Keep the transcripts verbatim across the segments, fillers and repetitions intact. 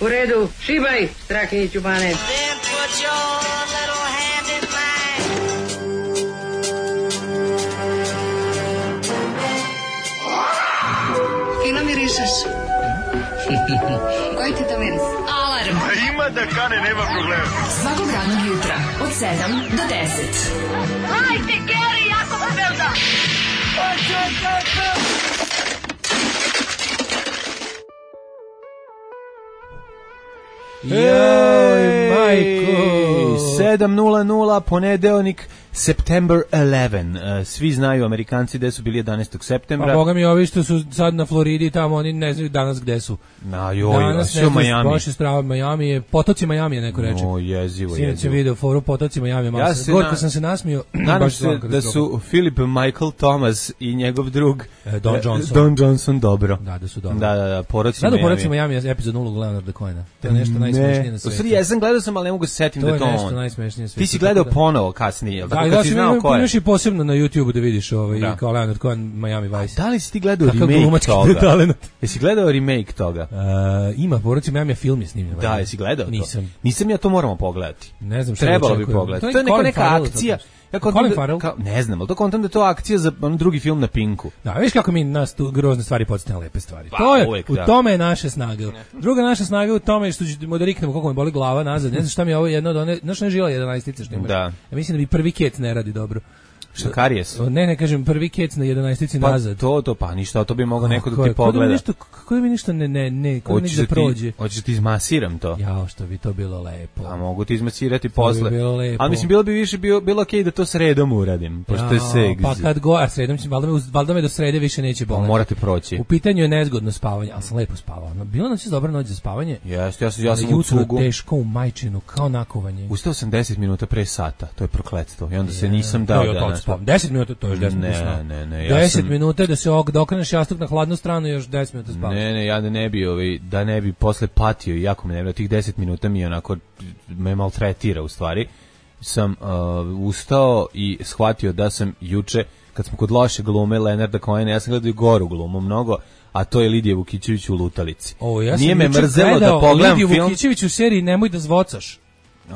U redu, šibaj, Strahinjiću Bane. Then put your little hand in mine. Fino mirišeš. Koji ti to miris? Alarm. A ima da kane, nema problema. Svakog radnog jutra, od sedam do deset. Hajde, Geri, jako se velda. Joj, majko, sedam nula nula, ponedeljnik, September eleventh. Svi znaju Amerikanci gde su bili jedanaestog septembra. A boga mi ovi što su sad na Floridi tamo, oni ne znaju danas gde su. Na joj, danas sve u Miami. Baš je strava Miami, je, potoci Miami je neko reče. O, jezivo, Sinoć jezivo. sam video foru potoci Miami. Ja se gorko na... sam se nasmio. Nadam se da su Philip Michael Thomas i njegov drug e, Don Johnson. Don Johnson dobro. Da, da su dobro. Da, da, da, Poroci Miami. Miami. Da, Poroci Miami je epizod nula Leonarda Cohena. To je nešto najsmešnije na svijetu. U stvari, ja sam gledao sam, ali ne mogu se setim da to on. To je nešto najsmešnije na svijetu. Ti si gledao ponovo kasnije, jel? Da, tako da, kad si znao ko je. Imaš i posebno na YouTubeu da vidiš ovaj, da. kao Leonard Cohen, Miami Vice. A da li si ti gledao Kakav remake toga? Jesi gledao remake toga? Uh, ima, Poroci Miami, film je snimljen. Da, jesi gledao to? Nisam. Nisam, ja to moramo pogledati. Ne znam šta trebalo bi pogledati. To je neka, neka akcija. Ja Colin Farrell? Kao, ne znam, ali to kontam da je to akcija za on drugi film na Pinku. Da, viš kako mi nas tu grozne stvari podsjetne lepe stvari. Pa, to je, uvijek, u da. tome je naša snaga. Druga naša snaga je u tome što ćemo da riknemo koliko me boli glava nazad. Ne znam šta mi je ovo jedno od one, znaš ne žila jedanaestice što imaš. Da. Ja mislim da mi prvi kec ne radi dobro. Šta karijes? Ne, ne kažem prvi kec na jedanaestici pa, nazad. To, to, pa ništa, to bi mogao neko da ti kako pogleda. Da nešto, kako da mi ništa ne, ne, ne, kako da ništa da prođe. Hoćeš ti izmasiram to? Jao, što bi to bilo lepo. A mogu ti izmasirati posle. Bi bilo lepo. Ali mislim, bilo bi više, bilo, bilo okej okay da to sredom uradim, pošto je segzi. Pa kad go, a sredom, valjda me, valjda me do srede više neće boleti. Morate proći. U pitanju je nezgodno spavanje, ali sam lepo spavao. Bilo nam se dobra noć za spavanje. Jeste, ja sam, ja sam u cugu. Teško u majčinu, kao nakovanje. Ustao sam deset minuta pre sata, to je prokletstvo. I onda se nisam dao danas. deset minuta, to još deset minuta. Ne, ne, ne. Ja deset sam... minuta da se ok, da okreneš jastuk na hladnu stranu, još deset minuta spavaš. Ne, ne, ja da ne bi, ovaj, da ne bi posle patio, jako me ne bi, tih deset minuta mi onako me maltretira u stvari. Sam uh, ustao i shvatio da sam juče, kad smo kod loše glume Leonarda Cohena, ja sam gledao i goru glumu mnogo, a to je Lidija Vukićević u Lutalici. O, ja Nije me mrzelo da pogledam Lidiju film. Vukićević u seriji Nemoj da zvocaš.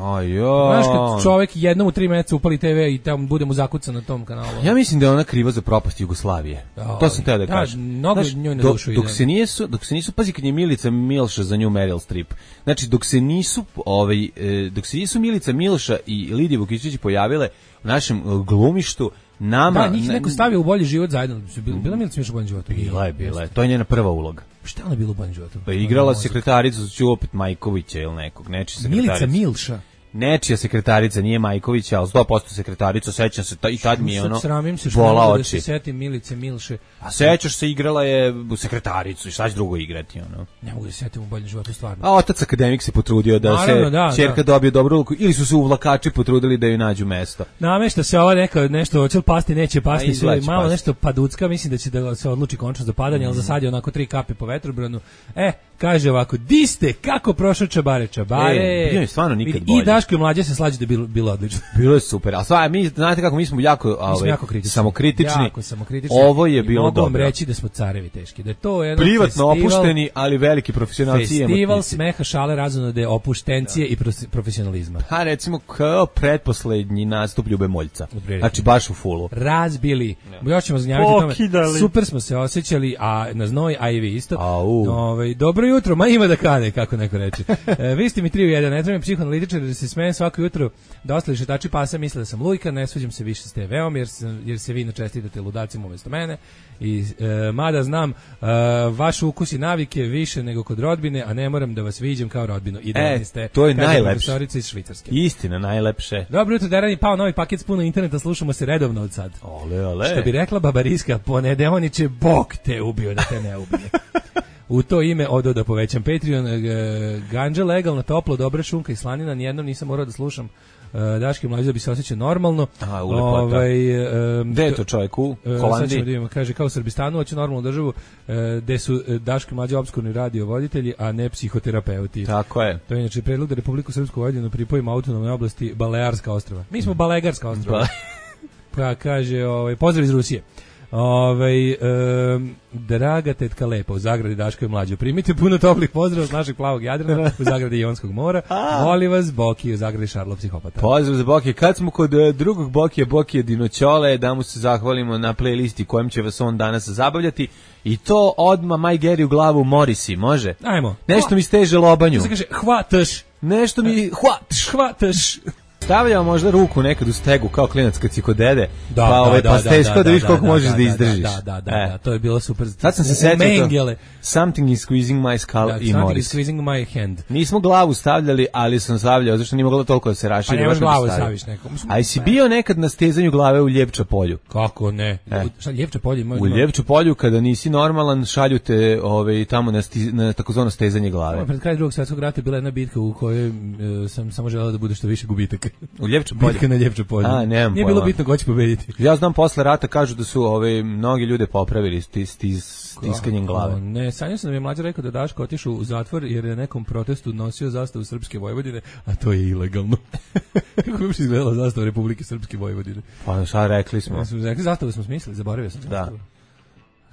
Ajo. Znaš kad čovjek jednom u tri meseca upali te ve i tamo bude mu zakucan na tom kanalu. Ja mislim da je ona kriva za propast Jugoslavije. O, to sam teo da kažem. Da, mnogo njoj na dušu dok, dok se nisu, dok se nisu, pazi kad je Milica Milša za nju Meryl Streep. Znači dok se nisu, ovaj, dok se nisu Milica Milša i Lidija Vukićević pojavile u našem glumištu, nama... Da, njih neko stavio u bolji život zajedno. Bila Milica Milša u boljem životu? Bila je, bila je. To je njena prva uloga. Šta ona bila u boljem životu? Pa igrala sekretaricu ću opet Majkovića ili nekog, neči sekretaricu. Milica Milša? Nečija sekretarica, nije Majkovića, ali sto posto sekretarica, sećam se, i tad mi je ono sramim se bola što oči. Da se setim Milice Milše. A sećaš se, igrala je u sekretaricu i šta će drugo igrati, ono. Ne mogu da se setim u boljem životu, stvarno. A otac akademik se potrudio da Naravno, se da, ćerka da. dobije dobru ulogu, ili su se uvlakači potrudili da joj nađu mesto. Namešta se ova neka, nešto, hoće li pasti, neće pasti, sve, malo pasti. nešto paducka, mislim da će da se odluči končno za padanje, mm. ali za sad je onako tri kape po vetrobranu. E, kaže ovako, di ste, kako prošao Čabare, Čabare? E, bio je stvarno nikad bolje. I Daško i Mlađe se slađe da bilo, bilo odlično. Bilo je super, a stvarno, mi, znate kako, mi smo jako, mi smo jako kritični. samokritični. Jako samokritični. Ovo je bilo mogu dobro. Mogu vam reći da smo carevi teški, da je to jedan privatno festival, opušteni, ali veliki profesionalci. Festival smeha, šale, razonode, opuštencije da. i profesionalizma. Pa recimo kao pretposlednji nastup Ljube Moljca. Znači baš u fulu. Razbili. Ja. Još ćemo zanjaviti tome. Super smo se osjećali, a na znoj, a i vi isto. Ove, dobro jutro, ma ima da kane, kako neko reče. E, vi ste mi tri u jedan, ne trebam psihoanalitičar da se smejem svako jutro da ostali šetači pasa misle da sam lujka, ne sviđam se više s te veom, jer, sam, jer se vi načestitate ludacima umjesto mene. I e, mada znam e, vaš ukus i navike više nego kod rodbine, a ne moram da vas viđem kao rodbinu. I e, ste, to je najlepše. Iz Švicarske. Istina, najlepše. Dobro jutro, Derani, pao novi paket s puno interneta, slušamo se redovno od sad. Ole, ole. Što bi rekla Babariska, ponedeoniće, Bog te ubio da te ne ubije. U to ime odo da povećam Patreon, ganđa legalno, toplo, dobra šunka i slanina, nijednom nisam morao da slušam. Daški Mlađe da bi se osjećao normalno. A, u lepota. Ovaj, um, gde je to čovjek u Holandiji? Sad ćemo da imamo, kaže, kao u Srbistanu, hoću normalnu državu, gde su Daški Mlađe obskurni radiovoditelji, a ne psihoterapeuti. Tako je. To je inače predlog da Republiku Srpsku Vojvodinu pripojimo autonomnoj oblasti Balearska ostrva. Mi smo Balegarska ostrva. Pa kaže, ovaj, pozdrav iz Rusije. Ovaj um, draga tetka Lepa u zagradi Daško je mlađo. Primite puno toplih pozdrava s našeg plavog Jadrana u zagradi Jonskog mora. Voli vas Boki u zagradi Šarlo psihopata. Pozdrav za Boki. Kad smo kod uh, drugog Bokija, Bokije Dinoćole, da mu se zahvalimo na playlisti kojim će vas on danas zabavljati. I to odma Maj Geri u glavu Morisi, može? Ajmo. Nešto mi steže lobanju. Se kaže hvataš. Nešto mi hvataš, hvataš. Stavljamo možda ruku nekad u stegu kao klinac kad si kod dede, da, pa ovaj da, pa steško da, da, da vidiš koliko da, možeš da, da izdržiš. Da, da, da, e. da, to je bilo super. Sad sam se setio to. Something is squeezing my skull da, i Morris. Something is squeezing my hand. Nismo glavu stavljali, ali sam stavljao, zašto nije moglo toliko da se raširi. Pa nemaš glavu staviš nekom. A si bio nekad na stezanju glave u Ljepča polju? Kako ne? E. Šta Ljepča polje ima? U Ljepču polju kada nisi normalan, šalju te ovaj, tamo na, sti, na takozvano stezanje glave. Pred kraj Drugog svjetskog rata bila jedna bitka u kojoj e, sam samo želeo da bude što više gubitaka. U Ljepču polju? Bitka na Ljepču polju. A, nemam Nije bilo bitno ko će pobediti. Ja znam posle rata kažu da su ove mnogi ljude popravili stis, stis, stiskanjem glave. O, ne, sanjao sam da mi je mlađa rekao da Daško otišao u zatvor jer je nekom protestu nosio zastavu Srpske Vojvodine, a to je ilegalno. Kako bi uopšte izgledala zastava Republike Srpske Vojvodine? Pa šta rekli smo? Ja smo rekli zastavu smo smislili, zaboravio sam zastavu. Da.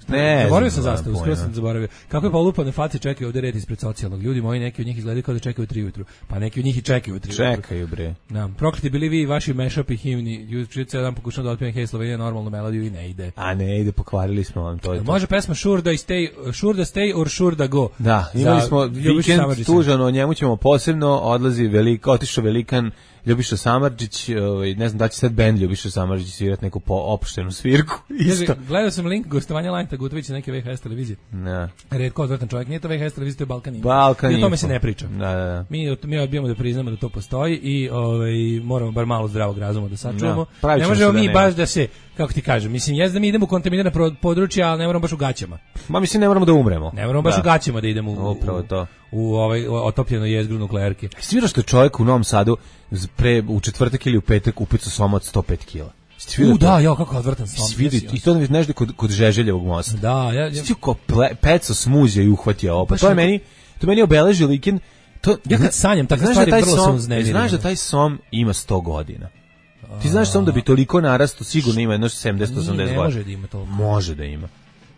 Ne, zaboravio sam zastavu, skoro sam zaboravio. Kako je polupane face čekaju ovde red ispred socijalnog. Ljudi moji, neki od njih izgledaju kao da čekaju u tri ujutru. Pa neki od njih i čekaju u tri ujutru. Čekaju, bre. Da, prokleti bili vi i vaši mashup i himni. Juče cijel dan pokušam da otpijem Hej Slovenija normalnu melodiju i ne ide. A ne ide, pokvarili smo vam to. Može pesma Sure da stay, Sure da stay or Sure da go. Da, imali smo vikend tužan, o njemu ćemo posebno, odlazi veliko, otišao velikan Ljubiša Samardžić, ovaj ne znam da će sad bend Ljubiša Samardžić svirati neku po opuštenu svirku. Isto. Gledao sam link gostovanja Lajnta Gutovića neke V H S televizije. Ne. Retko odvratan čovjek, nije to V H S televizija, to je Balkan Info. Balkan I o tome se ne priča. Da, da, da. Mi mi odbijamo da priznamo da to postoji i ovaj moramo bar malo zdravog razuma da sačuvamo. Da, ne možemo mi baš da se, kako ti kažem, mislim jezda da mi idemo u kontaminirana područja, ali ne moramo baš u gaćama. Ma mislim ne moramo da umremo. Ne moramo baš da. u gaćama da idemo u, upravo to. U ovaj otopljeno jezgru nuklearke. Svira što je čovjek u Novom Sadu pre u četvrtak ili u petak upecao soma od sto pet kila. U da, ja kako odvrtan som. Vidi, i to ne nešto kod kod Žeželjevog mosta. Da, ja ja kako peco smuzio i uhvatio ovo. Pa to je meni, to meni obeležio vikend. To ja kad sanjam takve stvari vrlo sam uznemiren. Znaš da taj som ima sto godina. Ti znaš sam da bi toliko narastao, sigurno ima jedno sedamdeset osamdeset godina. Može da ima toliko. Može da ima.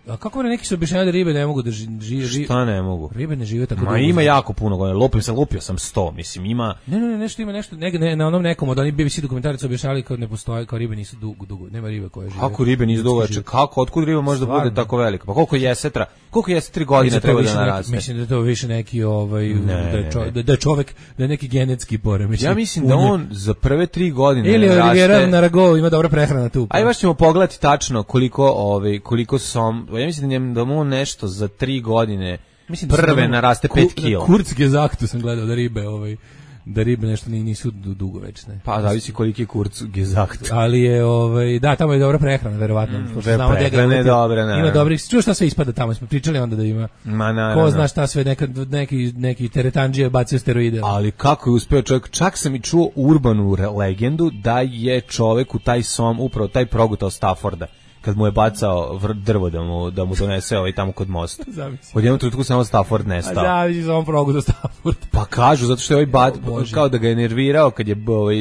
A kako neki su objašnjavali da ribe ne mogu da žive? Ži, Šta ne mogu? Ribe ne žive tako Ma dugo. ima jako puno godina. Lupio sam, lupio sam sto, mislim, ima... Ne, ne, ne, nešto ima, nešto, ne, ne, na onom nekom od onih B B C dokumentaraca objašnjavali kao ne postoje, kao ribe nisu dugo, dugo, nema ribe koje žive. Kako ribe nisu dugo, kako, otkud riba može da bude tako velika? Pa koliko jesetra, koliko jesetri godine treba da naraste? Mislim da je to više neki, ovaj, ne, da, je čo, da, da je čovek, da je neki genetski poremećaj. Ja mislim da on za prve tri godine ili naraste... Ili Olivera Narago ima dobra prehrana tu. Aj baš ćemo pogledati tačno koliko, ovaj, koliko som, ja mislim da njem, da mu nešto za tri godine mislim, prve naraste pet kila. Kurcke zaktu sam gledao da ribe, ovaj, da ribe nešto nisu dugovečne. Pa zavisi koliki je kurcke zaktu. Ali je, ovaj, da, tamo je dobra prehrana, verovatno. Mm, prehrana je dobra, ne. Ima dobrih, čuo šta sve ispada tamo, smo pričali onda da ima. Ma, na, ko na, zna šta sve, neka, neki, neki teretandžije bacio steroide. Ali kako je uspeo čovjek, čak sam i čuo urbanu legendu da je čovjek u taj som, upravo taj progutao Stafforda. Kad mu je bacao drvo da mu da mu donese ovaj tamo kod mosta. Od jednog trenutka samo Stafford nestao. A da, samo progu do Stafford. Pa kažu zato što je ovaj bat, kao da ga je nervirao kad je ovaj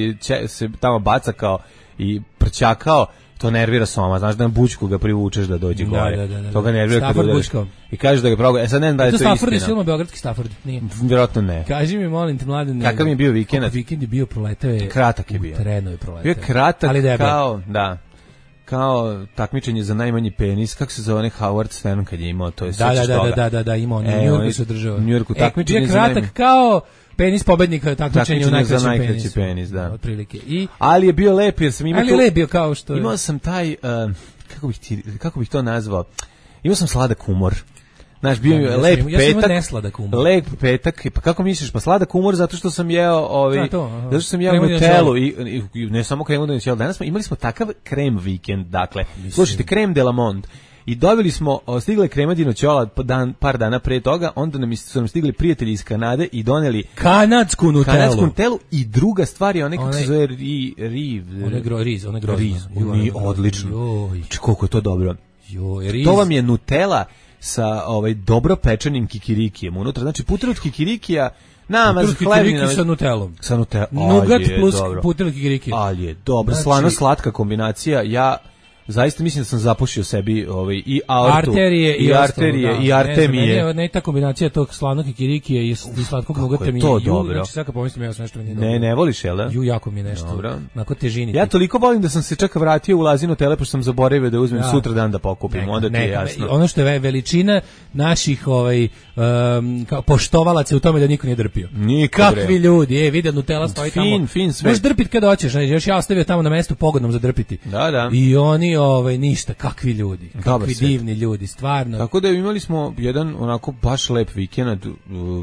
se tamo baca kao i prćakao, to nervira soma, znaš da na bućku ga privučeš da dođe da, gore. Da, da, da, to ga nervira kad udariš. I kaže da ga progu. E sad ne znam da je to istina. Stafford je film beogradski Stafford, nije. Vjerojatno ne. Kaži mi molim te mladen. Kakav mi je bio vikend? Vikend je bio proletao je. Kratak je bio. Treno je proletao. Bio kratak ali kao, da. Kao takmičenje za najmanji penis, kako se zove onaj Howard Stern kad je imao, to je da, da, da, da, da, da, imao, u New Yorku se održava. U New Yorku takmičenje e, za kratak najmanji... kao penis pobednika takmičenja u najkraći za najkraći penis. penis, da. Otprilike. I ali je bio lep jer sam imao ali tu, lep bio kao što je. Imao sam taj uh, kako bih ti, kako bih to nazvao? Imao sam sladak humor. Znaš, bio je lep ja petak, nesladak umor. Lep petak, pa kako misliš, pa sladak umor zato što sam jeo, ovaj, zato što sam jeo Nutellu i, i, i ne samo kremu de Nutellu, danas smo, imali smo takav krem vikend, dakle, mislim. Slušajte, krem de la Monde, i dobili smo, stigle krema di Noćola dan, par dana pre toga, onda nam su nam stigli prijatelji iz Kanade i doneli kanadsku Nutellu. Kanadsku Nutellu i druga stvar je onaj, kako se zove, ri, riv, one gro, riz, one grozno. Riz, oni odlično. Či koliko je to dobro. Joj, riz. To vam je Nutella sa ovaj dobro pečenim kikirikijem unutra. Znači puter od kikirikija namaz hlebina sa Nutellom. Sa Nutellom. Nugat plus puter od kikirikija. Ali je dobro, slano slatka kombinacija. Ja zaista mislim da sam zapušio sebi ovaj, i aortu, arterije i, i ostalo, arterije, da. i artemije. Ne, ne, ne ta kombinacija tog slanog kikirikije i, i slatkog nugata mi je to ju, dobro. znači sad kad pomislim ja sam nešto mi nije dobro. Ne, ne voliš, jel da? Ju, jako mi je nešto, dobro. Onako težini. Ja toliko volim da sam se čak vratio u Lazinu tele, pošto sam zaboravio da uzmem da. sutra dan da pokupim, neka, onda ti je jasno. Ono što je veličina naših ovaj, um, kao poštovalaca u tome da niko nije drpio. Niko, kakvi bre. ljudi, e, vidi Nutella stoji fin, tamo. Fin, sve. Možeš drpiti kada hoćeš, znači, još ja ostavio tamo na mestu pogodnom za drpiti. Da, da. I oni, ovaj, ništa, kakvi ljudi, kakvi divni ljudi, stvarno. Tako da imali smo jedan onako baš lep vikend,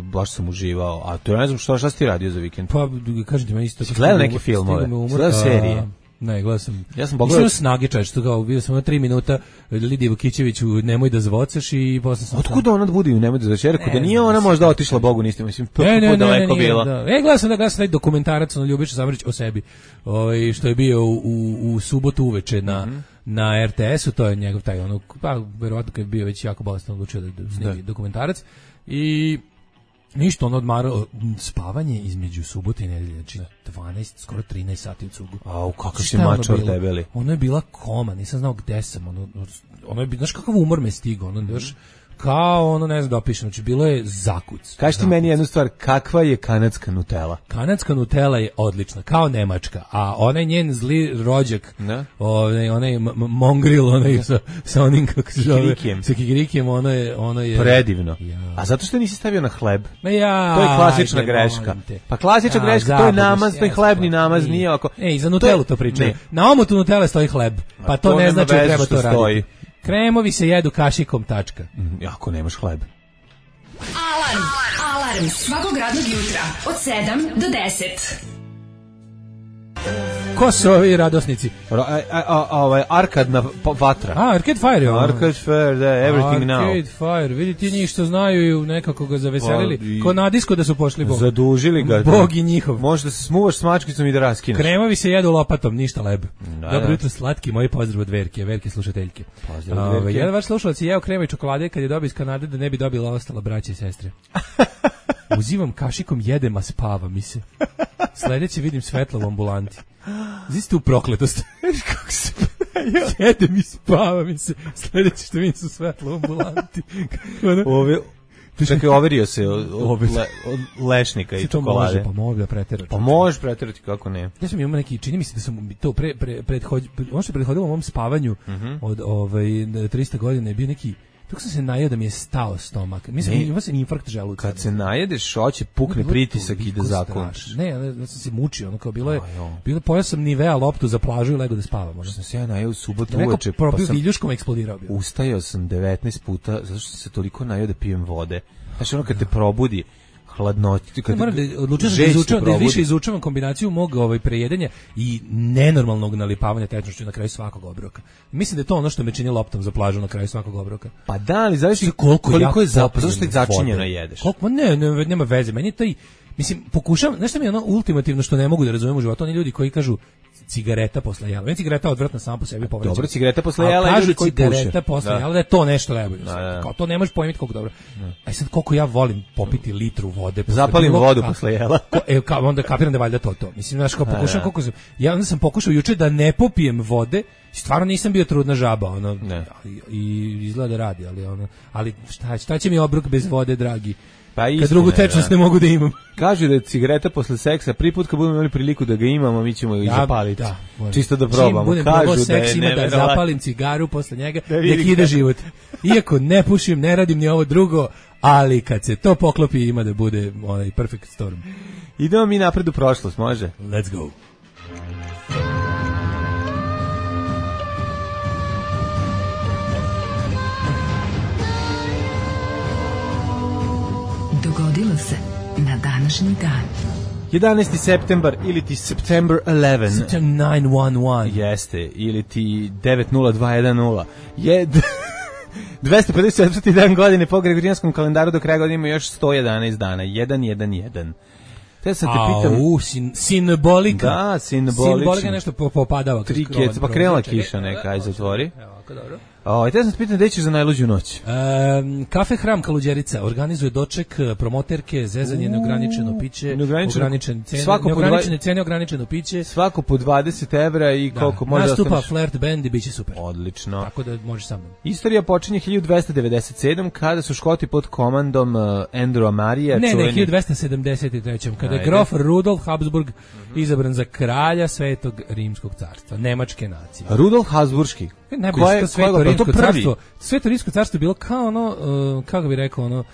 baš sam uživao, a to ja ne znam šta, šta si ti radio za vikend? Pa, kažem ti me isto. Gledao neke filmove, gledao serije. Ne, gledao sam. Ja sam pogledao snage čač, što kao bio sam na tri minuta Lidije Vukićević u Nemoj da zvocaš i posle sam. Otkud ona bude u Nemoj da zvocaš? Rekao da nije ona možda otišla Bogu niste, mislim, ne, ne, ne, daleko ne, bila. Da. E, gledao sam da gledao sam taj dokumentarac na Ljubiša Samarić o sebi. Ovaj što je bio u, u, u subotu uveče na mm-hmm. na er te esu, to je njegov taj ono, pa verovatno kad je bio već jako bolestan odlučio da, da snimi dokumentarac i ništa, on odmarao spavanje između subote i nedelje, znači dvanaest, skoro trinaest sati u cugu. Au, kako si mačor debeli. Ono je bila koma, nisam znao gde sam, ono, ono je, znaš kakav umor me stigao, ono, još, kao ono, ne znam da opišem, znači bilo je zakuc. Kaži ti meni jednu stvar, kakva je kanadska Nutella? Kanadska Nutella je odlična, kao nemačka, a onaj njen zli rođak, onaj, onaj mongril, onaj sa, sa onim, kako se zove, sa kikirikijem, ono je, ono je... Predivno. Ja. A zato što nisi stavio na hleb? Ma ja, to je klasična ajde, greška. Pa klasična ja, greška, to je namaz, to je hlebni namaz, nije oko... E, i za Nutellu to, to pričaju. Na omotu Nutelle stoji hleb, pa to, to ne znači da treba to raditi. Kremovi se jedu kašikom, tačka. Mm, ako nemaš hleb. Alarm, alarm, svakog radnog jutra, od sedam do deset. Ko su ovi radosnici? A, a, a, a, ovaj, Arkadna vatra. A, Arcade Fire. Arcade Fire, da, Everything Arcade Now. Arcade Fire, vidi ti njih što znaju i nekako ga zaveselili. Pa, ko na disko da su pošli Bog. Zadužili ga. Bog i njihov. Možda se smuvaš s mačkicom i da raskineš. Kremovi se jedu lopatom, ništa leb. Da, Dobro da. jutro, slatki, moji pozdrav od Verke, Verke slušateljke. Pozdrav od Verke. Jedan vaš slušalac je jeo krema i čokolade kad je dobio iz Kanade da ne bi dobila ostala braće i sestre. Uzivam kašikom, jedem, a spava mi se. Sledeće vidim svetlo u ambulanti. Ziste tu prokletost. Kako se jedem i spava mi se. Sledeće što vidim su svetlo u ambulanti. Ove... Čekaj, overio se od, od, le, od lešnika i čokolade. Pa može da preterati. Pa možeš preterati, kako ne. Ja sam imao neki, čini mi se da sam to pre, pre, prethod, ono što je prethodilo u mom spavanju uh-huh. od ovaj, trista godina je bio neki, dok sam se najeo da mi je stao stomak. Mislim, imao sam infarkt želuca. Kad se najedeš, hoće pukne pritisak i da zakončiš. Ne, ja sam se mučio, ono kao bilo je, bilo, pojao sam Nivea loptu za plažu i lego da spavam. Ono. Sam se ja najeo u subotu neko uveče, pa sam viljuškom eksplodirao bio. Ustajao sam devetnaest puta, zato što sam se toliko najeo da pijem vode. Znaš, ono kad te probudi, hladnoći, kad moram da odlučio da izučavam, da više izučavam kombinaciju mog ovaj prejedanja i nenormalnog nalipavanja tečnošću na kraju svakog obroka. Mislim da je to ono što me čini loptom za plažu na kraju svakog obroka. Pa da, ali zavisi koliko, koliko je zapravo, zašto je začinjeno jedeš. Koliko, ne, ne, nema veze, meni je taj, mislim, pokušavam, nešto mi je ono ultimativno što ne mogu da razumem u životu, oni ljudi koji kažu cigareta posle jela. Meni cigareta odvratna sama po sebi povređena. Dobro, cigareta posle jela kažu cigareta posle jela da je to nešto najbolje. Da, da. Kao to ne možeš pojmiti koliko dobro. Aj sad koliko ja volim popiti litru vode. Zapalim vodu posle jela. E, kao onda kapiram da je valjda to to. Mislim, znaš, kao pokušam koliko sam, ja onda sam pokušao juče da ne popijem vode. Stvarno nisam bio trudna žaba, ono. Ne. I izgleda da radi, ali ono, ali šta, šta će mi obrok bez vode, dragi? Pa istina, kad drugu tečnost ne mogu da imam. Kažu da je cigareta posle seksa, prvi put kad budemo imali priliku da ga imamo, mi ćemo ih ja, zapaliti. Da, čisto da probamo. Čim kažu da seks, je ima da zapalim cigaru posle njega, da nek ide život. Iako ne pušim, ne radim ni ovo drugo, ali kad se to poklopi ima da bude onaj perfect storm. Idemo mi napred u prošlost, može? Let's go. Dogodilo se na današnji dan. jedanaesti septembar ili ti September eleventh. September nine one one. Jeste, ili ti devet nula dva jedan nula. Je dvesta pedeset četvrti dan godine po Gregorijanskom kalendaru, do kraja godine ima još sto jedanaest dana. jedan jedan jedan. Te sad te pitam... Au, sin, sinbolika. Da, simbolično. Sinbolika nešto popadava. Tri kec, pa krenula kiša neka, aj zatvori. Evo, ako dobro. O, te sam se pitan, gde ćeš za najluđu noć? Um, kafe Hram Kaluđerica organizuje doček promoterke, zezanje, neograničeno piće, ograničene cene, neograničene cene, ograničeno piće. Svako po dvadeset evra i da. koliko može nastupa ostaneš. Flirt band i biće super. Odlično. Tako da možeš sa mnom. Istorija počinje hiljadu dvesta devedeset sedam kada su Škoti pod komandom uh, Andrewa Marija. Ne, čuveni... ne, hiljadu dvesta sedamdeset treće kada je grof Rudolf Habsburg mm-hmm. izabran za kralja Svetog Rimskog carstva, nemačke nacije. Rudolf Habsburški. Najbolje što Sveto Rimsko carstvo, Sveto Rimsko carstvo je bilo kao ono, uh, kako bih rekao, ono,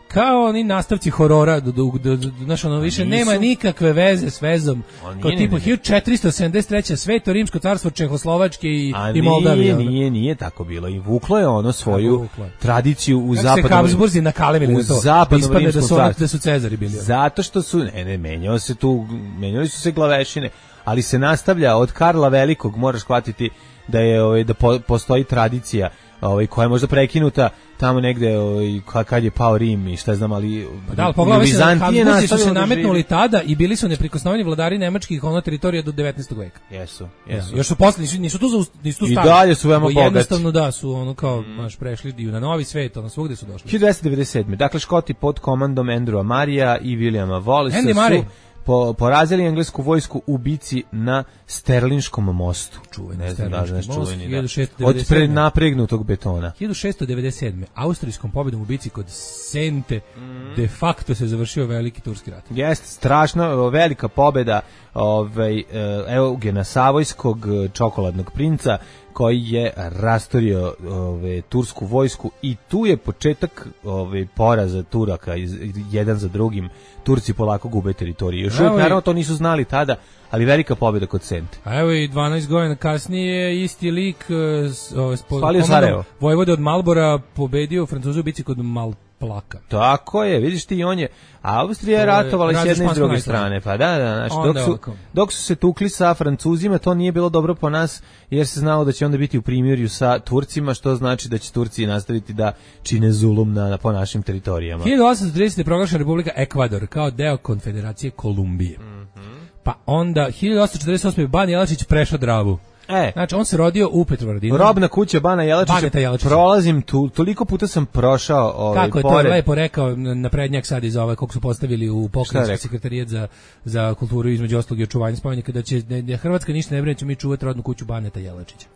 kao oni nastavci horora, do, do, do, do, znaš, ono, više nema nikakve veze s vezom, kao tipu hiljadu četiristo sedamdeset treće Sveto Rimsko carstvo Čehoslovačke i, i Moldavije. A nije, nije, nije tako bilo. I vuklo je ono svoju tradiciju u zapadnom... Kako se Habsburzi nakalevili na to? Zapadnom da Rimskom su, carstvu. da su Cezari bili. Zato što su, ne, ne, menjao se tu, menjali su se glavešine, ali se nastavlja od Karla Velikog, moraš shvatiti da je ovaj da po, postoji tradicija ovaj koja je možda prekinuta tamo negde ovaj kad je pao Rim i šta znam, ali pa da, pogledaj se, Habsburzi su se nametnuli tada i bili su neprikosnoveni vladari nemačkih ono teritorija do devetnaestog veka. Jesu, jesu. Ja, još su posle nisu, nisu tu za nisu tu stali. I dalje su veoma bogati. Jednostavno da su ono kao baš mm. prešli i na novi svet, ono svugde su došli. hiljadu dvesta devedeset sedme Dakle Škoti pod komandom Andrewa Marija i Williama Wallacea su Po, porazili englesku vojsku u bici na Sterlinškom mostu. Čuveni, ne znam da znaš čuveni, da. hiljadu šesto devedeset sedme Od prenapregnutog betona. hiljadu šesto devedeset sedme Austrijskom pobedom u bici kod Sente mm. de facto se završio veliki turski rat. Jeste, strašna, velika pobeda ovaj, Eugena Savojskog, čokoladnog princa, koji je rastorio ove, tursku vojsku i tu je početak ove, poraza Turaka iz, jedan za drugim. Turci polako gube teritoriju. Još uvijek, naravno, to nisu znali tada, ali velika pobjeda kod Sente. A evo i dvanaest godina kasnije isti lik uh, spalio Sarajevo. Vojvode od Malbora pobedio Francuzu u bici kod Malplaka. Tako je, vidiš ti, on je Austrija je ratovala s jedne i s druge strane. Pa da, da, znači, dok su, dok su se tukli sa Francuzima, to nije bilo dobro po nas, jer se znalo da će onda biti u primirju sa Turcima, što znači da će Turci nastaviti da čine zulum na, na po našim teritorijama. hiljadu osamsto tridesete je proglašena Republika Ekvador kao deo Konfederacije Kolumbije. Mm-hmm. Pa onda hiljadu osamsto četrdeset osme Ban Jelačić prešao Dravu. E, znači on se rodio u Petrovaradinu. Robna kuća Bana Jelačića. Prolazim tu, toliko puta sam prošao ovaj kako je to lepo rekao na prednjak sad iz ove kog su postavili u pokrajinski sekretarijat za za kulturu između ostalog i očuvanje spomenika da će da Hrvatska ništa ne brine, ćemo mi čuvati rodnu kuću Baneta Jelačića.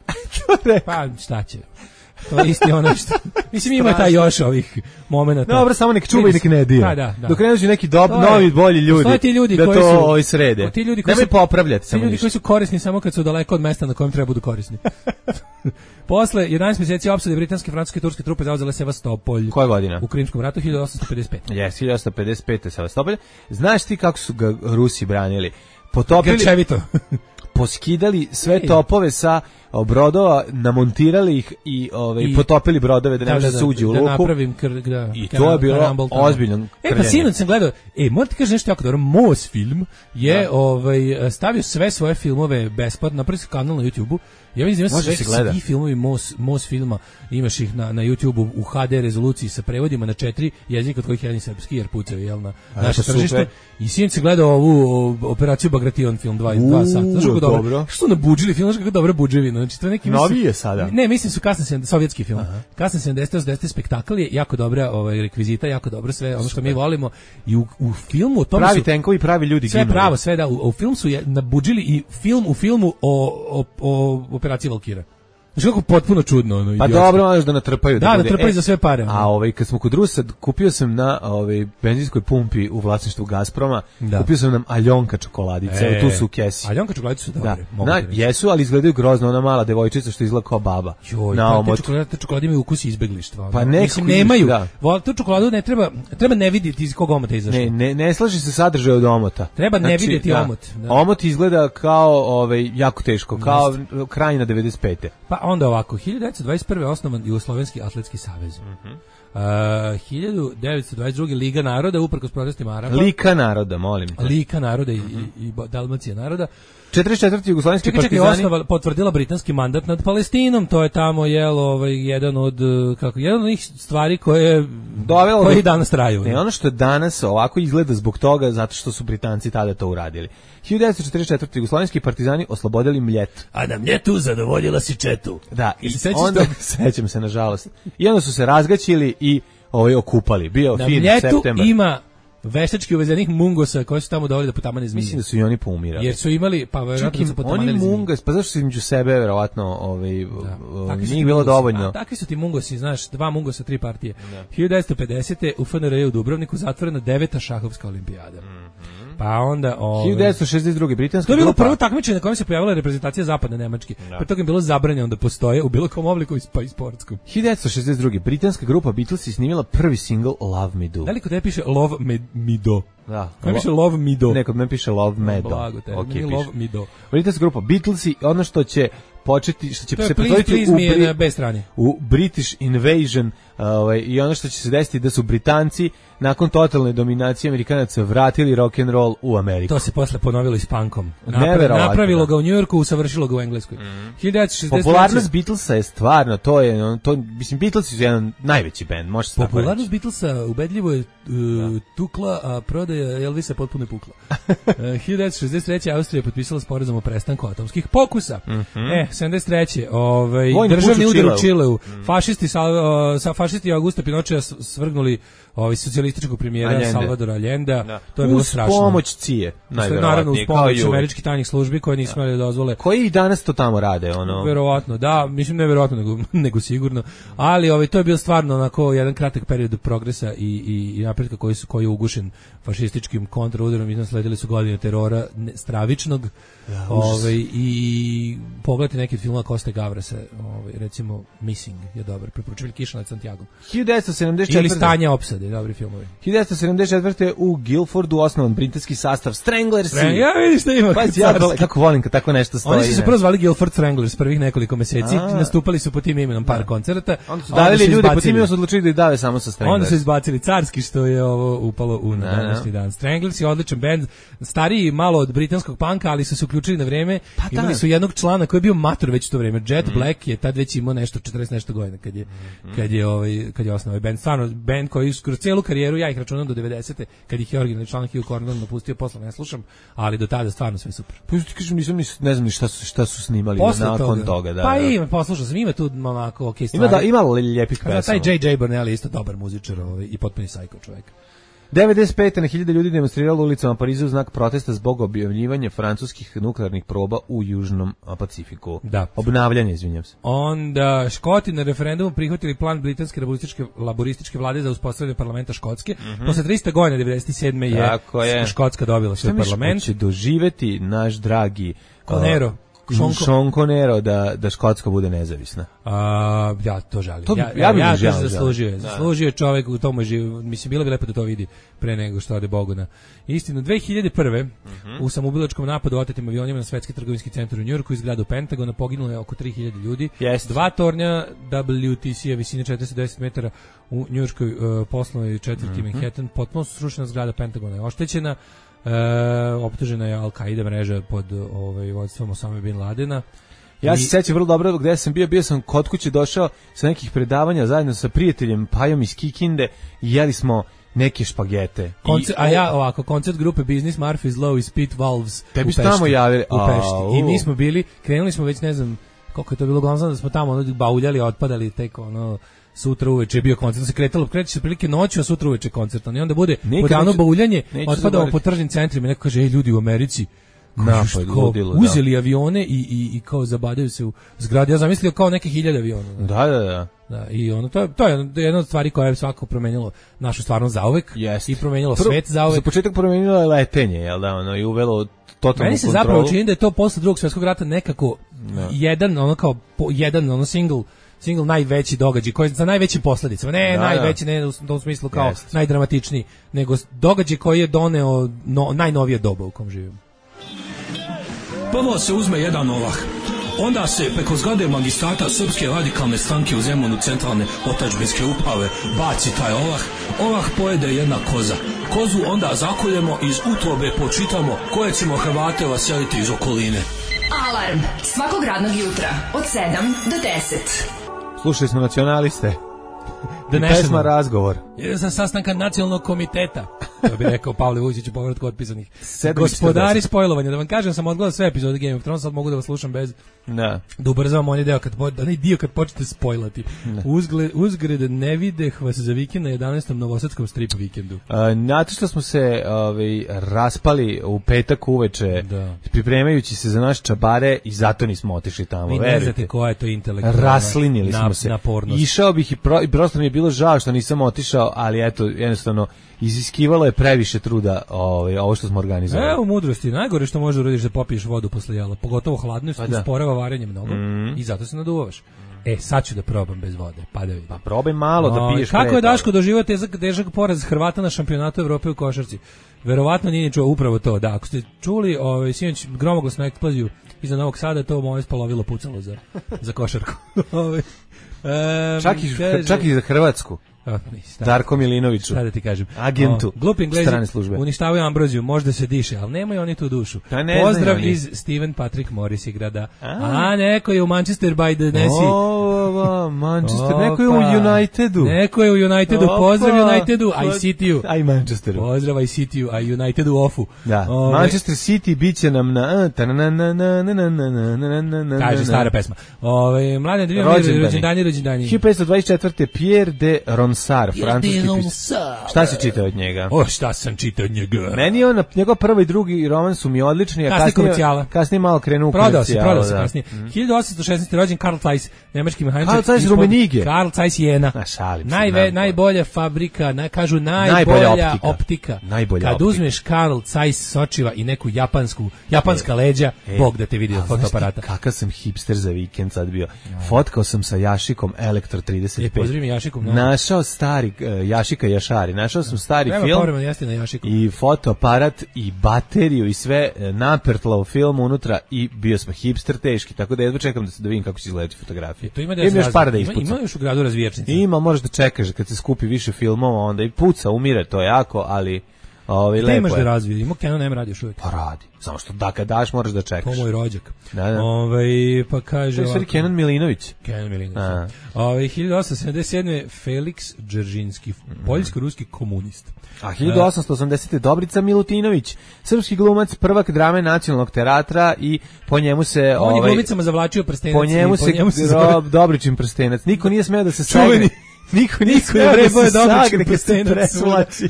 Pa šta će? To je isti ono što... Mislim, ima taj još ovih momenata. Dobro, samo nek čuva i nek ne dira. Da, da, da. Dok ne dođu neki dob, novi, bolji ljudi, ti ljudi da koji to su, ovaj srede. Ti ljudi koji Nemoj su popravljati. Ti ljudi ništa. Koji su korisni samo kad su daleko od mesta na kojem treba budu korisni. Posle jedanaest mjeseci opsade britanske, francuske i turske trupe zauzele Sevastopolj. Koja godina? U Krimskom ratu hiljadu osamsto pedeset pete. Jes, hiljadu osamsto pedeset pete Sevastopolj. Znaš ti kako su ga Rusi branili? Potopili... Grčevito. Poskidali sve topove sa brodova, namontirali ih i ovaj I, potopili brodove da ne može da, da, suđi u luku. Da napravim kr, da, I to je bilo ozbiljno. E pa sinoć sam gledao, e morate kažem nešto jako dobro, Mos film je da. ovaj stavio sve svoje filmove besplatno na prvi kanal na YouTubeu. Ja vidim da sve svi filmovi Mos Mos filma, imaš ih na na YouTubeu u ha de rezoluciji sa prevodima na četiri jezika od kojih jedan srpski jer pucaju jel na naše tržište. I sinoć sam gledao ovu operaciju Bagration film dva sata. Znaš kako dobro. dobro. Što na budžili film, znaš kako dobra budževina. Znači to je neki novi je sada. Ne, mislim su kasni sovjetski film. Aha. Kasni sedamdesete osamdesete spektakl je jako dobra, ovaj rekvizita, jako dobro sve, ono što mi volimo i u, u filmu o tome pravi su tenkovi, pravi ljudi sve gimali. Pravo, sve da u, u filmu su je nabudžili i film u filmu o o, o operaciji Valkira. Znači kako potpuno čudno ono. Pa dobro, možeš da natrpaju da, da natrpaju e, za sve pare. A ovaj kad smo kod Rusa, kupio sam na ovaj benzinskoj pumpi u vlasništvu Gazproma, da. Kupio sam nam Aljonka čokoladice, e, tu su u kesi. Aljonka čokoladice su dobre, da. Na, jesu, ali izgledaju grozno, ona mala devojčica što izgleda kao baba. Joj, na omot. Te čokolade, te čokolade imaju ukus izbeglištva. Pa ne, mislim nemaju. Da. Vol, tu čokoladu ne treba, treba ne vidjeti iz kog omota izašla. Ne, ne, ne slaži se sadržaj od omota. Treba znači, ne vidjeti da. Omot. Da. Omot izgleda kao ovaj jako teško, kao kraj na devedeset pete. Pa onda ovako, hiljadu devetsto dvadeset prve osnovan Jugoslovenski atletski savez. Mm-hmm. Uh, hiljadu devetsto dvadeset druge. Liga naroda, uprkos protestima Araba. Lika naroda, molim te. Lika naroda i, mm-hmm. i, i Dalmacija naroda. četrdeset četvrti jugoslovenski partizani. Čekaj, čekaj, osnova potvrdila britanski mandat nad Palestinom, to je tamo jel ovaj jedan od kako jedan od njih stvari koje dovelo koji danas traju. Ne, ono što danas ovako izgleda zbog toga zato što su Britanci tada to uradili. hiljadu devetsto četrdeset četvrti jugoslovenski partizani oslobodili Mljet. A na Mljetu zadovoljila si četu. Da, i onda sećam se nažalost. I onda su se razgaćili i ovaj okupali. Bio na fin Mljetu septembar. Ima veštački uvezenih mungosa koji su tamo doveli da potamane zmije. Mislim da su i oni poumirali. Jer su imali, pa verovatno su potamanili zmije. Oni mungas, pa zašto su između sebe verovatno ovaj, da. Nije bilo dovoljno. A, takvi su ti mungosi, znaš, dva mungosa, tri partije. Da. hiljadu devetsto pedesete. u F N R u Dubrovniku zatvorena deveta šahovska olimpijada. Mm-hmm. Pa onda... Ove, hiljadu devetsto šezdeset druge. britanska To je bilo grupa. prvo takmičenje na kojem se pojavila reprezentacija zapadne Nemačke. Da. Pre toga je bilo zabranjeno da postoje u bilo kom obliku pa i sportskom. hiljadu devetsto šezdeset druge. britanska grupa Beatles je snimila prvi singl Love Me Do. Veliko da piše Love Me, me Do. Da. Kod piše Love Me Do. Ne, kod me piše Love Me Do. Blago te, okay, Love Me Do. Britanska grupa Beatles i ono što će početi, što će to se pretvoriti u, Bri- na B strani. u British Invasion ovaj, i ono što će se desiti da su Britanci nakon totalne dominacije Amerikanaca vratili rock and roll u Ameriku. To se posle ponovilo i s punkom. Napra- napravilo ga u Njujorku, usavršilo ga u Engleskoj. Mm. hiljadu devetsto šezdeset treće. Popularnost Beatlesa je stvarno, to je, to, mislim, Beatlesi su jedan najveći bend, može se tako reći. Popularnost Beatlesa ubedljivo je uh, tukla, a prodaja Elvisa potpuno je pukla. uh, hiljadu devetsto šezdeset treće. Austrija je potpisala sporazum o prestanku atomskih pokusa. Mm-hmm. E, sedamdeset treće. Ovaj, državni udar u Čileu. Mm. Fašisti, sal, uh, sa, fašisti Augusta Pinochea svrgnuli ovaj socijalističkog premijera Allende. Salvadora Allenda. Da. To je bilo strašno. Uz pomoć C I A, najverovatnije. Naravno, uz pomoć američkih tajnih službi koje nisu smeli da dozvole. Koji i danas to tamo rade, ono? Verovatno, da, mislim ne verovatno, nego, nego sigurno. Ali ovaj, to je bio stvarno onako jedan kratak period progresa i, i, i napretka koji, su, koji je ugušen fašističkim kontraudarom. Iznad sledili su godine terora ne, stravičnog. Ja, ovaj, i pogledajte neki od filmova Koste Gavrasa, ovaj, recimo Missing je dobar, preporučujem Kiša nad Santiagom. hiljadu devetsto sedamdeset četvrte. Ili Stanje opsade, dobri filmovi. hiljadu devetsto sedamdeset četvrte. u Guildfordu osnovan britanski sastav Stranglers. Strang, ja vidiš da ima. Pa ja kako volim kad tako nešto stoji. Oni su se prvo zvali Guildford Stranglers prvih nekoliko meseci, a, nastupali su po tim imenom par koncerta. Onda su davili ljude po tim imenom, su odlučili da ih dave samo sa Stranglers. Onda su izbacili carski, što je ovo upalo u današnji dan. Stranglers je odličan bend, stariji malo od britanskog panka, ali su se uključili na vreme. Pa imali su jednog člana koji je bio mator već u to vrijeme. Jet mm. Black je tad već imao nešto četrdeset nešto godina kad je mm. kad je ovaj kad je osnovao ovaj bend. Stvarno bend koji kroz celu karijeru, ja ih računam do devedesete kad ih je originalni član Hugh Cornwell napustio, posle ne slušam, ali do tada stvarno sve super. Pa ti kažem, nisam ni ne znam ni šta su šta su snimali posle nakon toga, toga da. Pa da. ima, poslušao sam, ima tu onako okej stvari. Ima da ima lijepih pesama. Taj J J Burnell je isto dobar muzičar, ovaj i potpuni psycho čovjek. devedeset pete. na hiljade ljudi demonstriralo ulicama Pariza u znak protesta zbog objavljivanja francuskih nuklearnih proba u Južnom Pacifiku. Da. Obnavljanje, izvinjam se. Onda Škoti na referendumu prihvatili plan britanske laborističke, laborističke vlade za uspostavljanje parlamenta Škotske. Mm-hmm. Posle trista godina, devedeset sedme. je, je Škotska dobila svoj parlament. Šta mi će doživeti naš dragi Conero? Uh, Sean Conero da, da Škotska bude nezavisna. A, ja to želim. To, ja, ja, ja, ja žal, zaslužio je. Zaslužio je čovjek u tomu živu. Mislim, bilo bi lepo da to vidi pre nego što ode Bogu na istinu. dve hiljade prve. Mm-hmm. u samoubilačkom napadu otetim avionima na svetski trgovinski centar u Njujorku iz zgrade Pentagona poginulo je oko tri hiljade ljudi. Yes. Dva tornja W T C-a visine četiristo deset metara u njujorškoj uh, poslovnoj četvrti mm-hmm. Manhattan. Potpuno srušena zgrada Pentagona je oštećena. E, optužena je Al-Qaida mreža pod ovaj vodstvom Osame bin Ladena. Ja I... se sećam vrlo dobro gde sam bio, bio sam kod kuće došao sa nekih predavanja zajedno sa prijateljem Pajom iz Kikinde i jeli smo neke špagete. Koncert, I, a ja ovako, koncert grupe Business Murphy's Law i Spit Valves u Pešti. Tamo javili. U Pešti. I mi smo bili, krenuli smo već ne znam koliko je to bilo, glavno da smo tamo ono, bauljali, otpadali tek ono sutra uveče je bio koncert, se kretalo, kreće se prilike noću, a sutra uveče koncert. I onda bude podano bauljanje, otpadamo po tržnim centrima i neko kaže, ej ljudi u Americi, napad, ludilo, uzeli da. avione i, i, i kao zabadaju se u zgradi. Ja zamislio kao neke hiljade aviona. Da, da, da. Da, i ono, to je, to je jedna od stvari koja je svakako promenilo našu stvarnost zauvek yes. i promenilo Prvo, svet zauvek. Za početak promenilo je letenje, jel da, ono, i uvelo totalnu kontrolu. Meni se kontrolu. zapravo čini da je to posle drugog svjetskog rata nekako no. jedan, ono kao, po, jedan, ono single, single najveći događaj, koji za najvećim posledicama, ne da, najveći, ne u tom smislu kao yes. najdramatičniji, nego događaj koji je doneo no, najnovije doba u kom živimo. Prvo se uzme jedan ovah, onda se preko zgrade magistrata Srpske radikalne stranke u Zemunu centralne otadžbinske uprave baci taj olah. Olah pojede jedna koza. Kozu onda zakoljemo, iz utrobe počitamo koje ćemo Hrvate vaseliti iz okoline. Alarm svakog radnog jutra od sedam do deset. Slušali smo Nacionaliste. Da pesma Razgovor. Sa sastanka nacionalnog komiteta. To bi rekao Pavle Vujčić u povratku otpisanih. Gospodari spojlovanja. Da vam kažem, sam odgledao sve epizode Game of Thrones, sad mogu da vas slušam bez da, da ubrzavam onaj deo kad, onaj dio kad počnete spojlati. Uzgled, uzgred ne videh vas za vikend na jedanaestom novosadskom strip vikendu. Znate što smo se ovaj, raspali u petak uveče, da, pripremajući se za naše čabare i zato nismo otišli tamo. Vi ne znate koja je to intelektualna raslinili smo se. Napornost. Išao bih i, pro, i prosto mi je bilo žao što nisam otišao, ali eto, jednostavno iziskivalo je previše truda ovaj, ovo što smo organizovali. Evo mudrosti, najgore što možeš uradiš da popiješ vodu posle jela, pogotovo hladno, što pa usporava varenje mnogo mm. i zato se naduvavaš. E, sad ću da probam bez vode, pa da vidim. Pa probaj malo da piješ. Kako je Daško doživio težak, težak poraz Hrvata na šampionatu Evrope u košarci? Verovatno nije čuo upravo to, da. Ako ste čuli ovaj, sinoć gromoglasnu eksploziju iza Novog Sada, to moje spalovilo pucalo za, za košarku. um, čak, i, kaže, čak i za Hrvatsku. Darko Milinoviću, šta da ti kažem, agentu glupi Englezi uništavaju ambroziju, možda se diše, ali nemaju oni tu dušu. Pozdrav iz Steven Patrick Morris igrada. A, a neko je u Manchester by the Nessie. O, Manchester, Opa. Neko je u Unitedu. Neko je u Unitedu, Opa. Pozdrav Unitedu, I City-u. Aj Manchesteru. Pozdrav I City-u, a Unitedu ofu. Da. Ove, Manchester City biće nam na kaže stara pesma. Ove, mlade dvije rođendani, rođendani. hiljadu petsto dvadeset četvrte Pierre de Ronsard, francuski pisac. Šta si čitao od njega? O, šta sam čitao od njega? Meni on, njegov prvi i drugi roman su mi odlični, a kasnije, kasnije, kasnije malo krenu u prodao se, prodao se kasnije. Mm. hiljadu osamsto šesnaeste rođen Karl Zeiss, nemački mehaničar. Karl Zeiss Rumenige. Karl Zeiss Jena. Najve, najbolja fabrika, na, kažu najbolja, najbolja optika. optika. Najbolja Kad optika. uzmeš Karl Zeiss sočiva i neku japansku, japanska e, leđa, e, Bog da te vidi od fotoaparata. Kakav sam hipster za vikend sad bio. Fotkao sam sa Jašikom Elektro trideset pet. E, pozdravim Jašikom. No. Našao stari uh, Jašika Jašari. Našao sam stari Treba film na i fotoaparat i bateriju i sve napertla u filmu unutra i bio smo hipster teški, tako da jedva čekam da se da vidim kako će izgledati fotografije. To ima da ima još par da ispuca. Ima, ima još u gradu razvijačnice. Ima, možeš da čekaš kad se skupi više filmova, onda i puca, umire to jako, ali ovaj lepo. Imaš da razvije, ima Canon M radi još uvijek. Pa radi. Samo što da kad daš moraš da čekaš. To moj rođak. Da, da. Ovaj pa kaže to je Kenan Milinović. Kenan Milinović. Ovaj hiljadu osamsto sedamdeset sedme Felix Dzeržinski, poljsko-ruski komunist. A hiljadu osamsto osamdesete Dobrica Milutinović, srpski glumac, prvak drame Nacionalnog teatra i po njemu se on ovaj je glumicama zavlačio prstenac. Po njemu se, po njemu se rob, Dobričin prstenac. Niko nije smeo da se sagne. Niko niko je vrebo je Dobričin prstenac.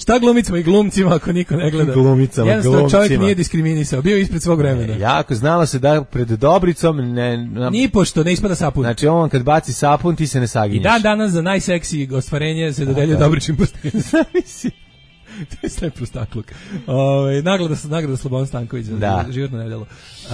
Šta glumicama i glumcima ako niko ne gleda? Glumicama, jednostavno čovjek nije diskriminisao, bio ispred svog vremena. E, jako znalo se da pred Dobricom ne na, ni pošto ne ispada sapun. Znači on kad baci sapun ti se ne saginješ. I dan danas za najseksiji ostvarenje se dodeljuje Dobričin prstenac. To je sve prostakluk. Ovaj nagrada nagrada Slobodan Stanković za da. životno nedelo. Uh,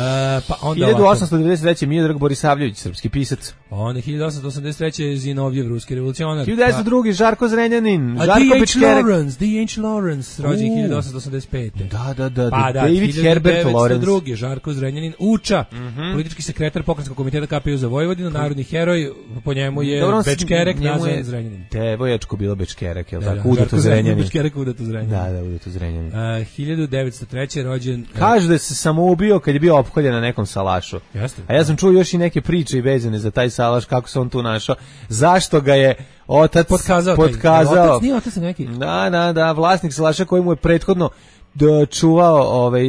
pa onda hiljadu osamsto devedeset treće Miodrag Borisavljević, srpski pisac. On je hiljadu osamsto osamdeset treće Zinovjev, ruski revolucionar. hiljadu devetsto drugi Žarko Zrenjanin, A Žarko Pečkerek. Lawrence, D H Lawrence, rođen hiljadu osamsto osamdeset pete. Da, da, da, pa, da David Herbert Lawrence. Drugi Žarko Zrenjanin, Uča, mm -hmm. politički sekretar pokrenjskog komiteta K P U za Vojvodinu, narodni heroj, po njemu je Bečkerek, nazvan Zrenjanin. Devojačko bilo Bečkerek, je l' tako? Udato Zrenjanin. Bečkerek, Udato Zrenjanin. Da, da, Udato Zrenjanin. Uh, hiljadu devetsto treće rođen. Kaže da se samo ubio kad je bio opkoljen na nekom salašu. Jeste. A ja sam čuo još i neke priče i vezane za taj salaš, kako se on tu našao. Zašto ga je otac potkazao? potkazao. Otac nije otac neki. Da, da, da, vlasnik salaša koji mu je prethodno da čuvao ovaj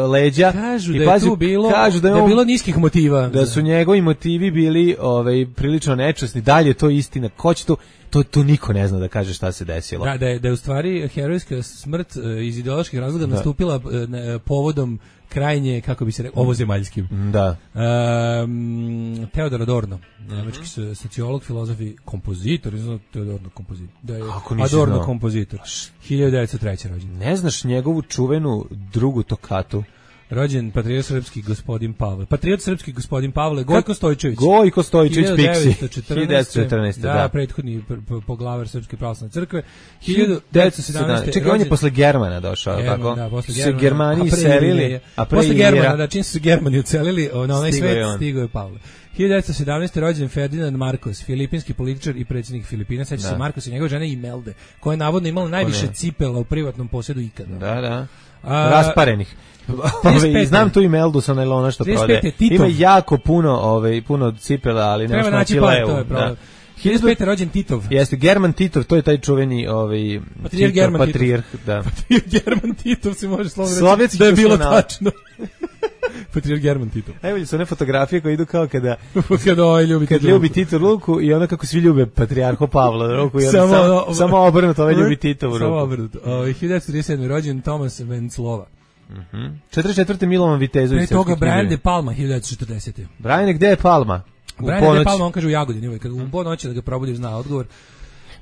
leđa. Kažu da je pazi, tu bilo, kažu da je, on, da je bilo niskih motiva. Da su njegovi motivi bili ovaj prilično nečasni. Dalje to istina. Ko će to To, to niko ne zna da kaže šta se desilo. Da, da je, da je u stvari herojska smrt iz ideoloških razloga da. nastupila ne, povodom krajnje, kako bi se rekao, ovozemaljskim. Da. Um, Teodor Adorno, nemački mm-hmm. sociolog, filozof i kompozitor, ne znam Teodorno kompozitor. Da je Adorno znao. kompozitor. hiljadu devetsto treće rođen. Ne znaš njegovu čuvenu drugu tokatu? rođen patriot srpski gospodin Pavle. Patriot srpski gospodin Pavle, Gojko Stojčević. Gojko Stojčević, Piksi. hiljadu devetsto četrnaeste Da, da, prethodni poglavar Srpske pravoslavne crkve. hiljadu devetsto sedamnaeste Čekaj, on je posle Germana došao, German, tako? Da, posle se Germana. Germani iselili, a pre posle Germana, da, čim su se Germani ucelili, na onaj svet stigao je Pavle. hiljadu devetsto sedamnaeste rođen Ferdinand Marcos, filipinski političar i predsjednik Filipina. Seća se Marcos i njegove žene Imelda, koja je navodno imala najviše cipela u privatnom posjedu ikada. Da, da. A, rasparenih. Ove, znam tu Imeldu sa nailona što prode. Ima jako puno, ove, puno cipela, ali nema što naći levu. To je problem. hiljadu pete rođen Titov. Jeste, German Titov, to je taj čuveni ovaj, patrijarh German patrijarh, da. Patrijarh German Titov se može slovno reći da je bilo tačno. Patrijarh German Titov. Najbolje su one fotografije koje idu kao kada kada ovaj ljubi, kad ljubi Tito ruku i onda kako svi ljube patrijarhu Pavla ruku i onda samo, samo, samo obrnuto, ovaj ljubi Titovu ruku. Samo obrnuto. O, hiljadu trideset sedme rođen Tomas Venclova. Mhm. Mm četrdeset četvrte Milovan Vitezović. Pre toga Brian De Palma hiljadu četrdesete Brian, gde je Palma? Brian De Palma, on kaže u Jagodini, kad u ponoći da ga probudiš zna odgovor.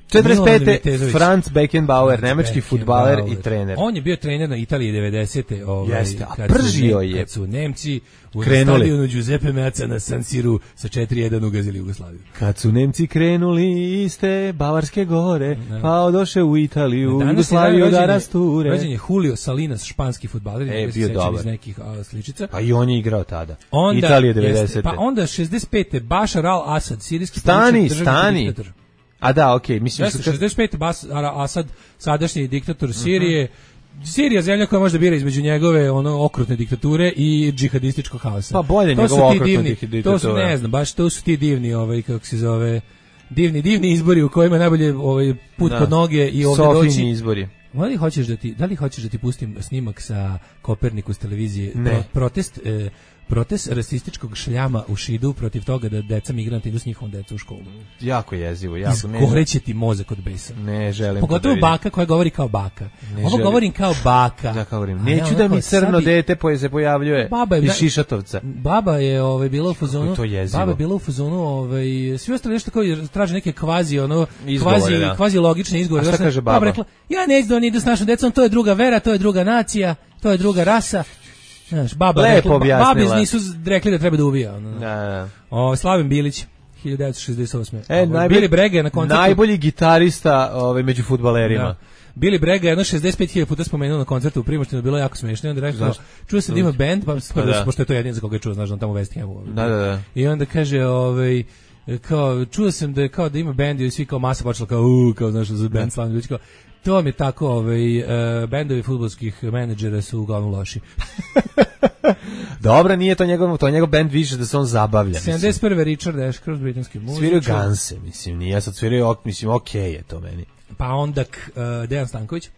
četrdeset pete Franz Beckenbauer, nemački fudbaler i trener. On je bio trener na Italiji devedesete Ovaj, Jeste, a pržio je. Kad su Nemci u stadionu Giuseppe Meazza na San Siru sa četiri jedan ugazili Jugoslaviju. Kad su Nemci krenuli iste Bavarske gore, no. pa odoše u Italiju, Jugoslaviju da rasture. Rođen je Julio Salinas, španski fudbaler, e, bio dobar. Iz nekih a, sličica. Pa i on je igrao tada. Onda, Italija devedesete Jeste, pa onda šezdeset pete Bashar al-Assad, sirijski stani, stani. Diktator. A da, okej, okay, mislim su šezdeset pete Bashar al-Assad, sadašnji diktator Sirije. Uh-huh. Sirija zemlja koja može da bira između njegove ono okrutne diktature i džihadističkog haosa. Pa bolje njegova okrutna diktatura. To su, ne znam, baš to su ti divni, ovaj kako se zove, divni divni izbori u kojima je najbolje ovaj put da. Pod noge i ovdje doći. Sofini izbori. Da li hoćeš da ti, da li hoćeš da ti pustim snimak sa Kopernikus televizije? Pro, protest eh, protest rasističkog šljama u Šidu protiv toga da deca migranti idu s njihovom decom u školu. Jako jezivo, jako. Izgoreće ti mozak od besa. Ne želim. Pogotovo baka koja govori kao baka. Ne Ovo želim. Govorim kao baka. Da, kao govorim. Neću ja, da mi crno sabi... dete poje se pojavljuje baba je, iz Šišatovca. Baba je ovaj, bila u fazonu. Baba je bila u fazonu, ovaj, svi ostali nešto kao traže neke kvazi, ono, izgovore, kvazi, da. kvazi logične izgovore. A šta kaže baba? Baba rekla, ja neću da oni idu s našom decom, to je druga vera, to je druga nacija, to je druga rasa. Znaš, baba rekla, babi nisu rekli da treba da ubija. Ono. Da, da. O, Slaven Bilić, hiljadu devetsto šezdeset osme E, najbolji, Billy Brega na koncertu. Najbolji gitarista ovaj, među fudbalerima. Da. Billy Brega je jedno šezdeset pet hiljada puta spomenuo na koncertu u Primoštinu, bilo jako smiješno. I onda rekao, čuo sam da ima band, pa prvo, da. Pošto je to jedin za koga je čuo, znaš, on tamo u West Hamu. Da, da, da. I onda kaže, ovaj, kao, čuo sam da, kao, da ima band i svi kao masa počela kao, uuu, kao, znaš, za band slavni ljudi, kao, to vam je tako, ovaj, uh, bendovi fudbalskih menadžera su uglavnom loši. Dobro, nije to njegov, to njegov bend više da se on zabavlja. sedamdeset prve Richard Ashcroft, britanski muzičar. Sviraju Ganse, mislim, nije sad sviraju, mislim, okej okay je to meni. Pa onda uh, Dejan Stanković.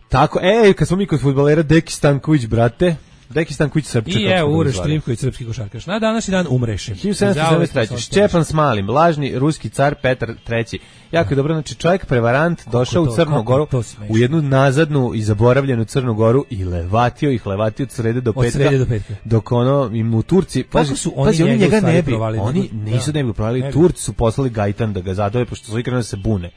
Tako, ej, kad smo mi kod fudbalera, Deki Stanković, brate, Deki Stanković Srpčak. I evo, Uroš Trivković, srpski košarkaš. Na današnji dan umreše. hiljadu sedamsto sedamdeset treće Šćepan Smalim, lažni ruski car Petar treći Jako je dobro, znači čovjek prevarant došao to, u Crnu Goru, u jednu nazadnu i zaboravljenu Crnu Goru i levatio ih, levatio od srede do petka. Od srede do petka. Dok ono, im u Turci, pazi, su oni, pazi, oni njega ne bi, provali, oni nisu da ne bi provali, Turci su poslali Gajtan da ga zadove, pošto su ikrenuli da se bune.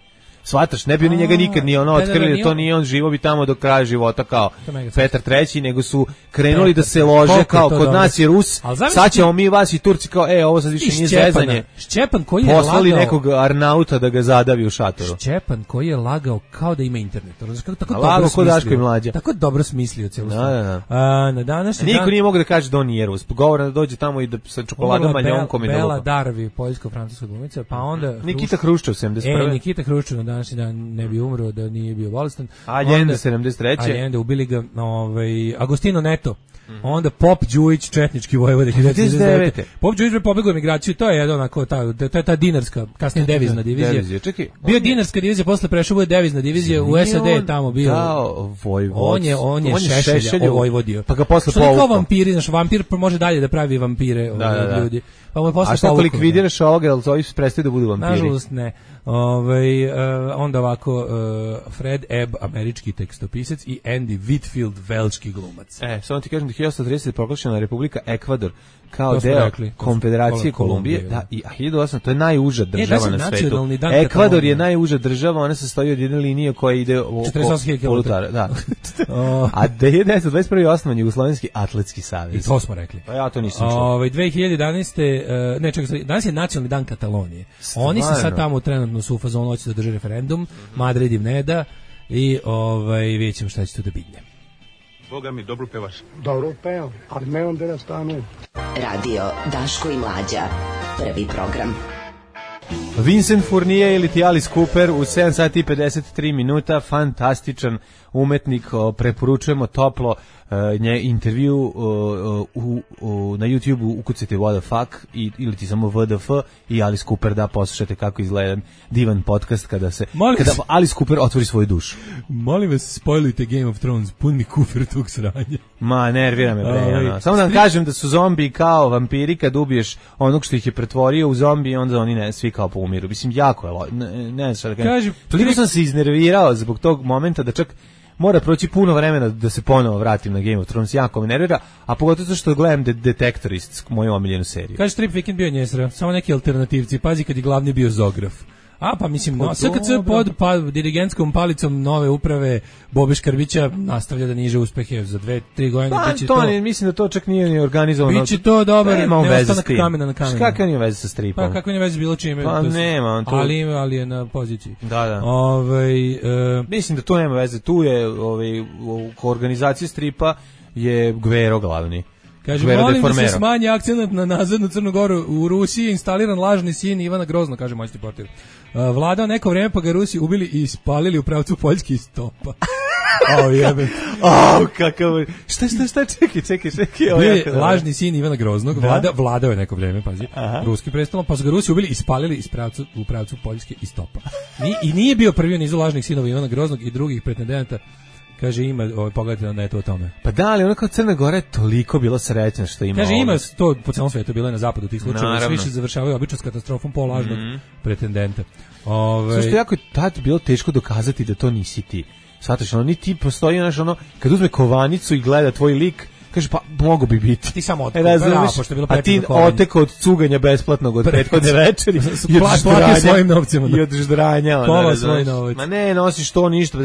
Svataš, ne bi oni njega nikad ni ono otkrili, da to nije on, živo bi tamo do kraja života kao Petar treći nego su krenuli da se lože kao kod dobro. Nas je Rus, sad ćemo mi vas i Turci kao, e, ovo sad više nije zezanje. Šćepan koji je poslali lagao, nekog Arnauta da ga zadavi u šatoru. Šćepan koji je lagao kao da ima internet. Kako tako dobro smislio. Tako dobro smislio celu stvar. Da, da. A, na današnji Niko dan... nije mogao da kaže da on nije Rus. Govore da dođe tamo i da sa čokoladom maljonkom i da Bela Darvi, poljsko-francuska glumica, pa onda Nikita Hruščov sedamdeset prve E, Nikita Hruščov na današnji dan ne bi umro da nije bio bolestan. Allende sedamdeset treće Allende ubili ga, ovaj Agostino Neto. Mm. Onda Pop Đujić, četnički vojvoda hiljadu devetsto šezdeset devete Pop Đujić je pobegao u emigraciju, to je jedan onako ta to je ta dinarska, kasnije devizna divizija. Devizija, čekaj. Bio dinarska divizija, posle prešao u devizna divizija, u S A D je tamo bio. Kao vojvod. On je on je, on je Šešelja vojvodio. Pa ga posle povukao. Kao vampiri, znaš, vampir može dalje da pravi vampire, da, da, da. ljudi. Pa mu posle a šta ako likvidiraš ovoga, jel to prestaju da budu vampiri? Nažalost ne. Ovaj uh, onda ovako uh, Fred Ebb, američki tekstopisac i Andy Whitfield, velški glumac. E, samo ti kažem da je hiljadu osamsto tridesete proglašena Republika Ekvador. kao deo rekli, Konfederacije Kolumbije, Kolumbije, da, i hiljadu osamsto, to je najuža država e, na svetu. Ekvador je najuža država, ona se stoji od jedne linije koja ide oko polutara, da. A devetnaeste dvadeset prve osnovan Jugoslovenski atletski savez. I to smo rekli. Pa ja to nisam čuo. Ovaj dve hiljade jedanaeste uh, ne čekaj, danas je nacionalni dan Katalonije. Stvarno? Oni se sad tamo trenutno su u fazonu hoće da drže referendum, mm-hmm. Madrid im ne da i ovaj vidjet ćemo šta će tu da bitne. Boga mi, dobro pevaš. Dobro pevam, ali ne onda da stanu. Radio Daško i Mlađa, prvi program. Vincent Fournier ili ti Alice Cooper u sedam sati i pedeset tri minuta, fantastičan umetnik, preporučujemo toplo nje intervju u, u, na YouTube-u ukucajte What the fuck i, ili ti samo V D F i Alice Cooper da poslušate kako izgleda jedan podcast kada se molim kada Alice Cooper otvori svoju dušu. Molim vas, spoilujte Game of Thrones, pun mi kufer tog sranja. Ma, nervira me bre. Samo da vam kažem da su zombi kao vampiri, kad ubiješ onog što ih je pretvorio u zombi, onda oni ne, svi kao poumiru. Mislim, jako je, ne, ne znam šta da kažem. Toliko sam se iznervirao zbog tog momenta da čak mora proći puno vremena da se ponovo vratim na Game of Thrones, jako me nervira, a pogotovo to što gledam de Detektorist, moju omiljenu seriju. Kaže, Trip Weekend bio njesra, samo neki alternativci, pazi kad je glavni bio Zograf. A pa mislim, no, S K C pod pa, dirigentskom palicom nove uprave Bobe Škarbića nastavlja da niže uspehe za dve, tri godine. Pa, to, to ne, mislim da to čak nije ni organizovano. Biće to dobar, ne ostanak kamena na kamenu. Kakva nije veze sa stripom? Pa kakva nije veze s bilo čime? Pa nema on to. Ali, ali je na poziciji. Da, da. Ovaj, uh, mislim da to nema veze. Tu je ovaj, u organizaciji stripa je Gvero glavni. Kaže, molim da se smanji akcenat na nazadnu Crnu Goru. U Rusiji je instaliran lažni sin Ivana Grozno, kaže moćni portir. Uh, vladao neko vreme pa ga Rusi ubili i spalili u pravcu Poljske iz topa. O, jebe. O, kakav... Šta, šta, šta, čekaj, čekaj, čekaj. Bio je lažni sin Ivana Groznog, vlada, vladao je neko vreme, pazi, aha, ruski prestolom, pa su ga Rusi ubili i spalili iz pravcu, u pravcu Poljske iz topa. Ni, I nije bio prvi u nizu lažnih sinova Ivana Groznog i drugih pretendenata. Kaže, ima, ovaj, pogledajte da je to o tome. Pa da, ali ono kao Crna Gora je toliko bilo srećna što ima. Kaže, ima to po celom svijetu, bilo je na zapadu tih slučajeva, svi se završavaju obično s katastrofom po lažnog mm-hmm. pretendenta. Ove... Što jako je tad bilo teško dokazati da to nisi ti. Svataš, ono, ni ti postoji, znaš, ono, kad uzme kovanicu i gleda tvoj lik, kaže, pa mogo bi biti. Ti samo oteko, e, da, pošto je bilo a ti oteko od cuganja besplatnog od prethodne večeri i od ždranja svojim novcima. I od ždranja. Pola svoj novac. Ma ne, nosiš to ništa,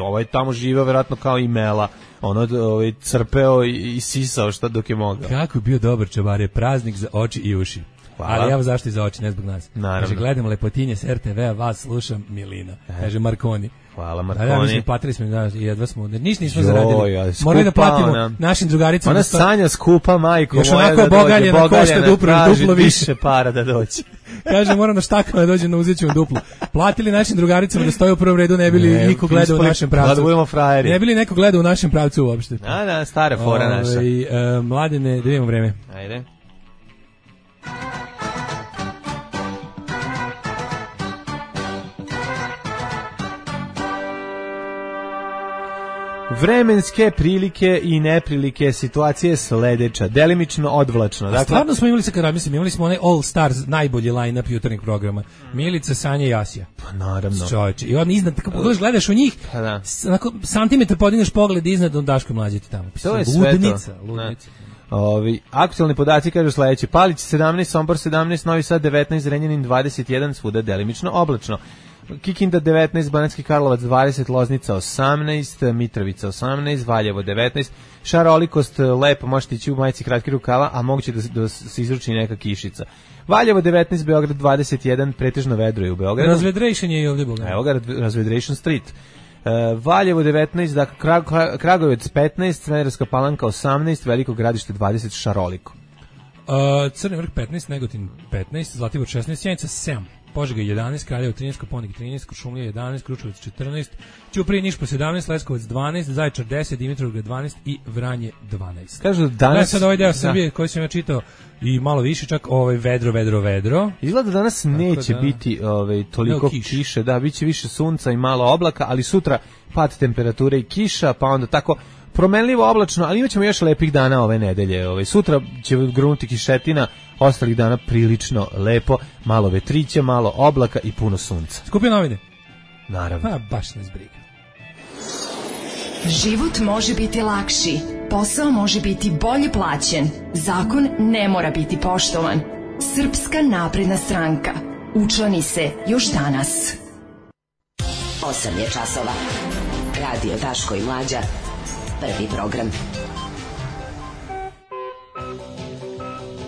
ovaj tamo živeo vjerojatno kao i Mela. Ono ovaj, crpeo i, i sisao šta dok je mogao. Kako je bio dobar čabar, je praznik za oči i uši. Hvala. Ali evo zašto i za oči, ne zbog nas. Naravno. Kaže, gledam lepotinje s R T V-a, vas slušam, Milina. Kaže, Marconi. Hvala, Marconi. Da, da, mislim, platili smo, da, jedva smo, ništa nismo zaradili. Morali da platimo ona, našim drugaricama. Ona Sanja skupa, majko još moja, onako da bogaljena, košta duplo, duplo više para da doći. Kaže, moram da štakama da dođe na uzet ćemo duplo. Platili našim drugaricama da stoje u prvom redu, ne bili ne, niko gleda u našem pravcu. Da budemo frajeri. Ne bili neko gleda u našem pravcu uopšte. Da, da, stara fora Ove, naša. I, uh, mladine, da vidimo vreme. Ajde. Vremenske prilike i neprilike, situacije sledeća, delimično odvlačno. Dakle, stvarno smo imali, kada mislim, imali smo onaj All Stars, najbolji line-up jutarnjeg programa. Milica, Sanja i Asija. Pa naravno. Čovječe. I on iznad, kako pogledaš, gledaš u njih, pa da. Onako, santimetar podigneš pogled iznad, on Daško Mlađeti tamo. To je sve ludnica, to. Ludnica. Ovi, aktualni podaci kažu sledeće: Palić sedamnaest, Sombor sedamnaest, Novi Sad devetnaest, Zrenjanin dvadeset jedan, svuda delimično oblačno. Kikinda devetnaest, Banatski Karlovac dvadeset, Loznica osamnaest, Mitrovica osamnaest, Valjevo devetnaest, šarolikost lepo, možete ići u majici kratki rukava, a moguće da, da se izruči neka kišica. Valjevo devetnaest, Beograd dvadeset jedan, pretežno vedro je u Beogradu. Razvedration je i ovdje Beograd. Evo ga, Razvedration Street. Uh, Valjevo devetnaest, dakle Krag, Kragovec petnaest, Smederevska Palanka osamnaest, Veliko Gradište dvadeset, šaroliko. Uh, Crni Vrh petnaest, Negotin petnaest, Zlatibor šesnaest, Sjenica sedam. Požega jedanaest, Kraljevo trinaest, Koponik trinaest, Kuršumlija jedanaest, Kruševac četrnaest, Ćuprija Niš po sedamnaest, Leskovac dvanaest, Zaječar deset, Dimitrovgrad dvanaest i Vranje dvanaest. Kažu danas... Da, sad ovaj deo Srbije koji sam ja čitao i malo više, čak ovaj vedro, vedro, vedro. Izgleda danas neće da, biti ovaj, toliko kiš. kiše, da, bit će više sunca i malo oblaka, ali sutra pad temperature i kiša, pa onda tako... Promenljivo oblačno, ali imat ćemo još lepih dana ove nedelje. Ove. Sutra će grunuti kišetina, ostalih dana prilično lepo, malo vetrića, malo oblaka i puno sunca. Skupio novine? Naravno. Pa, baš ne zbriga. Život može biti lakši, posao može biti bolje plaćen, zakon ne mora biti poštovan. Srpska napredna stranka. Učlani se još danas. osam je časova. Radio Daško i Mlađa. Prvi program.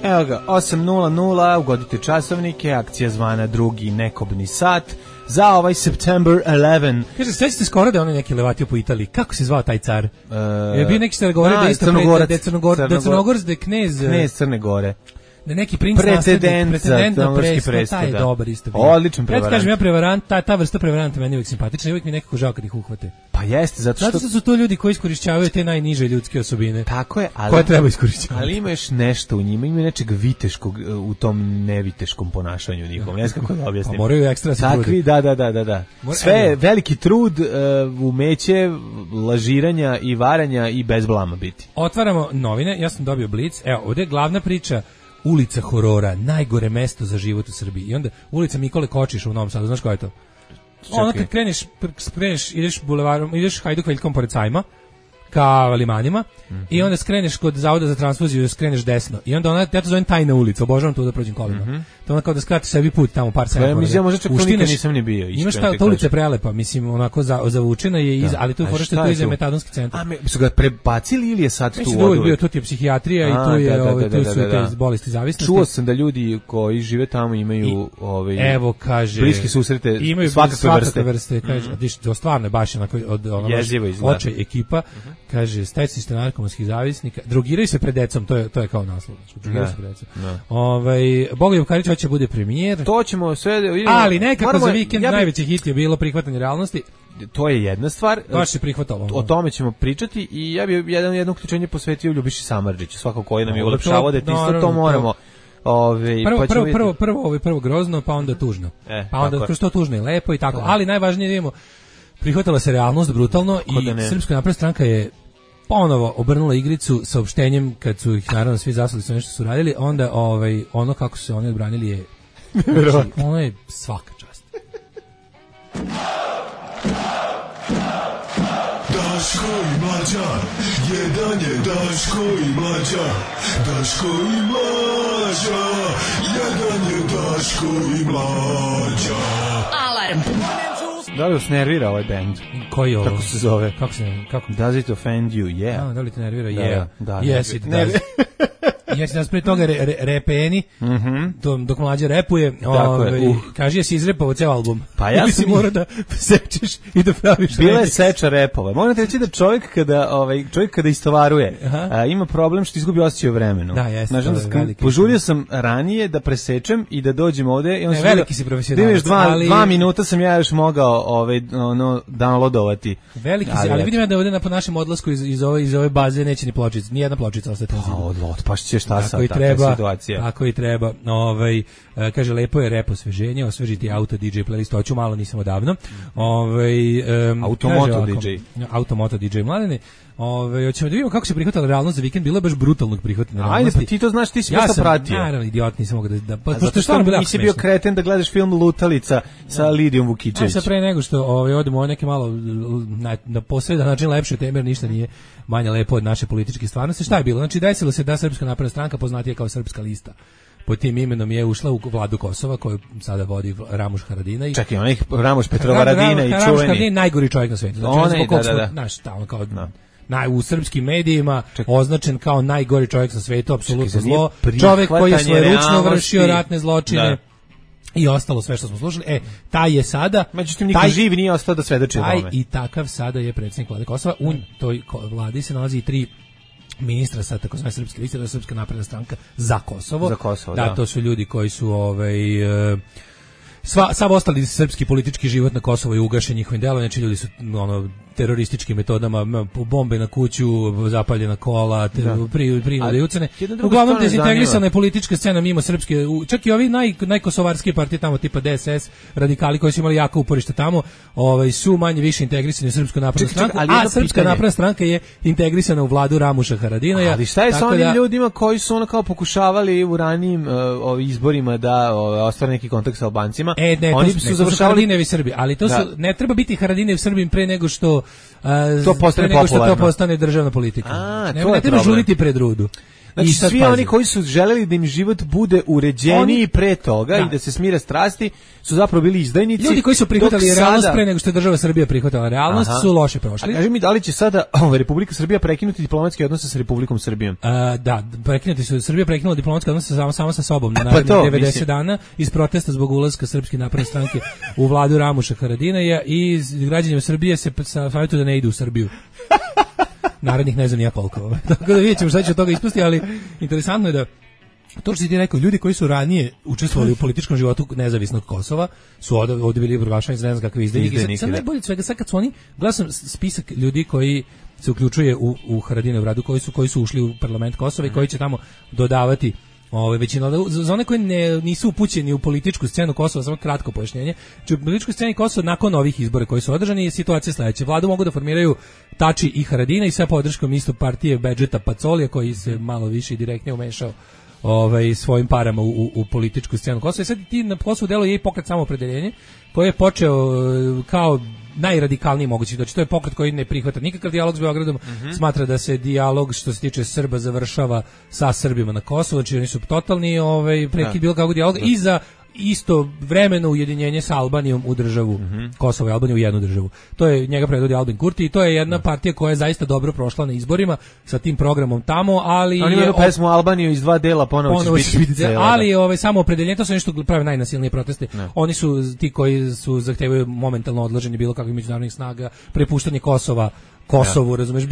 Evo ga, osam nula nula, ugodite časovnike, akcija zvana drugi nekobni sat za ovaj September eleventh. Kaže, sve ste skoro da je onaj neki levatio po Italiji. Kako se zvao taj car? Uh, je bio neki ste govorio da je isto Crnogorac, da je Crnogor, da je Crnogorac, da je knez... Knez Crne Gore. Da neki princ naslednik, pretendent na presto, taj je dobar isto bio. Odličan prevarant. Ja ti kažem, ja prevarant, ta, ta vrsta prevaranta meni uvijek simpatična i uvijek mi nekako žao kad ih uhvate. Pa jeste, zato što... Zato što su to ljudi koji iskorišćavaju te najniže ljudske osobine. Tako je, ali... Koje treba iskorišćavati. Ali ima još nešto u njima, ima nečeg viteškog u tom neviteškom ponašanju njihovom. Ne znam kako da objasnim. A moraju ekstra se truditi. Takvi, da, da, da, da. da. Sve, veliki trud, uh, umeće, lažiranja i varanja i bez blama biti. Otvaramo novine, ja sam dobio Blic. Evo, ovdje je glavna priča. Ulica horora, najgore mesto za život u Srbiji. I onda ulica Mikole Kočiša u Novom Sadu, znaš koja je to? Ono kad kreneš, kreneš, ideš bulevarom, ideš Hajduk Veljkom pored Sajma, ka Limanima, mm-hmm. i onda skreneš kod Zavoda za transfuziju, skreneš desno. I onda ona, ja to zovem tajna ulica, obožavam tu da prođem kolima. Mm-hmm. To onda kao da skratiš sebi put tamo par sema. Ja mislim, možda čak to nikad nisam ni bio. Imaš ta, ta ulica je prelepa, mislim, onako za, zavučena je, iz, ali tu je fora što je tu iza metadonski centar. A me, su ga prebacili ili je sad mislim, tu oduvek? Bio, tu ti je psihijatrija i tu, je, da, da, ovaj, tu su da, da, da. te bolesti zavisnosti. Čuo sam da ljudi koji žive tamo imaju I, ovaj, evo, kaže, bliski susrete imaju svakakve, svakakve vrste. vrste. Kaže, mm-hmm. do stvarno je baš onako od očaj ekipa, mm-hmm. kaže, stajci ste narkomanskih zavisnika, drogiraju se pred decom, to je, to je kao naslov. Drogiraju se pred decom. Ovaj, Bogoljub Karić hoće bude premijer. To ćemo sve da vidimo. Ali nekako moramo, za vikend ja bi, najveći hit je bilo prihvatanje realnosti. To je jedna stvar. Baš se prihvatalo. O tome ćemo pričati i ja bih jedan jedno uključenje posvetio Ljubiši Samardžiću. Svako koji nam je ulepšavao da isto to moramo. Ove, prvo, pa prvo, prvo, prvo, ovaj prvo grozno, pa onda tužno. E, pa onda kroz to tužno i lepo i tako. Da. Ali najvažnije da vidimo, prihvatila se realnost brutalno i Srpska napredna stranka je ponovo obrnula igricu saopštenjem kad su ih naravno svi zasuli sa nešto su radili, onda ovaj ono kako su se oni odbranili je znači, ono je svaka čast. Daško i Mlađa, jedan je Daško i Mlađa, Daško i Mlađa, jedan je Daško i Mlađa. Alarm. Da li vas nervira ovaj band? Koji je ovo? Kako se zove? Kako se, kako? Does it offend you? Yeah. A, da li te nervira? Da, yeah. Da, yes, it does. Jesi nas prije toga re, re, repeni, mm-hmm. dok, dok Mlađa repuje, ovaj, uh. kaže jesi izrepao ceo album. Pa ja sam mora da sečeš i da praviš. Bila je seča repova. Moram reći da čovjek kada, ovaj, čovjek kada istovaruje, a, ima problem što izgubi osjećaj o vremenu. Da, jeste. Znači, požurio sam ranije da presečem i da dođem ovde. I on ne, veliki si profesionalac. Dva, ali... dva minuta sam ja još mogao ovaj, ono, downloadovati. Veliki si, ali, ali vidim ja da ovde na, po našem odlasku iz, iz, ove, iz ove baze neće ni pločica, nijedna pločica ostati na zidu. Pa, otpašće šta sad, takva situacija. Tako i treba. Ovaj, kaže, lepo je rep osveženje, osvežiti auto D J playlist, hoću malo, nisam odavno. Ovaj, um, Automoto D J. Automoto D J mladene. Ove, hoćemo da vidimo kako se prihvatala realnost za vikend, bilo je baš brutalnog prihvatanja realnosti. Ajde, pa ti to znaš, ti si ja sam pratio. Naravno, idiot, nisam mogao da... da pa, zato što nisi bio kreten da gledaš film Lutalica sa Lidijom Vukičević. A sad pre nego što ovaj, odemo o neke malo na, na posredan način lepše teme, jer ništa nije manje lepo od naše političke stvarnosti. Šta je bilo? Znači, desilo se da Srpska napredna stranka, poznatija kao Srpska lista, pod tim imenom je ušla u vladu Kosova koju sada vodi Ramuš Haradinaj. Čekaj, onaj Ramuš Petrovaradina i čuveni. Ramuš Haradinaj je najgori čovjek na svijetu. Znači, onaj, da, da, da. Naš, tamo kao... No. Na, u srpskim medijima Čekaj. označen kao najgori čovjek na svetu, apsolutno zlo. Čovjek koji je svojeručno vršio ratne zločine. Da. I ostalo sve što smo slušali. E, taj je sada... Međutim, niko živ nije ostao da svedoči o tome. I takav sada je predsjednik vlade Kosova. U toj vladi se nalazi i tri ministra sa takozvane srpske liste, to je Srpska napredna stranka za Kosovo. Za Kosovo, da. Da, to su ljudi koji su... Ovaj, sva, sav ostali srpski politički život na Kosovo je ugašen njihovim delom, znači ljudi su ono, terorističkim metodama, bombe na kuću, zapaljena kola, ter, pri, prinude i ucene. Uglavnom dezintegrisana je politička scena mimo srpske, čak i ovi naj, najkosovarski partije tamo tipa D S S, radikali koji su imali jako uporište tamo, ovaj, su manje više integrisani u Srpsku naprednu stranku, a Srpska napredna stranka je integrisana u vladu Ramuša Haradinaja. Ali šta je sa onim da, ljudima koji su ono kao pokušavali u ranijim uh, izborima da uh, ostvare neki kontakt sa Albancima? E, ne, oni to su, su završavali Haradinevi Srbi, ali to da. su, ne treba biti Haradinev Srbim pre nego što uh, to postane nego što popularno. to postane državna politika. A, ne, to ne je treba problem. žuriti pred rudu. Znači, I sad svi pazi. oni koji su želeli da im život bude uređeniji Oni- pre toga Da. i da se smire strasti, su zapravo bili izdajnici. Ljudi koji su prihvatali dok realnost sada- pre nego što je država Srbija prihvatala realnost Aha. su loše A prošli. kaži mi, da li će sada ovaj, Republika Srbija prekinuti diplomatske odnose sa Republikom Srbijom? A, da, prekinuti su, Srbija prekinula diplomatske odnose samo, samo sa sobom na Pa narednih to, devedeset mislim. dana iz protesta zbog ulaska Srpske napredne stranke u vladu Ramuša Haradinaja i građanima Srbije se savjetuju da ne idu u Srbiju. Narednih ne znam nija koliko. Tako da vidjet ćemo šta će od toga ispasti, ali interesantno je da to što si ti rekao, ljudi koji su ranije učestvovali u političkom životu nezavisnog Kosova su ovdje, ovdje bili proglašeni za ne znam kakve izdajnike. Izdajnike, Sad, sad da. najbolje od svega, sad kad su oni, gledao sam spisak ljudi koji se uključuje u, u Haradinov radu, koji su, koji su ušli u parlament Kosova i koji će tamo dodavati ove većina za za one koji ne nisu upućeni u političku scenu Kosova, samo kratko pojašnjenje. Znači, u političkoj sceni Kosova nakon ovih izbora koji su održani je situacija sledeća. Vladu mogu da formiraju Tači i Haradina i sa podrškom isto partije Bedžeta Pacolija koji se malo više i direktnije umešao ovaj svojim parama u, u, u političku scenu Kosova. I sad ti na Kosovu deluje i pokret Samoopredeljenje koji je počeo e, kao najradikalniji mogući. Znači to je pokret koji ne prihvata nikakav dijalog s Beogradom, Mhm. smatra da se dijalog što se tiče Srba završava sa Srbima na Kosovu, znači oni su totalni ovaj prekid Da. bilo kakvog dijaloga i za isto vremeno ujedinjenje sa Albanijom u državu Mhm. Kosovo i Albaniju u jednu državu. To je njega predvodi Albin Kurti i to je jedna partija koja je zaista dobro prošla na izborima sa tim programom tamo, ali Oni je imaju pesmu Albaniju iz dva dela, ponovo, ponovo će će biti biti, cela, ali da. ovaj samo opredeljenje, to su nešto prave najnasilnije proteste. Ne. Oni su ti koji su zahtevaju momentalno odlaženje bilo kakvih međunarodnih snaga, prepuštanje Kosova Kosovu, razumeš,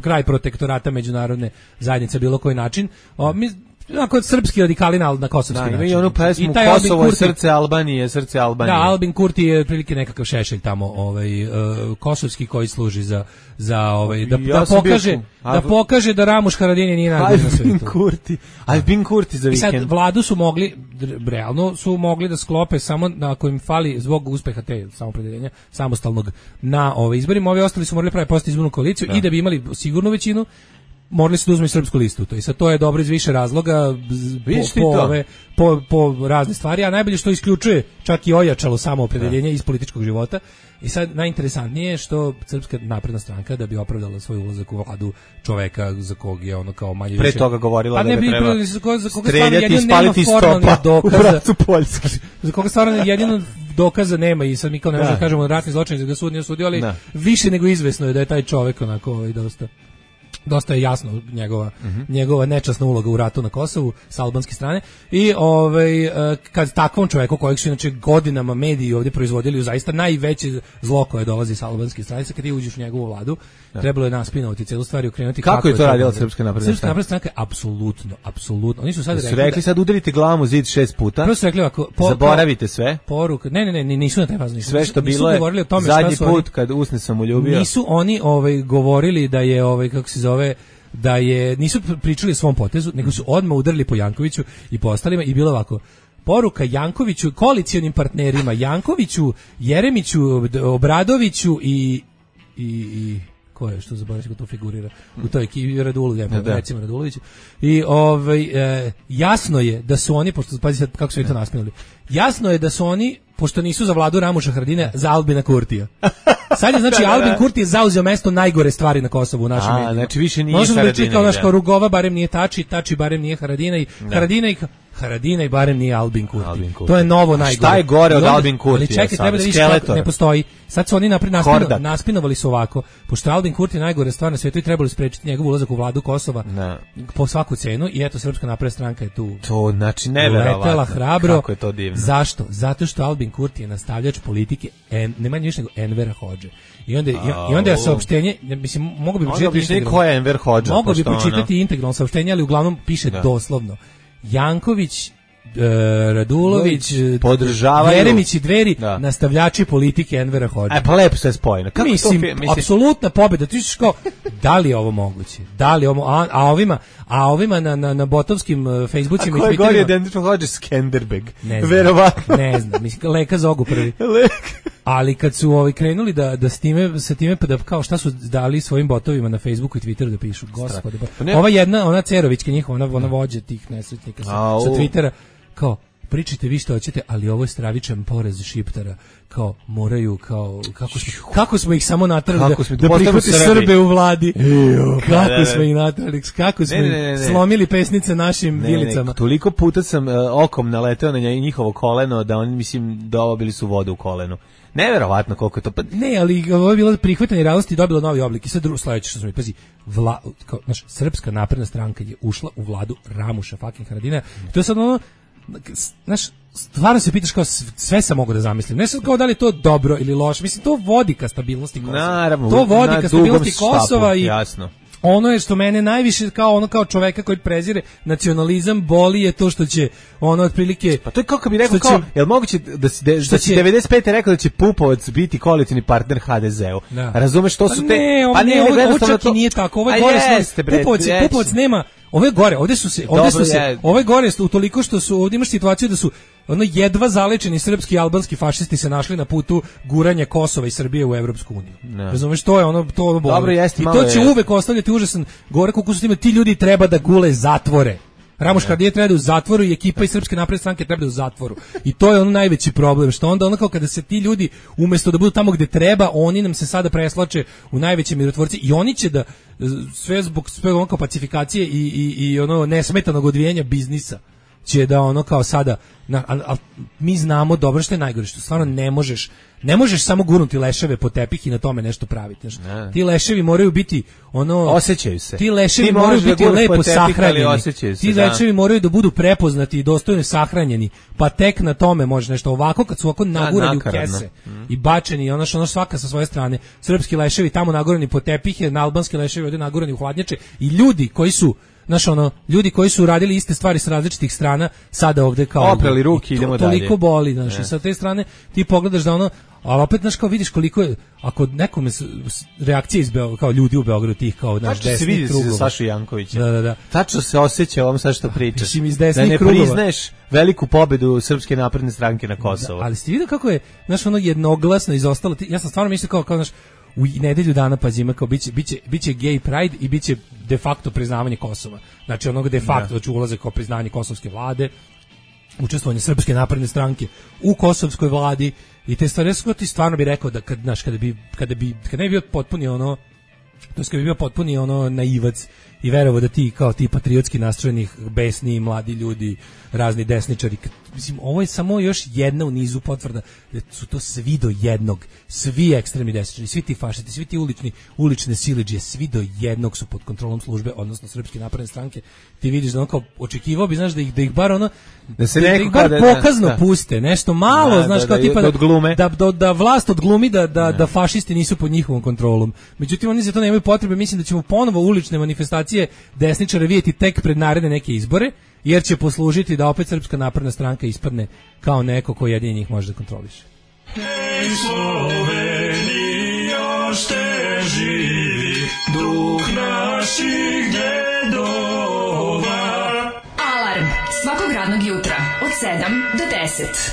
kraj protektorata međunarodne zajednice bilo koji način. O, mi onako srpski radikali na, na kosovski Da, način. imaju onu pesmu I taj Albin Kosovo je Kurti- srce Albanije, srce Albanije. Da, Albin Kurti je otprilike nekakav šešelj tamo, ovaj uh, kosovski koji služi za za ovaj da, Ja da sam bio pokaže tu. da A- pokaže da Ramuš Haradinaj nije najbolji na Albin svetu. Kurti. Albin Kurti za I sad vikend. vladu su mogli dr- realno su mogli da sklope samo na kojim fali zbog uspeha te samopredeljenja samostalnog na ove izborima, ovi ostali su morali praviti post izbornu koaliciju i da bi imali sigurnu većinu morali su da uzmu i srpsku listu. To i sad to je dobro iz više razloga z- po, Vidiš ti po, to? ove, po, po razne stvari, a najbolje što isključuje čak i ojačalo samoopredeljenje iz političkog života. I sad najinteresantnije je što Srpska napredna stranka da bi opravdala svoj ulazak u vladu čoveka za kog je ono kao manje Pre više toga govorila pa da ne ga bi treba pre- za koga, za koga streljati stvarno i jedino nema spaliti formalnih stopa u dokaza, bracu Poljske. za koga stvarno jedino dokaza nema i sad mi kao ne možemo Da. da kažemo ratni zločin da ga sud nije osudio, ali Da. više nego izvesno je da je taj čovek onako ovaj, dosta dosta je jasno njegova njegova nečasna uloga u ratu na Kosovu s albanske strane i ovaj e, kad takvom čoveku kojeg su inače godinama mediji ovdje proizvodili u zaista najveće zlo koje dolazi s albanske strane, kad ti uđeš u njegovu vladu, trebalo je naspinovati celu stvar i okrenuti Kako je to radila moguće. Srpska napredna Srpska stranka? napredna stranka apsolutno, apsolutno. Oni su sad Su rekli, rekli da- sad udarite glavom u zid šest puta, prvo su rekli ovako, po- zaboravite sve, poruka, ne, ne, ne, nisu na taj fazon. sve što nisu bilo je govorili o tome šta zadnji su oni- put kad usne sam uljubio. Nisu oni ovaj govorili da je ovaj kako se zove da je nisu pričali o svom potezu, nego su odmah udarili po Jankoviću i po ostalima i bilo ovako. Poruka Jankoviću, koalicionim partnerima Jankoviću, Jeremiću, Obradoviću i i, i ko je što zaboravim ko to figurira u toj ekipi Radulović, Da, da. recimo Radulović. I ovaj e, jasno je da su oni, pošto pazi sad kako su oni to naspinuli. Jasno je da su oni, pošto nisu za vladu Ramuša Haradine, za Albina Kurtija. Sad je znači Albin Kurti je zauzeo mesto najgore stvari na Kosovu u našem A, medijima. znači više nije Možemo da Haradinaj, čitao naš da. kao Rugova barem nije Tači, Tači barem nije Haradinaj, Haradinaj Haradinaj barem nije Albin Kurti. Albin Kurti. To je novo A najgore. šta je gore I od onda- Albin Kurtija Ali čekaj, sada? treba da vidiš Skeletor. kako ne postoji. Sad su oni napred naspino, Kordak. naspinovali su ovako, pošto je Albin Kurti najgore stvar na svijetu i trebali sprečiti njegov ulazak u vladu Kosova Da. po svaku cenu i eto Srpska napredna stranka je tu To znači neverovatno. letela hrabro. Kako je to divno. Zašto? Zato što Albin Kurti je nastavljač politike en, ne manje više nego Envera Hodže. I onda, i onda je saopštenje, mislim, mogu bi Možda pročitati objašnjenje integralno. ko je Enver Hodža. Mogu bi pošto ono- pročitati integralno saopštenje, ali uglavnom piše Da. doslovno. Janković, e, Radulović, podržavaju- Jeremić i Dveri, Da. nastavljači politike Envera Hodže. Aj, pa lepo sve spojeno. Kako Mislim, to fi- mislim, apsolutna pobjeda. Ti ćeš kao, da li je ovo moguće? Da li je ovo, a, a ovima, a ovima na, na, na botovskim uh, Facebookima a ko i je gori Twitterima, od Enver Hodža? Skenderbeg. ne znam, Verovatno. ne znam, mislim, Leka Zogu prvi. Lek. Ali kad su ovaj krenuli da da s time sa time pa da kao šta su dali svojim botovima na Facebooku i Twitteru da pišu, gospode. Pa ne- Ova jedna, ona Cerovićka njihova, ona ona vođa tih nesretnika sa, Au. sa Twittera, kao pričajte vi što hoćete, ali ovo je stravičan poraz Šiptara, kao moraju, kao, kako smo, kako smo ih samo natrali da, da prihvati Srbe u vladi, Ejo, kako da, da, da. smo ih natrali, kako smo ne, ne, ne, ne. slomili pesnice našim ne, vilicama. Ne, toliko puta sam uh, okom naleteo na njihovo koleno, da oni, mislim, dobili su vodu u kolenu. Neverovatno koliko je to. Pa... Ne, ali ovo je bilo prihvatanje realnosti i dobilo novi oblik. I sad drugo sledeće što smo mi, pazi, vla, kao, naš, Srpska napredna stranka je ušla u vladu Ramuša fucking Haradina. To je sad ono, znaš, stvarno se pitaš kao sve sam mogu da zamislim. Ne sad kao da li je to dobro ili loše. Mislim, to vodi ka stabilnosti Kosova. Naravno, to vodi ka stabilnosti Kosova štapu, i jasno. Ono je što mene najviše kao ono kao čoveka koji prezire nacionalizam boli je to što će ono otprilike pa to je kako bi rekao kao jel moguće da si da si devedeset pete rekao da će Pupovac biti koalicioni partner ha de zeu. Da. Razumeš što su te ne, pa ne, ovo, ovo čak to... i nije tako. Ovo je gore jeste, bre, Pupovac, Pupovac nema ove gore, ovde su se ovde su se ove gore u toliko što su ovde imaš situaciju da su ono jedva zalečeni srpski i albanski fašisti se našli na putu guranja Kosova i Srbije u Evropsku uniju. Razumeš, to je ono to ono boli. Dobro, jeste, i to će je. uvek ostavljati užasan gore koliko su time ti ljudi treba da gule zatvore. Ramuš Haradinaj treba da u zatvoru i ekipa iz Srpske napredne stranke treba da u zatvoru. I to je ono najveći problem, što onda ono kao kada se ti ljudi umesto da budu tamo gde treba, oni nam se sada preslače u najveće mirotvorci i oni će da sve zbog sve ono kao pacifikacije i, i, i ono nesmetanog odvijanja biznisa će da ono kao sada na, a, a, mi znamo dobro što je najgore, što stvarno ne možeš ne možeš samo gurnuti leševe po tepih i na tome nešto praviti. Znači, ti leševi moraju biti ono osjećaju se. Ti leševi ti moraju biti lepo sahranjeni. Se, ti da. leševi moraju da budu prepoznati i dostojno sahranjeni. Pa tek na tome može nešto ovako kad su ovako nagurani u kese mm. i bačeni, ono što ono svaka sa svoje strane. Srpski leševi tamo nagurani po tepihe, na albanski leševi ovde nagurani u hladnjače i ljudi koji su znaš ono, ljudi koji su radili iste stvari sa različitih strana, sada ovde kao oprali ruke, idemo dalje. Toliko boli, znaš, yeah. i sa te strane ti pogledaš da ono, ali opet znaš kao vidiš koliko je, ako nekome reakcije iz Beograda, kao ljudi u Beogradu tih kao naš desnih krugova. Tačno se vidi za Sašu Jankovića. Da, da, da. Tačno se osjeća ovom sad što pričaš. Iz da ne krugova. prizneš veliku pobedu Srpske napredne stranke na Kosovu. Da, ali ste vidio kako je, znaš, ono jednoglasno izostalo. Ja sam stvarno mislio kao, kao znaš, u nedelju dana pa zima kao biće biće biće gay pride i biće de facto priznavanje Kosova. Znači onog de facto da će ulazak kao priznanje kosovske vlade, učestvovanje Srpske napredne stranke u kosovskoj vladi i te stvari su ti stvarno bi rekao da kad znaš kada bi kada bi kad ne bi bio potpuni ono to kad bi bio potpuni ono naivac i verovao da ti kao ti patriotski nastrojenih besni mladi ljudi, razni desničari, mislim ovo je samo još jedna u nizu potvrda da su to svi do jednog, svi ekstremni desničari, svi ti fašisti, svi ti ulični ulične siledžije, svi do jednog su pod kontrolom službe, odnosno Srpske napredne stranke. Ti vidiš da on kao očekivao bi znaš da ih da ih bar ono da se da, da ih bar da, pokazno da, puste, nešto malo, da, znaš da, kao da, tipa da, odglume. da, da, da vlast odglumi da, da, da fašisti nisu pod njihovom kontrolom. Međutim oni za to nemaju potrebe, mislim da ćemo ponovo ulične manifestacije desničara vidjeti tek pred naredne neke izbore, jer će poslužiti da opet Srpska napredna stranka ispadne kao neko ko jedini njih može da kontroliše. Hej Slovenija, šte živi duh naših dedova. Alarm svakog radnog jutra od sedam do deset.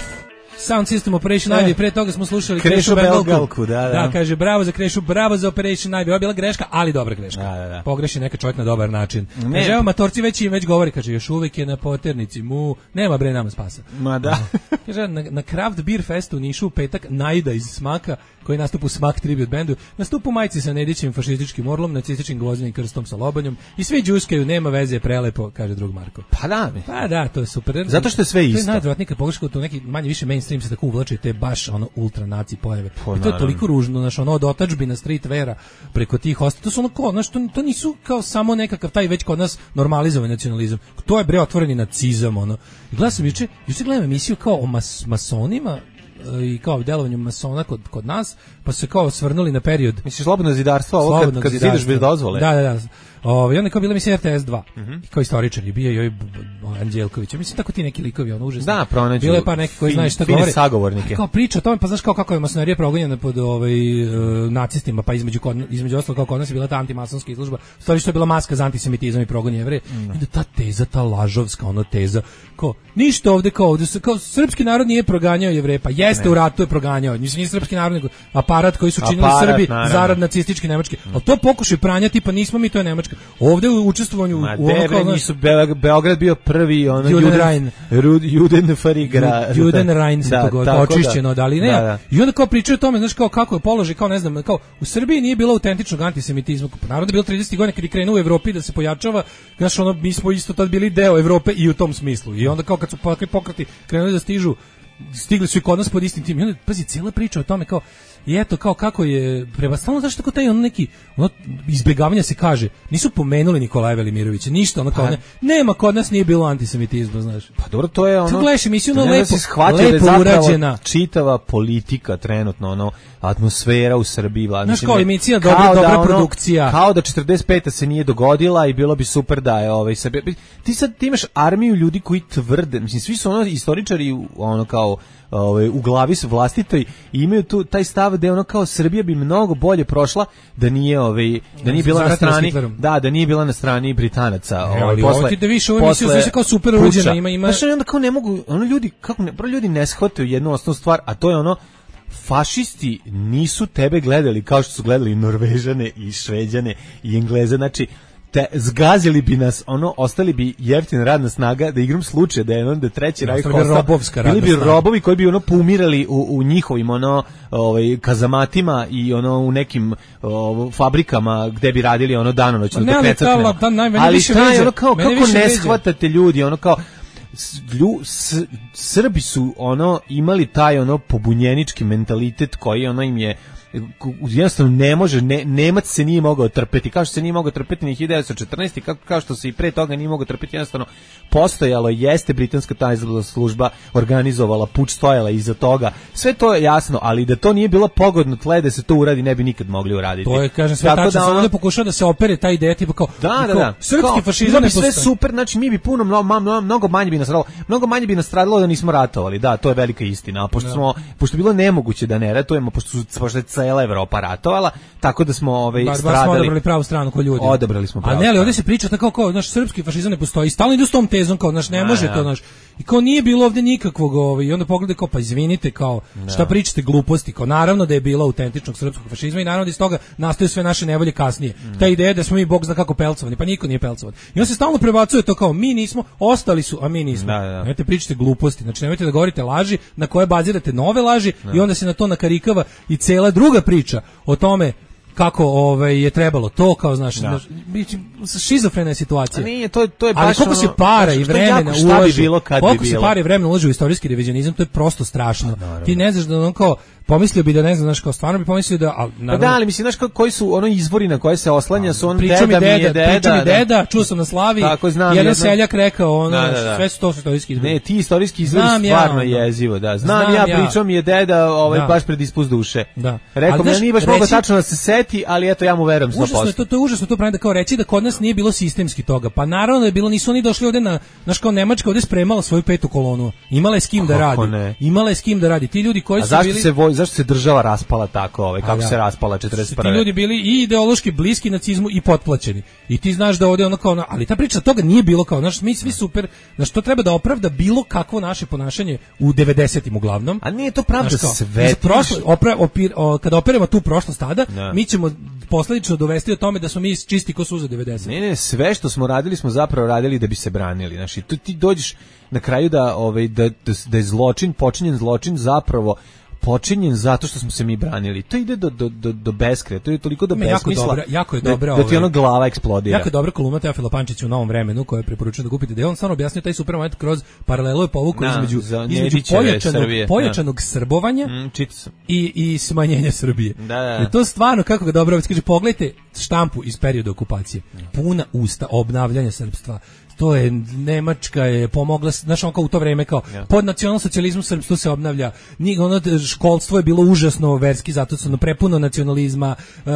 Sound System Operation Ivy, pre toga smo slušali Krešu Belgalku, da, da. Da, kaže bravo za Krešu, bravo za Operation Ivy. Ovo je bila greška, ali dobra greška. Da, da, da. Pogreši neka čovjek na dobar način. Ne. Kaže, evo, matorci već im već govori, kaže, još uvijek je na poternici, mu, nema bre nama spasa. Ma da. Kaže, na, na Craft Beer Festu u Nišu u petak Najda iz Smaka, koji nastupa u Smak tribute bandu, nastupa u majici sa Nedićim fašističkim orlom, nacističkim gvozdenim krstom sa lobanjom i svi džuskaju, nema veze, prelepo, kaže drug Marko. Pa da, mi. Pa da, to je super. Zato što je sve isto. To je najodvratnije kad pogledaš to neki manje više mainstream se tako uvlači, te baš ono ultra naci pojave. Po, I to je toliko ružno, znaš, ono od otadžbina street vera preko tih hosta. To su ono ko, znaš, to, to nisu kao samo nekakav taj već kod nas normalizovan nacionalizam. To je bre otvoreni nacizam, ono. I gledam sam juče, juče gledam emisiju kao o mas, masonima i kao delovanju masona kod, kod nas, pa su se kao svrnuli na period. Misliš slobodno zidarstvo, ovo kad, kad ideš bez dozvole? Da, da, da. Ovaj on je kao bila emisija R T S dva. Mm -hmm. I kao istoričar je bio i ovaj Anđelković. Mislim tako ti neki likovi, ono užasno. Da, pronađu. Bilo je par neki koji znaju šta govore. Sagovornike. Kao priča o tome, pa znaš kao kako je masonerija progonjena pod ovaj uh, nacistima, pa između kod, između ostalog kao kod nas je bila ta antimasonska izložba. Stvari što je bila maska za antisemitizam i progon Jevreja. Mm. I da ta teza, ta lažovska ono teza, kao ništa ovde kao ovde kao srpski narod nije proganjao Jevreje, pa jeste jeste u ratu je proganjao. Mislim nije srpski narod nego aparat koji su činili aparat, Srbi naravno. Zarad nacistički nemački. Al to pokušaj pranja tipa nismo mi to je Nemačka. Ovde u učestvovanju Ma, u ono kao nisu Be Beograd bio prvi ono Judenrein Judenfarigra Judenrein se to govori očišćeno da li ne. Da, da. I onda kao pričaju o tome, znaš kao kako je položaj, kao ne znam, kao u Srbiji nije bilo autentičnog antisemitizma. Narod je bilo tridesetih godina kad je krenuo u Evropi da se pojačava, znaš ono mi smo isto tad bili deo Evrope i u tom smislu. I onda kao kad su pokreti krenuli da stižu, stigli su i kod nas pod istim tim. I onda, pazi, cijela priča o tome kao, i eto, kao kako je, prema stalno, zašto tako taj ono neki, ono, izbjegavanja se kaže, nisu pomenuli Nikolaja Velimirovića, ništa, ono kao, ne, nema, kod nas nije bilo antisemitizma, znaš. Pa dobro, to je ono, kako gledaš emisiju, ono, lepo, lepo da urađena. Čitava politika trenutno, ono, atmosfera u Srbiji, vlada. Znaš, kao emisija, dobra, dobra da, ono, produkcija. Kao da četrdeset peta se nije dogodila i bilo bi super da je ovaj Srbija. Ti sad ti imaš armiju ljudi koji tvrde, mislim, svi su ono istoričari, ono kao, ovaj u glavi su vlastitoj i imaju tu taj stav da je ono kao Srbija bi mnogo bolje prošla da nije ovaj da nije bila na strani da da nije bila na strani Britanaca e, ovaj posle ti da više ovo emisiju sve se kao super uređena ima ima znači onda kao ne mogu ono ljudi kako ne bro ljudi ne shvataju jednu osnovnu stvar a to je ono fašisti nisu tebe gledali kao što su gledali Norvežane i Šveđane i Engleze znači te zgazili bi nas, ono, ostali bi jeftina radna snaga, da igram slučaj da je onda treći rajh ostao, bili bi robovi koji bi ono poumirali u, u njihovim ono, ovaj, kazamatima i ono u nekim o, fabrikama gde bi radili ono danonoćno do krecatneva. Ali taj, ono, kao, kako ne shvatate ljudi, ono kao, Lju, s, Srbi su ono imali taj ono pobunjenički mentalitet koji ono im je jednostavno ne može, ne, Nemac se nije mogao trpeti, kao što se nije mogao trpeti ni hiljadu devetsto četrnaeste. Kao, kao što se i pre toga nije mogao trpeti, jednostavno postojalo jeste britanska tajna služba organizovala puč, stojala iza toga, sve to je jasno, ali da to nije bilo pogodno tle da se to uradi ne bi nikad mogli uraditi. To je, kažem, sve tačno, da ovdje pokušava da se opere ta ideja tipa kao, da, da, kao da. srpski fašizam bi sve super, znači mi bi puno, mnogo, mnogo manje bi nastradalo, mnogo manje bi nastradalo da nismo ratovali, da, to je velika istina, a pošto, smo, pošto je bilo nemoguće da ne ratujemo, pošto su pošto je cela Evropa ratovala, tako da smo ovaj bar, stradali. Bar smo odabrali pravu stranu ko ljudi. Odabrali smo pravu. A ne, ali ovdje se priča tako kao, naš srpski fašizam ne postoji. Stalno idu s tom tezom kao, naš ne može to, naš. I kao nije bilo ovdje nikakvog, ovaj, i onda pogleda kao, pa izvinite, kao, šta pričate gluposti, kao, naravno da je bilo autentičnog srpskog fašizma i naravno da iz toga nastaju sve naše nevolje kasnije. Mm. Ta ideja da smo mi bog zna kako pelcovani, pa niko nije pelcovan. I on se stalno prebacuje to kao, mi nismo, ostali su, a mi nismo. Da, da. Nemojte pričate gluposti, znači nemojte da govorite laži na koje bazirate nove laži da. I onda se na to nakarikava i cela druga priča o tome kako ovaj je trebalo to kao znaš da. Šizofrena je situacija. A nije to to je baš ali koliko se para i vremena ulaže bilo kad bi bilo. Koliko se para i vremena ulaže u istorijski revizionizam, to je prosto strašno. A, ti ne znaš da on kao pomislio bi da ne znam, znaš, kao stvarno bi pomislio da al naravno, da, ali mislim znaš kao, koji su ono izvori na koje se oslanja su on deda, deda, mi je deda, priča mi deda, čuo sam na Slavi. Tako znam, jedan jedno, seljak rekao ono, da, da, da. sve su to istorijski izvori. Ne, ti istorijski izvori stvarno ja, jezivo, da. Znam, znam ja, ja. Pričao mi je deda, ovaj da. Baš pred ispust duše. Da. Rekao mi nije baš mogao tačno da se seti, ali eto ja mu verujem sto posto. Užasno je to, to je užasno to pravim da kao reći da kod nas nije bilo sistemski toga. Pa naravno da je bilo, nisu oni došli ovde na, naš kao Nemačka ovde spremala svoju petu kolonu. Imala je s kim da radi. Imala je s kim da radi. Ti ljudi koji su bili se zašto se država raspala tako, ovaj kako da. Se raspala četrdeset prve. Ti ljudi bili i ideološki bliski nacizmu i potplaćeni. I ti znaš da ovdje ono kao, ali ta priča toga nije bilo kao, znaš, mi svi super, znaš, to treba da opravda bilo kakvo naše ponašanje u devedesetim uglavnom. A nije to pravda sve. Prošlo, opra, opir, o, kada operemo tu prošlost tada, da. Mi ćemo posledično dovesti do tome da smo mi čisti ko suza devedeset. Ne, ne, sve što smo radili smo zapravo radili da bi se branili. Znači, tu ti dođeš na kraju da, ovaj, da, da, da je zločin, počinjen zločin zapravo počinjen zato što smo se mi branili. To ide do do do do beskraja. To je toliko do besmisla. Jako, jako je dobra. Da, da ti ono glava eksplodira. Jako je dobra kolumna Teofila Pančića u Novom vremenu koju preporučujem da kupite. Da on stvarno objasnio taj super moment kroz paralelu je povukao no, između između pojačanog Srbije. pojačanog no. srbovanja mm, i i smanjenja Srbije. Da, da. I to stvarno kako ga dobro kaže, pogledajte štampu iz perioda okupacije. Puna usta obnavljanja srpstva. To je Nemačka je pomogla, znaš, on kao u to vreme kao ja. Pod nacionalsocijalizmom srpstvo se obnavlja. Ni ono školstvo je bilo užasno verski, zato su ono prepuno nacionalizma, uh,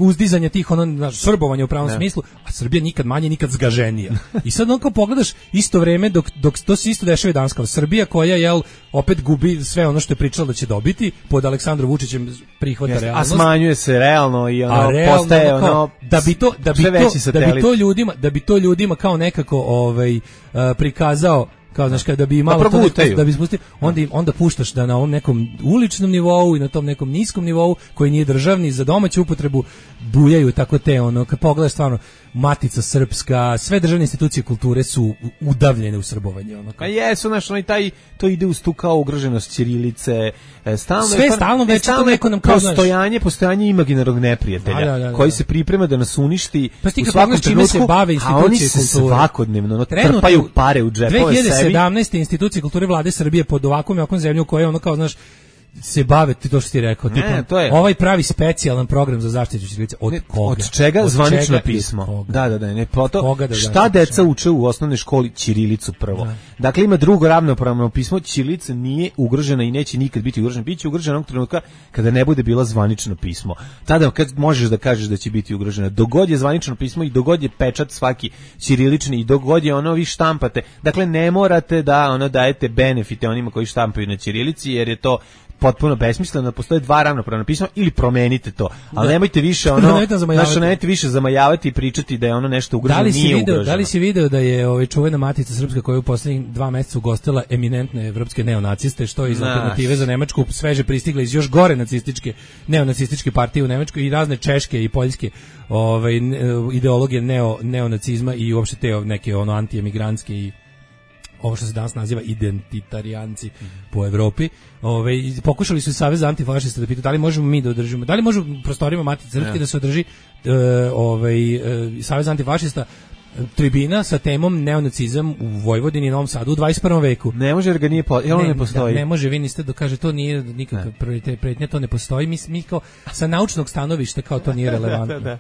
uzdizanje tih ono znaš, srbovanja u pravom ja. Smislu, a Srbija nikad manje, nikad zgaženija. I sad on kao pogledaš isto vreme dok dok to se isto dešava i danas kao Srbija koja jel opet gubi sve ono što je pričala da će dobiti pod Aleksandrom Vučićem prihvata yes. realnost. A smanjuje se realno i ono realno, postaje ono kao, da bi to da bi to da bi to ljudima da bi to ljudima kao nekako ovaj uh, prikazao kao znaš kada bi imalo to nešto, da bi spustio, onda onda puštaš da na ovom nekom uličnom nivou i na tom nekom niskom nivou koji nije državni za domaću upotrebu bujaju tako te ono kad pogledaš stvarno Matica Srpska, sve državne institucije kulture su udavljene u srbovanje ono. A jesu naš onaj taj to ide uz tu kao ugroženost ćirilice, stalno sve stalno već to neko nam kao postojanje, postojanje imaginarnog neprijatelja da, da, da, koji se priprema da nas uništi pa u svakom trenutku, se bave institucije kulture svakodnevno no, trpaju pare u džepove dve hiljade sedamnaeste institucije kulture vlade Srbije pod ovakvom jakom zemljom koja ono kao znaš se bave ti to što ti rekao, ne, tipa, to je ovaj pravi specijalan program za zaštitu ćirilice od ne, koga? Od čega od zvanično čega pismo? Da, da, da, ne, poto, da šta deca uče u osnovnoj školi ćirilicu prvo. Da. Dakle ima drugo ravnopravno pismo, ćirilica nije ugrožena i neće nikad biti ugrožena, biće ugrožena onog trenutka kada ne bude bila zvanično pismo. Tada kad možeš da kažeš da će biti ugrožena, dogod je zvanično pismo i dogod je pečat svaki ćirilični i dogod je ono vi štampate. Dakle ne morate da ono dajete benefite onima koji štampaju na ćirilici jer je to potpuno besmisleno, postoje dva ravnopravna pisma ili promenite to, ali nemojte više ono, znači nemojte više zamajavati i pričati da je ono nešto ugroženo, da nije ugroženo. Da li si video da je ovaj čuvena Matica Srpska koja je u poslednjih dva meseca ugostila eminentne evropske neonaciste, što je iz alternative za Nemačku sveže pristigla iz još gore nacističke, neonacističke partije u Nemačkoj i razne češke i poljske ovaj, ideologije neo, neonacizma i uopšte te neke ono antiemigrantske i ovo što se danas naziva identitarijanci mm. po Evropi. Ove, pokušali su Savez antifašista da pitaju da li možemo mi da održimo, da li može u prostorima Matice Srpske yeah. da se održi uh, ovaj, uh, Savez antifašista tribina sa temom neonacizam u Vojvodini i Novom Sadu u dvadeset prvom veku. Ne može jer ga nije po, jel ne, ne postoji. Da, ne može, vi niste da kaže to nije nikakav prioritet pretnja, to ne postoji. Mi, mi kao sa naučnog stanovišta kao to nije relevantno. da, da, da.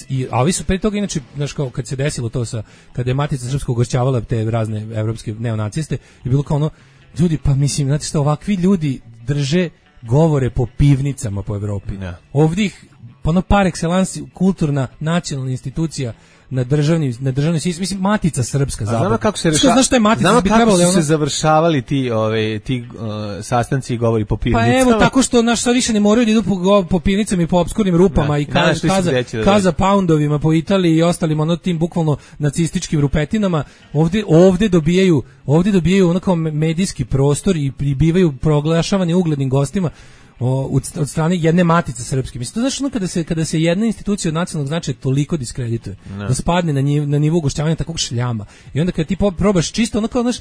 I, a ovi su pre toga inače, znaš kao kad se desilo to sa, kada je Matica Srpska ugošćavala te razne evropske neonaciste i bilo kao ono, ljudi pa mislim, znate što, ovakvi ljudi drže govore po pivnicama po Evropi. Da. Ovdje ih, ono par excellence kulturna nacionalna institucija na državni na državnoj sistem, mislim Matica Srpska zapravo. Znamo kako se rešava. Znaš šta je Matica? Znamo bi kako trebalo, su ono... se završavali ti ove ti uh, sastanci i govori po pivnicama. Pa evo tako što naš sad više ne moraju da idu po, po pivnicama i po opskurnim rupama ne, i kaza, ne, kaza, da kaza poundovima po Italiji i ostalim ono tim bukvalno nacističkim rupetinama. Ovde ovde dobijaju ovde dobijaju onako medijski prostor i bivaju proglašavani uglednim gostima. O, od strane jedne Matice Srpske. Mislim, to znači ono kada se, kada se jedna institucija od nacionalnog značaja toliko diskredituje, no. da spadne na, njiv, na nivo ugošćavanja takvog šljama. I onda kada ti probaš čisto, ono kao, znaš,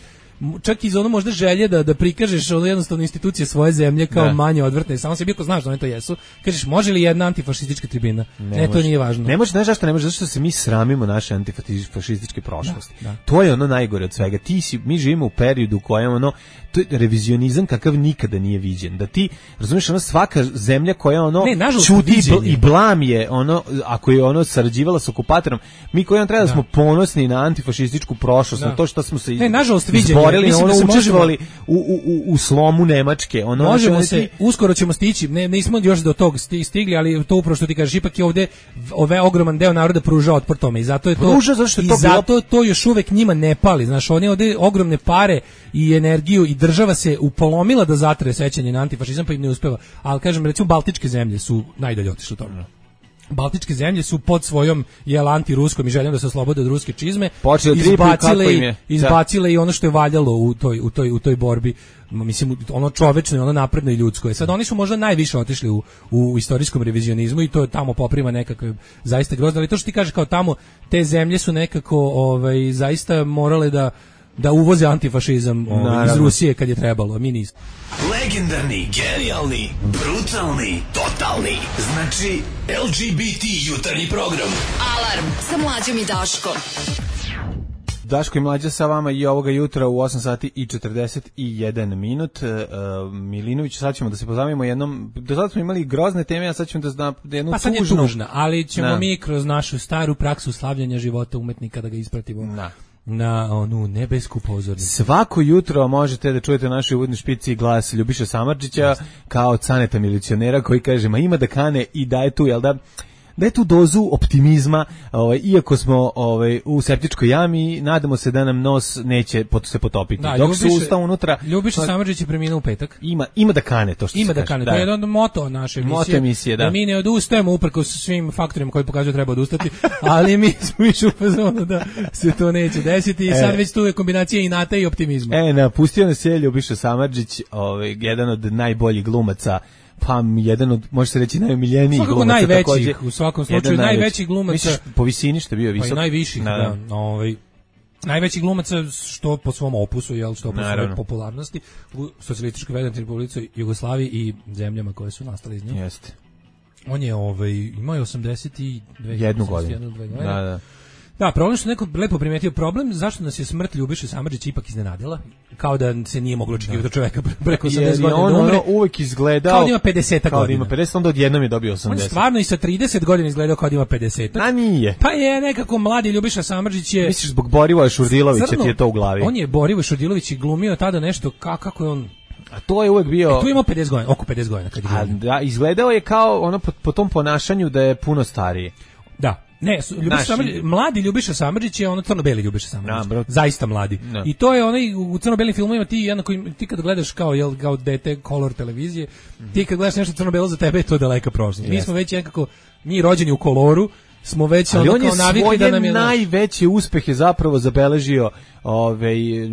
čak iz ono možda želje da, da prikažeš ono jednostavno institucije svoje zemlje kao ne. manje odvrtne, samo se biko znaš da one to jesu, kažeš, može li jedna antifašistička tribina? Ne, ne to nije važno. Ne može, znaš zašto ne može, zato što se mi sramimo naše antifašističke prošlosti. Da, da. To je ono najgore od svega. Ti si, mi živimo u periodu u kojem ono, to je revizionizam kakav nikada nije viđen. Da ti, razumiješ, ono svaka zemlja koja ono ne, čuti i blam je ono, ako je ono sarađivala s okupatorom, mi koji on treba da, da smo ponosni na antifašističku prošlost, da. na to što smo se ne, nažalost, viđenje. Mislim ono, da se učestvovali u, u, u slomu Nemačke. Ono, možemo se, ti... uskoro ćemo stići, ne, nismo još do tog stigli, ali to upravo što ti kažeš, ipak je ovde ove ogroman deo naroda pruža otpor tome i zato je to, pruža, zašto je i to zato bilo... to još uvek njima ne pali. Znaš, oni ovde ogromne pare i energiju i država se upolomila da zatre sećanje na antifašizam, pa im ne uspeva. Ali kažem, recimo, Baltičke zemlje su najdalje otišle u tome. Baltičke zemlje su pod svojom jel antiruskom i željom da se oslobode od ruske čizme izbacile, i, izbacile i ono što je valjalo u toj, u toj, u toj borbi, mislim ono čovečno i ono napredno i ljudsko je. Sad oni su možda najviše otišli u, u istorijskom revizionizmu i to je tamo poprima nekakve zaista grozno, ali to što ti kaže kao tamo te zemlje su nekako ovaj, zaista morale da da uvoze antifašizam ovaj, iz Rusije kad je trebalo, a mi nismo. Legendarni, genijalni, brutalni, totalni. Znači L G B T jutarnji program. Alarm sa Mlađom i Daškom. Daško i Mlađa sa vama i ovoga jutra u osam sati i četrdeset jedan minut. Uh, Milinović, sad ćemo da se pozabavimo jednom, do sada smo imali grozne teme, a sad ćemo da zna jednu pa sad tužnu. Je tužna, ali ćemo da. mi kroz našu staru praksu slavljanja života umetnika da ga ispratimo. Da. Na onu nebesku pozornicu. Svako jutro možete da čujete našu uvodni špici glas Ljubiše Samardžića kao Caneta milicionera koji kaže, ma ima da kane i daje tu, jel da? daje tu dozu optimizma, ovaj, iako smo ovaj, u septičkoj jami, nadamo se da nam nos neće pot, se potopiti. Da, dok Ljubiša, su usta unutra... Ljubiša Samardžić je preminuo u petak. Ima, ima da kane to što ima se da kaže. kane, Da. to je jedan moto naše emisije. Moto emisije, da. Da mi ne odustajemo uprkos svim faktorima koji pokazuju da treba odustati, ali mi smo više u fazonu da se to neće desiti i E. sad već tu je kombinacija inata i optimizma. E, napustio nas je Ljubiša Samardžić, ovaj, jedan od najboljih glumaca, pa jedan od, može se reći, najomiljenijih Svakako glumaca. najvećih, takođe. u svakom Jedan slučaju, najvećih glumaca. Misliš, po visini što je bio visok? Pa i najviših, da. da ovaj, najveći glumaca što po svom opusu, jel, što po svojoj popularnosti u socijalističkoj Federativnoj Republici Jugoslaviji i zemljama koje su nastale iz nje. Jeste. On je ovaj, imao je osamdeset dve Jednu godinu. Da, da. Da, problem što neko lepo primetio problem, zašto nas je smrt Ljubiše Samardžića ipak iznenadila, kao da se nije moglo očekivati od čoveka preko osamdeset godina on, da umre. Ono uvek izgledao kao da ima pedeset godina. Kao da ima pedeset, onda odjednom je dobio osamdeset. On je stvarno i sa trideset godina izgledao kao da ima pedeset. A nije. Pa je nekako mladi Ljubiša Samardžić je... Misliš zbog Borivoja Šurdilovića ti je to u glavi? On je Borivoj Šurdilović i glumio tada nešto, ka, kako je on... A to je uvek bio... E, tu ima pedeset godina, oko pedeset godina. Kad je A, da, izgledao je kao ono po, po tom ponašanju da je puno stariji. Da. Ne, Ljubiša Naši... Samardžić, mladi Ljubiša Samardžić je ono crno-beli Ljubiša Samardžić. Da, zaista mladi. Da. I to je onaj u crno-belim filmovima ti jednako ti kad gledaš kao jel kao dete kolor televizije, mm-hmm. ti kad gledaš nešto crno-belo za tebe je to daleka prošlost. Mi smo već nekako mi rođeni u koloru, smo već ali ono on je kao navikli da nam je najveći uspeh je zapravo zabeležio ovaj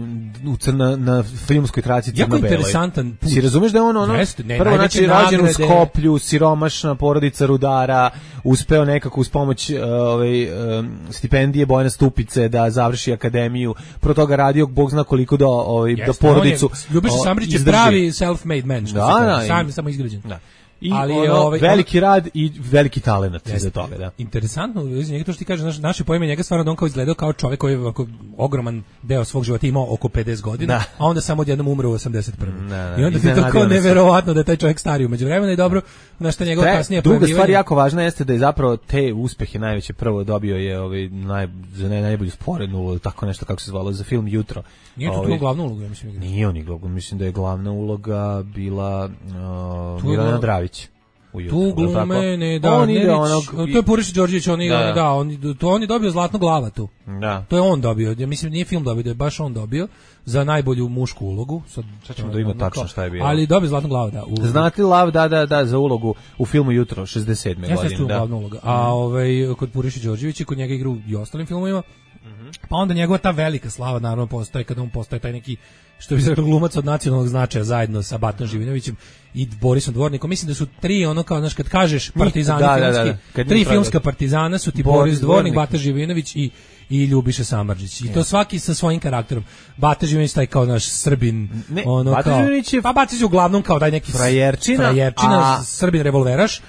u crna na filmskoj traci jako crno-beloj. interesantan put. Si razumeš da je on ono Jeste, ne, prvo znači rođen u nagrade... Skoplju, siromašna porodica rudara, uspeo nekako uz pomoć ovaj stipendije Bojana Stupice da završi akademiju, pro toga radio bog zna koliko da ovaj da porodicu. Ljubiša Samardžić je pravi self-made man, što da, se da, kaže, sam samo izgrađen. Da. I ali ono, ovaj, veliki rad i veliki talenat za toga, da. Interesantno, njega to što ti kaže, naš, naše pojme njega stvarno da on kao izgledao kao čovjek koji je ovako ogroman deo svog života imao oko pedeset godina, da. a onda samo odjednom umre u osamdeset prvom. Da, da. I onda ti je tako neverovatno da je taj čovjek stari umeđu vremena i dobro, na šta njegov kasnije druga stvar jako važna jeste da je zapravo te uspehe najveće prvo dobio je ovaj naj za ne, najbolju sporednu ulogu, tako nešto kako se zvalo za film Jutro. Nije to ovaj, glavna uloga, ja mislim. Nije on igrao, mislim da je glavna uloga bila uh, Milana Dravić. Ujutro, tu glume, ne, da, on Nerić, ide onog, to je Purišić Đorđević, on, da. on, da, on, to on je dobio Zlatnu glava tu. Da. To je on dobio, ja mislim nije film dobio, da je baš on dobio za najbolju mušku ulogu. Sad, sad ćemo da ima tačno šta je bilo. Ali dobio Zlatnu glavu, da. U... Znate lav, da, da, da, za ulogu u filmu Jutro, šezdeset sedme ja godine. Ja da. Glavna uloga. A ovaj, kod Purišić Đorđević i kod njega igru i ostalim filmovima, mm-hmm. pa onda njegova ta velika slava naravno postaje kada on postaje taj neki što bi se rekao glumac od nacionalnog značaja zajedno sa Batom Živinovićem i Borisom Dvornikom. Mislim da su tri ono kao znaš kad kažeš partizani da, filmski, da, da, da. tri filmska partizana su ti Boris, Boris Dvornik, Bata Živinović i i Ljubiša Samardžić. I to svaki sa svojim karakterom. Bata Živinović taj kao naš Srbin, ne, ono Bata kao. Je... Pa Bata je uglavnom kao taj neki frajerčina, frajerčina a... Srbin revolveraš.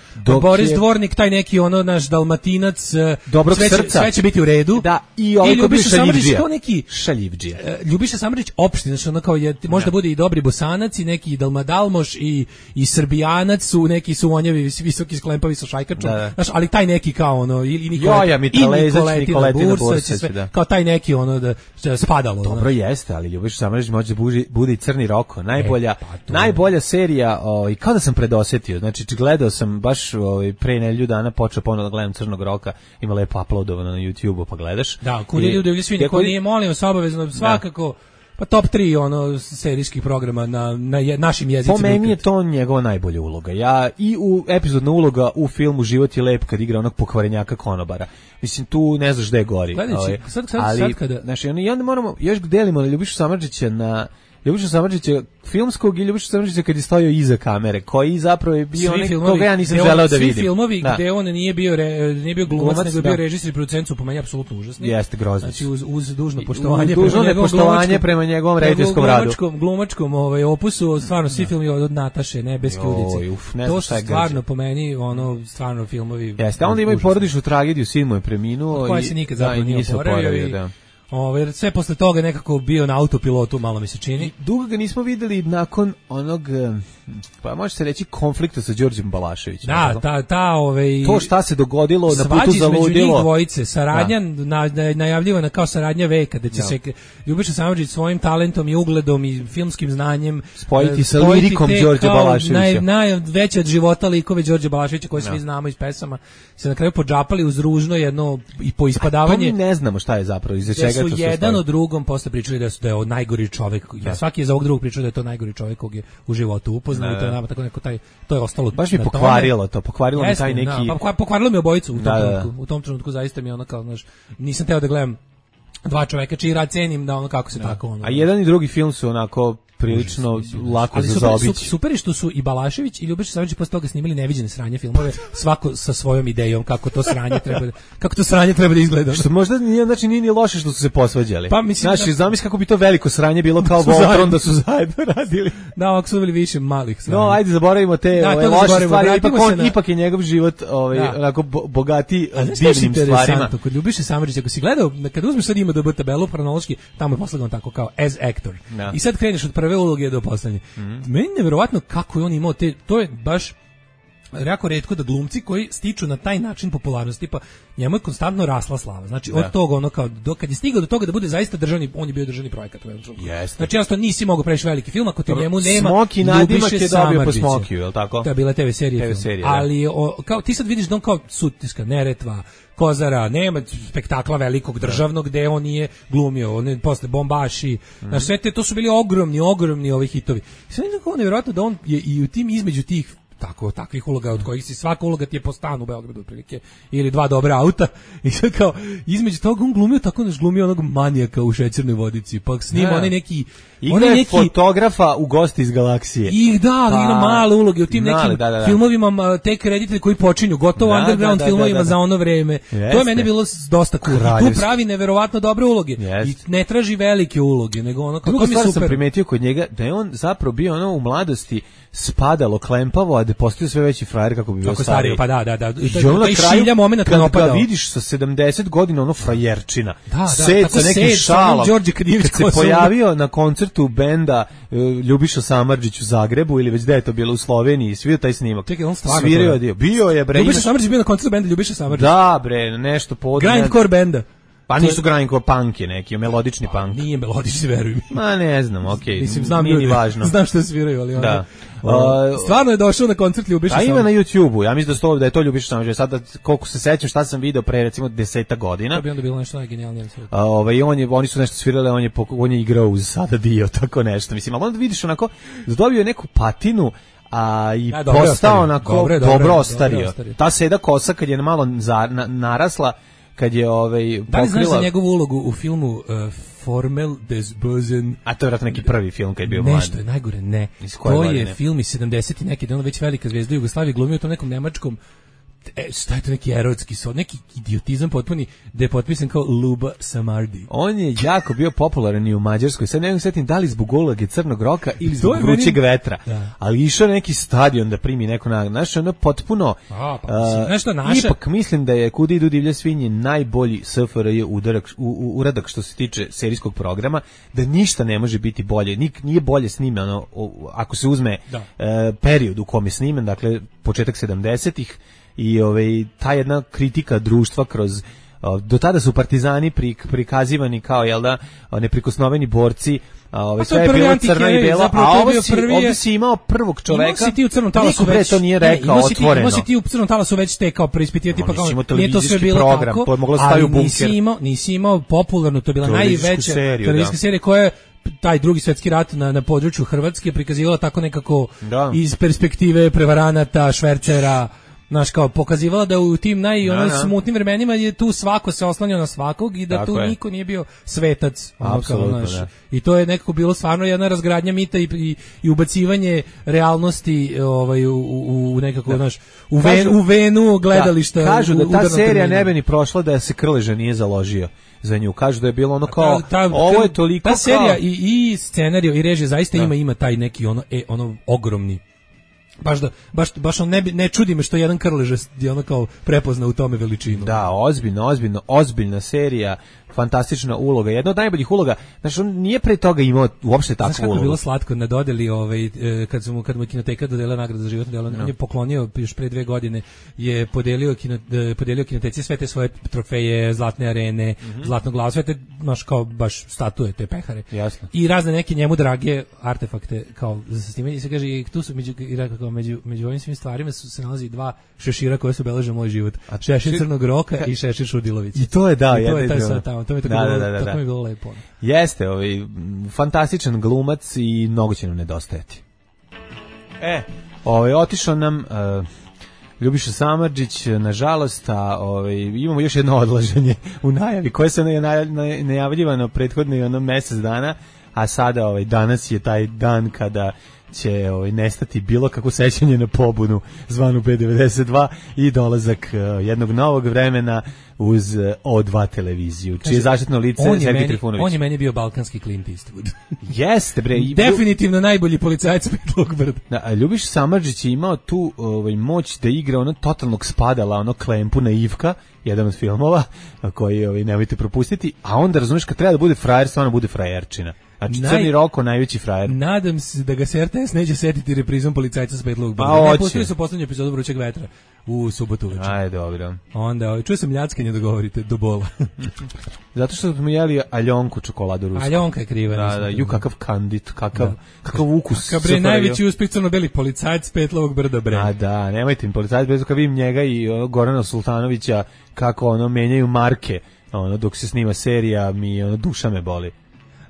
Boris je... Dvornik taj neki ono naš Dalmatinac, dobrog sve će, srca. sve će biti u redu. Da, i ovaj Ljubiša Samardžić to neki šaljivdžija. Uh, Ljubiša Samardžić opština, znači ono kao je može da bude i dobri Bosanac i neki Dalmadalmoš i i Srbijanac su neki su onjevi visoki sklempavi sa šajkačom. Da. Znaš, ali taj neki kao ono ili Nikola Joja Mitralezac, Nikoletina Bursa, da. Kao taj neki ono da, da spadalo. Dobro znači. Jeste, ali Ljubiša Samardžić može da bude i Crni Roko, najbolja, e, pa najbolja serija, ovaj kao da sam predosetio. Znači gledao sam baš ovaj pre nedelju dana počeo ponovo da gledam Crnog Roka, ima lepo uploadovano na YouTubeu, pa gledaš. Da, kud je ljudi svi niko nije molio se obavezno svakako pa top tri ono serijskih programa na na je, našim jezicima. Po meni je to njegova najbolja uloga. Ja i u epizodna uloga u filmu Život je lep kad igra onog pokvarenjaka konobara. Mislim tu ne znaš gde je gori. Gledajući, sad, sad, ali, sad kada znači, i onda moramo još delimo na Ljubišu Samardžića na Ljubiša Samardžića filmskog i Ljubiša Samardžića kad je stojao iza kamere, koji zapravo je bio onaj koga ja nisam želeo da vidim. Svi filmovi da. Gde on nije bio re, nije bio glumac, glumac nego je bio režiser i producent su po meni apsolutno užasni. Jeste grozno. Znači uz, uz dužno poštovanje uz dužno prema poštovanje prema njegovom rediteljskom radu. Glumačkom, glumačkom ovaj opusu, stvarno svi filmovi od Nataše, Nebeske ulice. To su stvarno po meni ono stvarno filmovi. Jeste, onda ima i porodičnu tragediju, sin mu je preminuo i koji se nikad zapravo nije oporavio. Ovaj sve posle toga nekako bio na autopilotu, malo mi se čini. I dugo ga nismo videli nakon onog, pa može se reći, konflikta sa Đorđem Balaševićem. Da, ta, ta, ovaj... To šta se dogodilo na putu za ludilo. Svađi između njih dvojice, saradnja, na, na, najavljivana kao saradnja veka, da će da. se Ljubiša Samardžić svojim talentom i ugledom i filmskim znanjem spojiti sa lirikom Đorđa Balaševića. Naj, najveće od života likove Đorđa Balaševića koje svi znamo iz pesama, se na kraju podžapali uz ružno jedno i poispadavanje. To mi ne znamo šta je zapravo, iza čega to se su jedan od drugom posle pričali da su da je od najgori čovjek. Ja svaki je za ovog drugog pričao da je to najgori čovjek kog je u životu upoznao i to je nama tako neko taj to je ostalo. Baš mi pokvarilo to, pokvarilo mi taj neki. Da, pa pokvarilo mi obojicu u tom da, trenutku. Da. U tom trenutku zaista mi je ono kao, znaš, nisam teo da gledam dva čoveka čiji rad cenim da ono kako se da. tako ono. A jedan i drugi film su onako prilično Užas, lako ali za super, zaobići. Super, super je što su i Balašević i Ljubiša Samardžić posle toga snimali neviđene sranje filmove, svako sa svojom idejom kako to sranje treba kako to sranje treba da izgleda. Što možda nije, znači nije ni loše što su se posvađali. Pa mislim, znači, da, zamisli kako bi to veliko sranje bilo kao Voltron da su zajedno radili. Da, ovako su bili više malih sranja. No, ajde zaboravimo te da, ove, loše stvari, ipak, on, na... ipak je njegov život ovaj, da. onako bogati divnim stvarima. Kod Ljubiše Samardžića, ako si gledao, kad uzmeš sad ima D B tabelu hronološki, tamo je poslagan tako kao as actor. Da. I sad kreneš od prve uloge do poslednje. Mm-hmm. Meni je neverovatno kako je on imao te, to je baš jako retko da glumci koji stiču na taj način popularnosti, pa njemu je konstantno rasla slava. Znači, da. od toga, ono kao, do, kad je stigao do toga da bude zaista državni, on je bio državni projekat. Yes. Znači, jasno, nisi mogao preći veliki film, ako ti njemu nema Smoki nadimak je dobio po Smokiju, je li tako? To je bila T V serija. T V serija, ali, o, kao, ti sad vidiš da on kao Sutiska, Neretva, Kozara, nema spektakla velikog državnog gde on nije glumio, on je posle Bombaši, mm. na sve te, to su bili ogromni, ogromni ovi hitovi. I sad je tako nevjerojatno da on je i u tim između tih tako takvih uloga od kojih si svaka uloga ti je po stanu u Beogradu otprilike ili dva dobra auta i sad kao između toga on glumio tako naš glumio onog manijaka u Šećernoj vodici pa snima onaj neki onaj neki fotografa u Gosti iz galaksije i da pa, igra male uloge u tim male, nekim da, da, da. filmovima te kredite koji počinju gotovo da, underground da, da, filmovima da, da, da. za ono vreme. Jeste. To je meni bilo dosta cool. Tu pravi neverovatno dobre uloge. Jeste. I ne traži velike uloge nego ono kako mi super. Sam primetio kod njega da je on zapravo bio ono u mladosti spadalo klempavo, a da postao sve veći frajer kako bi bio kako stariji. Pa da, da, da. I to je šilja momenat kad ga vidiš sa sedamdeset godina, ono frajerčina. Da, da, set sa nekim šalom. Kad se pojavio na koncertu benda uh, Ljubiša Samardžić u Zagrebu ili već da je to bilo u Sloveniji, svirio taj snimak. Čekaj, on stvarno svirio dio. Bio je bre. Ljubiša Samardžić bio na koncertu benda Ljubiša Samardžić. Da, bre, nešto podne. Grindcore benda. Pa nisu grindcore punk je neki, melodični pa, punk. Nije melodični, veruj mi. Ma ne znam, okej. Okay. Mislim, znam nije ljudi, važno. Znam što sviraju, ali da. Ono, stvarno je došao na koncert Ljubiša Samardžića. A ima na YouTubeu, ja mislim da, sto, da je to Ljubiša Samardžića. Sada, koliko se sećam šta sam video pre, recimo, deseta godina. To bi onda bilo nešto najgenijalnije. A, ovaj, on je, oni su nešto svirali, on je, on je igrao uz sada dio, tako nešto. Mislim, ali onda vidiš onako, dobio je neku patinu, a i ja, postao onako dobro, dobro, dobro ostario. ostario. Ta seda kosa kad je malo za, na, narasla, kad je ovaj pokrila... Da li znaš za njegovu ulogu u filmu uh, Formel des Bösen? A to je vratno neki prvi film kad je bio mlad. Nešto je najgore, ne. To je film iz sedamdesetih neki, da ono već velika zvezda Jugoslavije glumio u tom nekom nemačkom E, šta je to neki erotski sod, neki idiotizam potpuni, da je potpisan kao Luba Samardi. On je jako bio popularan i u Mađarskoj, sad ne mogu setim da li zbog uloge Crnog roka ili zbog vrućeg meni... vetra, da. Ali išao neki stadion da primi neko nagradu, znaš, ono potpuno, A, pa, uh, nešto naše... ipak mislim da je Kuda idu divlje svinje najbolji S F R J udarak, u, u, uradak što se tiče serijskog programa, da ništa ne može biti bolje, Nik, nije bolje snimano, ako se uzme uh, period u kom je snimen, dakle početak sedamdesetih, i ovaj ta jedna kritika društva kroz do tada su partizani prikazivani kao jel da neprikosnoveni borci, a ovaj sve je bilo crno i belo, a ovo si, ovdje si imao prvog čoveka. Imao si ti u Crnom talasu već, to nije rekao ne, otvoreno. Imao si ti u Crnom talasu već te kao preispitivati, pa kao nije to sve bilo program, tako, to ali nisi imao, nisi imao popularnu, to je bila najveća televizijska serija koja je taj drugi svjetski rat na, na području Hrvatske prikazivala tako nekako da. Iz perspektive prevaranata, švercera, znaš, kao pokazivala da u tim naj ono smutnim vremenima je tu svako se oslanjao na svakog i da tako tu je. Niko nije bio svetac. Apsolutno, da. I to je nekako bilo stvarno jedna razgradnja mita i, i, i ubacivanje realnosti ovaj, u, u, u nekako, znaš, u, ven, u venu gledališta. Da, kažu da ta serija terminu. Ne bi ni prošla da se Krleža nije založio za nju. Kažu da je bilo ono kao, ta, ta, ovo je toliko ta serija kao... i, i scenario i režija zaista da. ima ima taj neki ono, e, ono ogromni baš da baš baš on ne ne čudi me što jedan Krleža je ono kao prepozna u tome veličinu. Da, ozbiljno, ozbiljno, ozbiljna serija fantastična uloga, jedna od najboljih uloga. Znači, on nije pre toga imao uopšte takvu ulogu. Znaš kako je bilo slatko na dodeli, ovaj, kad su mu, kad mu Kinoteka dodelila nagradu za životno delo, no. on je poklonio, još pre dve godine, je podelio, kino, podelio Kinoteci sve te svoje trofeje, zlatne arene, mm-hmm. zlatnog glava, sve te, znaš, kao baš statue, te pehare. Jasno. I razne neke njemu drage artefakte, kao za snimanje. I se kaže, i tu su, među, i rekao, među, među ovim svim stvarima su se nalazi dva šešira koje su obeleže moj život. Šešir Crnog Roka ka, i Šešir Šudilović. I to je, da, I to je taj sad tamo. To mi je tako, da, bilo, da, da, tako da. mi je bilo lepo. Jeste, ovaj, fantastičan glumac i mnogo će nam nedostajati. E, ovaj, otišao nam uh, Ljubiša Samardžić, nažalost, a ovaj, imamo još jedno odlaženje u najavi, koje se najavljivano prethodno i ono mesec dana, a sada ovaj, danas je taj dan kada će ovaj, nestati bilo kako sećanje na pobunu zvanu B devedeset dva i dolazak uh, jednog novog vremena uz uh, O dva televiziju, čije je zaštitno lice Sergej Trifunović. On je meni bio balkanski Clint Eastwood. Jeste, bre. I, definitivno najbolji policajac Petlog brda. Da, Ljubiš Samardžić je imao tu ovaj, moć da igra ono totalnog spadala, ono Klempu naivka, jedan od filmova koji ovaj, nemojte propustiti, a onda razumiješ kad treba da bude frajer, stvarno bude frajerčina. Znači, Naj... Crni Roko, najveći frajer. Nadam se da ga se R T S neće setiti reprizom policajca s Petlog brda. Pa, ne, pustili su poslednju epizodu Vrućeg vetra u subotu uveče. Ajde, dobro. Onda, čuo sam ljackanje da govorite do bola. Zato što smo jeli Aljonku čokoladu rusku. Aljonka je kriva. Da, da, ju kakav kandit, kakav, da. kakav ukus. Kakav bre, najveći uspeh crno-beli policajac s Petlovog brda, bre. A da, nemojte mi policajac, bez kad vidim njega i ono, Gorana Sultanovića, kako ono, menjaju marke, ono, dok se snima serija, mi ono, duša me boli.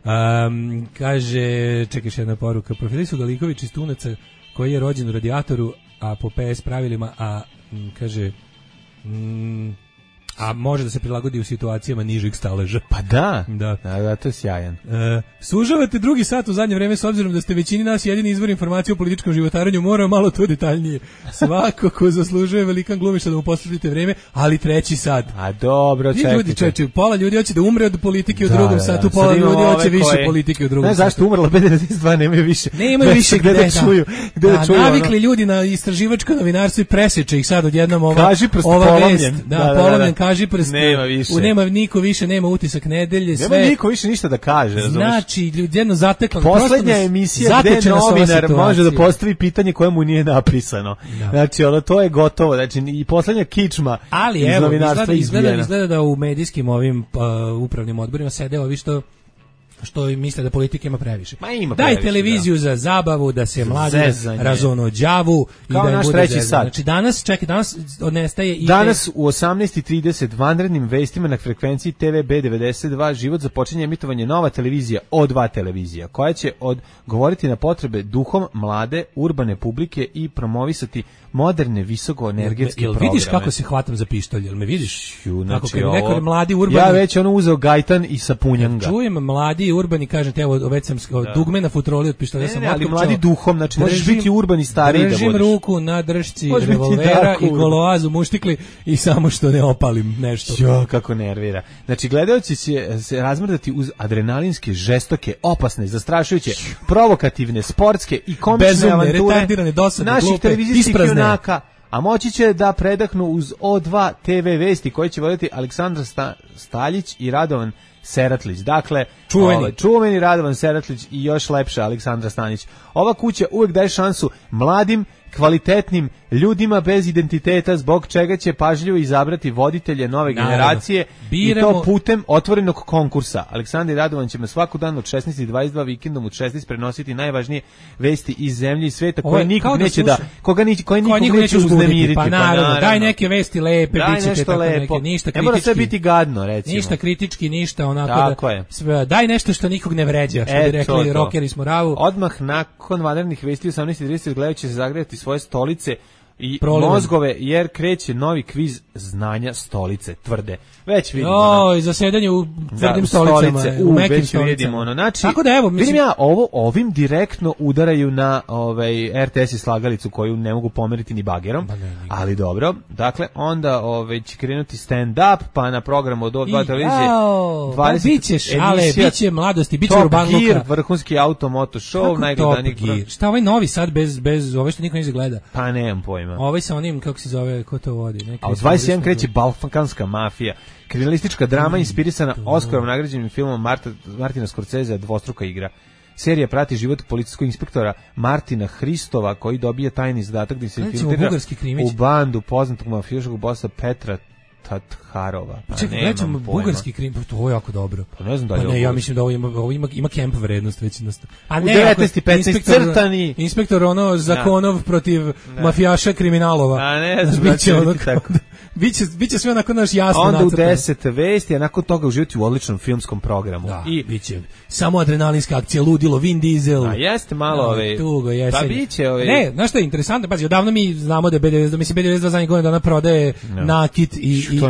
Um, kaže, čekaš jedna poruka, profili su Galiković iz Tunaca koji je rođen u Radijatoru, a po P S pravilima, a m, kaže m, a može da se prilagodi u situacijama nižeg staleža. Pa da, da, da, da to je sjajan. E, sužavate drugi sat u zadnje vreme s obzirom da ste većini nas jedini izvor informacije o političkom životaranju, moramo malo to detaljnije. Svako ko zaslužuje velikan glumišta da mu posvetite vreme, ali treći sat. A dobro, čekajte. Ljudi, čekajte, pola ljudi hoće da umre od politike u da, drugom da, satu, pola ljudi hoće više koje... politike u drugom ne, satu. Ne, zašto umrla B devedeset dva, nemaju više. Nemaju više gde da, da čuju. Gde da, da čuju navikli ono. ljudi na istraživačko novinarstvo i preseče ih sad odjednom ova, kaži prst ova polomljen. vest. Da, da, da, polomljen, da, kaži prst. Nema više. U nema niko više, nema utisak nedelje, sve. Nema niko više ništa da kaže, razumeš? Znači, ljudi jedno zatekla. Poslednja emisija gde novinar može da postavi pitanje koje mu nije napisano. Da. Znači, ono, to je gotovo. Znači, i poslednja kičma ali, iz evo, novinarstva izgleda, izgleda, izgleda da u medijskim ovim uh, upravnim odborima sede ovi što što misle da politika ima previše. Ma ima Daj previše, televiziju da. za zabavu, da se mladi razonođavu i kao da naš bude treći zezan. sat. Znači danas, čekaj, danas nestaje i danas u osamnaest i trideset vanrednim vestima na frekvenciji T V B devedeset dva život započinje emitovanje nova televizija O dva televizija, koja će odgovoriti na potrebe duhom mlade urbane publike i promovisati moderne visokoenergetske programe. Jel vidiš kako se hvatam za pištolj? Jel me vidiš? Ju, znači, kako kad neko mladi urbani... Ja već ono uzeo gajtan i sapunjam ga. Čujem mladi urbani, kažete, evo, već sam da. dugme na futroli od pištolja. Ne, ne, ali mladi duhom, znači držim, možeš biti urbani stariji da budeš. Držim ruku na držci revolvera i goloazu muštikli i samo što ne opalim nešto. Jo, kako nervira. Znači, gledaoci će se razmrdati uz adrenalinske, žestoke, opasne, zastrašujuće, provokativne, sportske i komične bezumne, avanture retardirane, dosadne, naših glupe, televizijskih isprazne. junaka, a moći će da predahnu uz O dva T V vesti koje će voditi Aleksandar Sta, Staljić i Radovan Seratlić. Dakle, čuveni. Ovaj, čuveni Radovan Seratlić i još lepša Aleksandra Stanić. Ova kuća uvek daje šansu mladim, kvalitetnim ljudima bez identiteta, zbog čega će pažljivo izabrati voditelje nove Naravno. generacije Biramo... i to putem otvorenog konkursa. Aleksandar Radovan će svaku dan od šesnaest i dvadeset dva vikendom od šesnaest prenositi najvažnije vesti iz zemlje i sveta koje nikog da neće da koga ni koji nikog neće, neće uznemiriti. Pa naravno, daj neke vesti lepe, daj biće nešto lepo. Neke, ništa kritički. Ne mora sve biti gadno, recimo. Ništa kritički, ništa onako Tako da je. Sve, daj nešto što nikog ne vređa, što e, bi rekli to, rokeri s Moravu. Odmah nakon vanrednih vesti u osamnaest i trideset gledajući se zagrejati svoje stolice i Prolivan. mozgove, jer kreće novi kviz znanja stolice, tvrde. Već vidimo. O, i zasedanje u tvrdim da, stolicama, stolice, u mekim stolicama. Vidimo, ono. Znači, tako da evo, mislim... vidim ja, ovo, ovim direktno udaraju na ovaj, R T S i slagalicu koju ne mogu pomeriti ni bagerom, ne, ne, ali dobro. Dakle, onda ovaj, će krenuti stand-up, pa na programu od O dva televizije dvadeset pa biće šale, biće mladosti, biće urban luka. Gear, vrhunski automoto show, najgledaniji. Šta ovaj novi sad bez, bez ove što niko ne gleda? Pa nemam pojma. pojma. Ovaj sa onim, kako se zove, ko to vodi? Neki A u dvadeset jedan kreće Balkanska mafija, kriminalistička drama inspirisana Oskarom nagrađenim filmom Marta, Martina Scorsese, Dvostruka igra. Serija prati život policijskog inspektora Martina Hristova, koji dobije tajni zadatak da se infiltrira u bandu poznatog mafijaškog bossa Petra Tatharova. Pa čekaj, nećemo bugarski krim, to je jako dobro. Pa ne znam da li pa ne, ja mislim da ovo ima, ovo ima, ima kemp vrednost već. A ne, devetnaest i petnaest crtani. Inspektor ono zakonov da. protiv da. mafijaša kriminalova. A ne znam da će ono tako. Biće, biće sve onako naš jasno onda nacrtano. Onda u deset vesti, a nakon toga uživati u odličnom filmskom programu. Da, i biće samo adrenalinska akcija, ludilo, Vin Diesel. A jeste malo ove... Tugo, jeste. Pa biće ove... Ne, znaš što je interesantno? Pazi, odavno mi znamo da je B devedeset dva, mislim B devedeset dva zadnjih godina dana prodaje no. nakit i, i,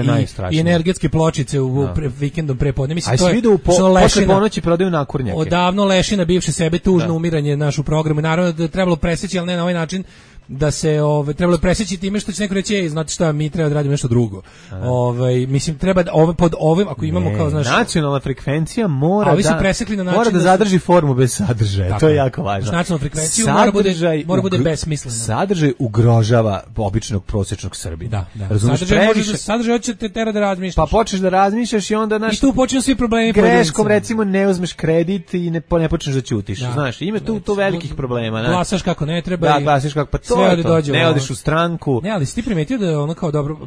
i, i energetske pločice u no. pre, vikendom prepodne. Mislim, a to je... A po, posle ponoći prodaju nakurnjake. Odavno lešina bivše sebe, tužno da. umiranje našu programu. Naravno da je trebalo preseći, ali ne na ovaj način da se ove trebalo preseći time što će neko reći ej, znate šta, mi treba da radimo nešto drugo. Ovaj mislim treba da ove pod ovim ako imamo ne, kao znaš nacionalna frekvencija mora da presekli na način mora da, da zadrži formu bez sadržaja. Tako, to je jako važno. Nacionalna frekvencija mora bude mora bude besmislena. Sadržaj ugrožava običnog prosječnog Srbina. Da, da. Razumeš, sadržaj može sadržaj hoće te tera da razmišljaš. Pa počneš da razmišljaš i onda naš i tu počinju svi problemi. Greškom recimo ne uzmeš kredit i ne ne počneš da ćutiš. Da. Znaš, ima tu tu velikih problema, glasaš kako ne treba. Da, glasaš kako pa to dođe, ne odeš u stranku. Ne, ali si ti primetio da je ono kao dobro,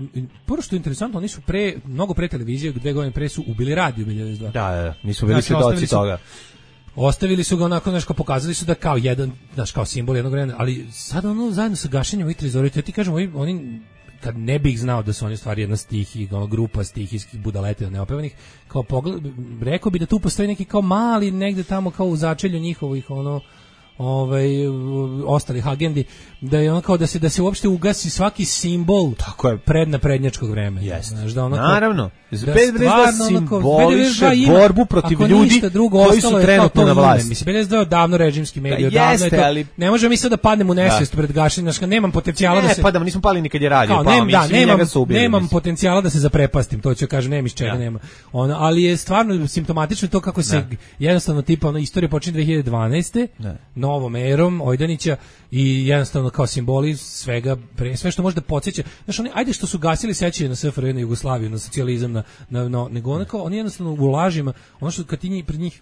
prvo što je interesantno, oni su pre, mnogo pre televizije, dve godine pre su ubili radio B devedeset dva. Da, da, nisu bili svedoci toga. Ostavili su ga onako, nešto pokazali su da kao jedan, znaš, kao simbol jednog vremena, ali sad ono zajedno sa gašenjem ovih trezora, ja ti kažem, oni, oni kad ne bih znao da su oni stvari jedna stihi, ono, grupa stihijskih budaleta neopevanih, kao pogled, rekao bi da tu postoji neki kao mali, negde tamo kao u začelju njihovih, ono, ovaj ostalih agendi da je ono kao da se da se uopšte ugasi svaki simbol tako je prednaprednjačkog vremena. Znaš da ono naravno B devedeset dva simboliše borbu protiv ljudi koji su trenutno na vlasti. Mislim B devedeset dva je davno režimski medij, da, jeste, davno je to, ali ne možemo mi sad da padnemo u nesvest da. pred gašenjem, znači nemam potencijala ne, da se pa da nismo pali nikad je radio, kao, pa nem, da, nemam, ubili, nemam mislim. potencijala da se zaprepastim, to ću kažem, nema iz čega, ja. nema. Ono, ali je stvarno simptomatično to kako se da. jednostavno tipa ono istorija počinje dve hiljade dvanaeste Da. novom erom Ojdanića i jednostavno kao simboli svega, pre, sve što može da podsjeća. Znaš, oni, ajde što su gasili sećanje na S F R J, na Jugoslaviju, na socijalizam, na, na, na, nego ono kao, oni jednostavno u lažima, ono što kad ti njih, pred njih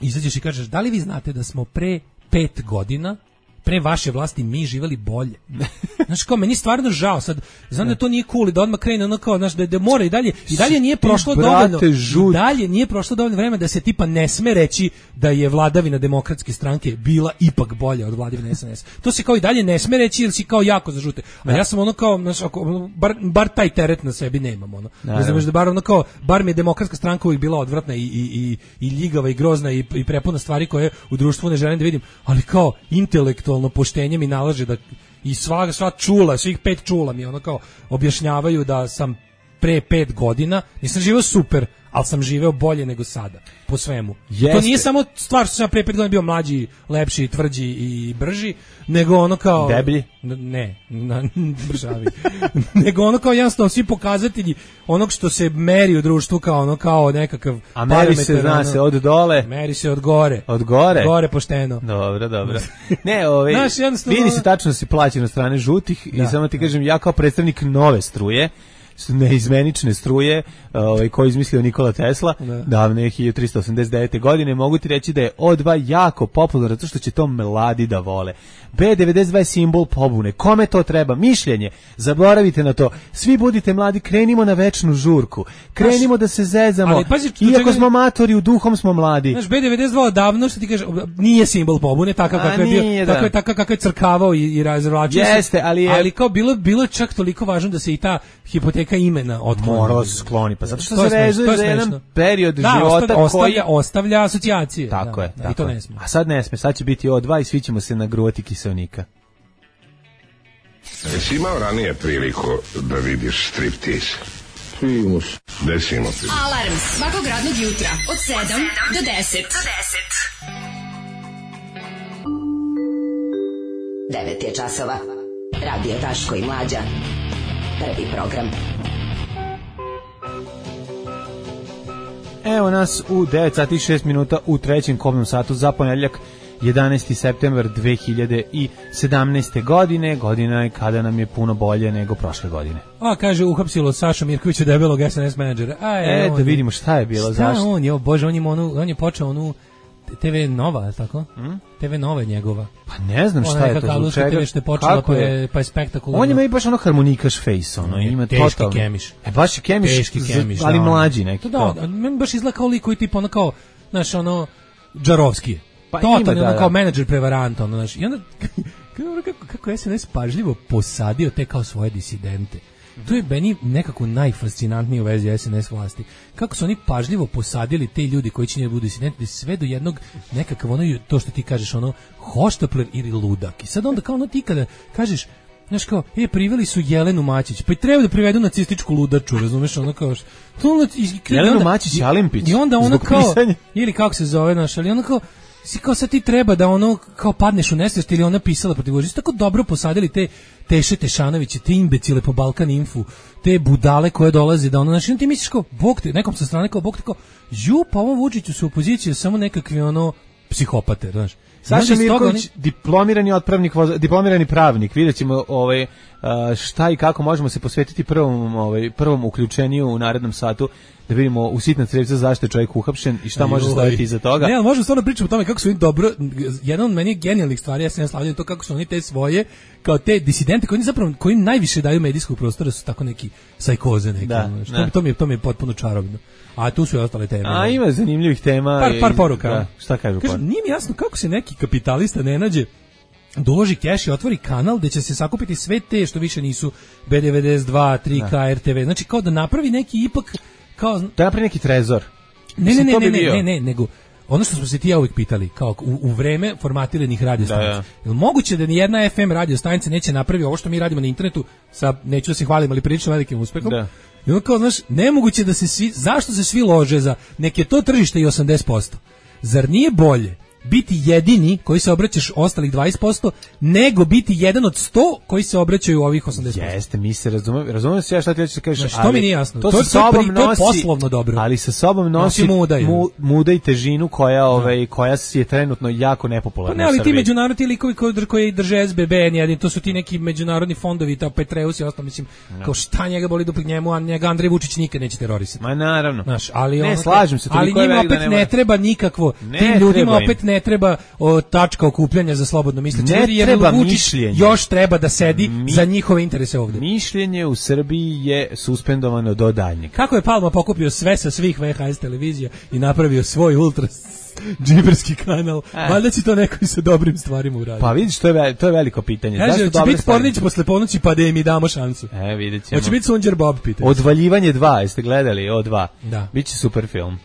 izađeš i kažeš, da li vi znate da smo pre pet godina pre vaše vlasti mi živeli bolje. Znaš, kao, meni stvarno žao sad, znam da to nije cool i da odmah krene ono kao, znaš, da, da mora i dalje, i dalje nije prošlo dovoljno, i dalje nije prošlo dovoljno vremena da se tipa ne sme reći da je vladavina demokratske stranke bila ipak bolja od vladavine S N S. To se kao i dalje ne sme reći jer si kao jako zažute. A ja sam ono kao, znaš, ako, bar, bar taj teret na sebi nemam, ono. Ne znam, da bar ono kao, bar mi je demokratska stranka uvijek bila odvratna i, i, i, i ljigava i grozna i, i prepuna stvari koje u društvu ne želim da vidim, ali kao intelektualno poštenje mi nalaže da i sva, sva čula, svih pet čula mi ono kao objašnjavaju da sam pre pet godina, nisam živeo super, ali sam živeo bolje nego sada, po svemu. Jeste. To nije samo stvar što sam pre pet godina bio mlađi, lepši, tvrđi i brži, nego ono kao... Deblji? Ne, na, bržavi. Nego ono kao jednostavno svi pokazatelji onog što se meri u društvu kao ono kao nekakav... A meri se, zna ono, se, od dole? Meri se od gore. Od gore? Gore pošteno. Dobro, dobro. Ne, ovaj, vidi se tačno si plaćen od strane žutih da, i samo ti kažem, ja kao predstavnik nove struje, neizmenične struje, ovaj koji izmislio Nikola Tesla, da. davne hiljadu trista osamdeset devete godine, mogu ti reći da je O dva jako popularno zato što će to mladi da vole. B devedeset dva je simbol pobune. Kome to treba? Mišljenje. Zaboravite na to. Svi budite mladi, krenimo na večnu žurku. Krenimo Znaš, da se zezamo. Ali, pazi, iako čega... smo matori, u duhom smo mladi. Znaš, B devedeset dva odavno, što ti kaže, nije simbol pobune, takav kakav je bio, tako je takav kakav je crkavao i, i razvlačio se. Jeste, ali je... ali kao bilo bilo čak toliko važno da se i ta hipoteka imena otkloni. Moralo se skloni, pa zato što to se vezuje za jedan period da, života ostavlja, koji ostavlja, ostavlja asocijacije. Tako da, je, da, tako i to je. ne sme. A sad ne sme, sad će biti O dva i svi ćemo se nagruvati kiseonika. Jesi imao ranije priliku da vidiš striptease? Primus. Desimo ti. Alarm svakog radnog jutra od sedam do deset. devet je časova. Radio Daško i Mlađa. Prvi program. Evo nas u devet sati i šest minuta u trećem kobnom satu za ponedjeljak jedanaesti septembar dve hiljade sedamnaeste. godine, godina je kada nam je puno bolje nego prošle godine. A, kaže, uhapsilo Saša Mirkovića debelog S N S menadžera. A, e, e da vidimo šta je bilo, šta zašto? on je, o Bože, on je, onu, on je počeo onu te ve Nova, je tako? Hmm? te ve Nova je njegova. Pa ne znam šta je to, zbog čega. te ve što je počela, pa je, pa je spektakularno. On ima i baš ono harmonikaš face, ono, ima teški totalno. kemiš. E, baš je kemiš, teški kemiš, ali da, mlađi neki. Da, da, meni baš izgleda kao lik koji tipa ono kao, znaš, ono, Džarovski je. Pa totalno, ima, da, ono kao da. menadžer prevaranta, ono, znaš, i onda, kako, kako S N S pažljivo posadio te kao svoje disidente. To je meni nekako najfascinantnije u vezi S N S vlasti. Kako su oni pažljivo posadili te ljudi koji će njih budu disidenti, sve do jednog nekakav ono, to što ti kažeš, ono, hoštapler ili ludak. I sad onda kao ono ti kada kažeš, znaš kao, e, priveli su Jelenu Mačić, pa i treba da privedu nacističku ludaču, razumeš, ono kao, to ono, i, Jelenu Mačić Alimpić, i onda ono kao, pisanja. ili kako se zove, znaš, ali ono kao, si kao sad ti treba da ono kao padneš u nesvijest ili ona pisala protiv Vučića. Tako dobro posadili te Teše Tešanoviće, te imbecile po Balkan Infu, te budale koje dolaze da ono, znači ti misliš kao, bog te, nekom sa strane kao, bog te kao, ju, pa ovom Vučiću su opozicije samo nekakvi ono psihopate, znaš. Saša Mirković, oni... diplomirani otpravnik, diplomirani pravnik, vidjet ćemo ovaj, šta i kako možemo se posvetiti prvom, ovaj, prvom uključeniju u narednom satu, da vidimo u sitna crevca zašto je čovjek uhapšen i šta Aj, može staviti iza toga. Ne, ali možemo stvarno pričati o tome kako su oni dobro, jedan od meni genijalnih stvari, ja se ne slavljam to kako su oni te svoje, kao te disidente koji zapravo, koji im najviše daju medijskog prostora su tako neki sajkoze neki. Da, što, to, to, mi je, to mi je potpuno čarobno. A tu su i ostale teme. A ima zanimljivih tema. Par, par poruka. Da, šta kažu? Kaže, nije mi jasno kako se neki kapitalista ne nađe da uloži keš i otvori kanal gde će se sakupiti sve te što više nisu B devedeset dva, tri K, da. R T V. Znači kao da napravi neki ipak kao da napravi neki trezor. Ne, ne, ne, ne, ne, ne, ne, nego ono što smo se ti ja uvijek pitali, kao u, u vreme formatiranih radio stanica. Da, da. Je li moguće da ni jedna F M radio stanica neće napravi ovo što mi radimo na internetu sa, neću da se hvalim, ali prilično velikim uspehom? Da. I ono kao, znaš, nemoguće da se svi, zašto se svi lože za, nek je to tržište i osamdeset posto. Zar nije bolje biti jedini koji se obraćaš ostalih dvadeset posto nego biti jedan od sto koji se obraćaju ovih osamdeset posto. Jeste, mi se razumemo, razumemo se ja šta ti hoćeš da kažeš, znači, to mi nije jasno. To, to, sa sobom to, nosi, to je poslovno dobro. Ali sa sobom nosi, nosi muda, mu, muda i težinu koja, ovaj, koja je trenutno jako nepopularna. Pa ne, ali ti međunarodni likovi koji, koji drže S B B, N, to su ti neki međunarodni fondovi, ta Petreus i ostalo, mislim, no. Kao šta njega boli duplik njemu, a njega Andrej Vučić nikad neće terorisati. Ma naravno. Znaš, ali ne, ono, slažem se. Ali njima opet ne, ne treba nikakvo, ne tim ljudima opet ne treba o, tačka okupljanja za slobodno misleće. Ne jer treba Vučić mišljenje. Još treba da sedi Mi, za njihove interese ovdje. Mišljenje u Srbiji je suspendovano do daljnjeg. Kako je Palma pokupio sve sa svih V H S televizija i napravio svoj ultra džiberski kanal, e. Valjda će to neko i sa dobrim stvarima uraditi. Pa vidiš, to je, to je veliko pitanje. Kaže, će biti Pornić posle ponoći pa da im i damo šansu. E, vidjet ćemo. Hoće biti Sunđer Bob, pitanje. Odvaljivanje dva, jeste gledali? O dva. Da. Biće super film.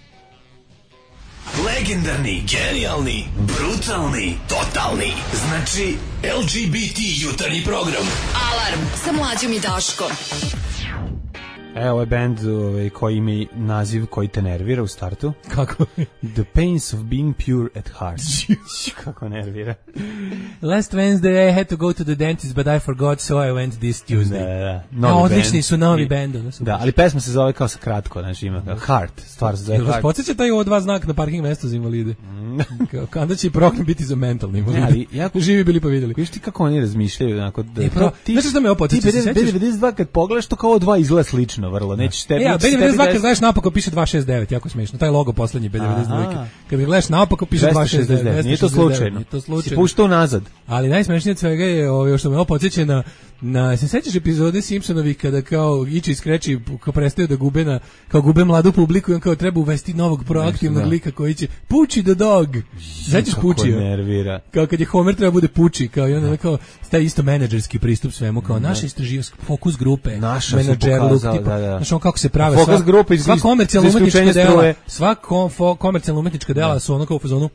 Legendarni, genijalni, brutalni, totalni. Znači, L G B T jutarnji program. Alarm sa Mlađom i Daškom. E, ovo je band ovaj, koji ima naziv koji te nervira u startu. Kako? The Pains of Being Pure at Heart. Kako nervira. Last Wednesday I had to go to the dentist, but I forgot, so I went this Tuesday. Da, da. No, odlični su novi band. Da, da, ali pesma se zove kao sa kratko, znači ima kao Heart, stvar se zove Heart. Vas podsjeća taj ovo dva znak na parking mesto za invalide? Kao, onda će i program biti za mentalni invalide. Ali, jako živi bili pa vidjeli. Viš ti kako oni razmišljaju? Onako, da, e, pro, ti, znaš što me ovo podsjeća? Ti B devedeset dva kad pogledaš to kao dva izgleda slično vrlo, nećeš tebi... E, ja, B devedeset dva kad gledaš naopako piše dva šest devet, jako smiješno, taj logo poslednji B devedeset dva. Kad ga gledaš naopako piše dva šest devet. Nije to slučajno. Nije to slučajno. Si puštao nazad. Ali najsmešnije od svega je ovo što me ovo podsjeća na na se sećaš epizode Simpsonovi kada kao Iči i Skreči kao prestaju da gube na kao gube mladu publiku i on kao treba uvesti novog proaktivnog lika koji će Puči the dog. Sećaš Pučija? Nervira. Kao kad je Homer treba bude Puči, kao i onda kao taj isto menadžerski pristup svemu, kao naše istraživačke fokus grupe, menadžer look tipa, znaš on kako se prave fokus grupe iz komercijalna umetnička dela, sva komercijalna umetnička dela su ono kao u fazonu.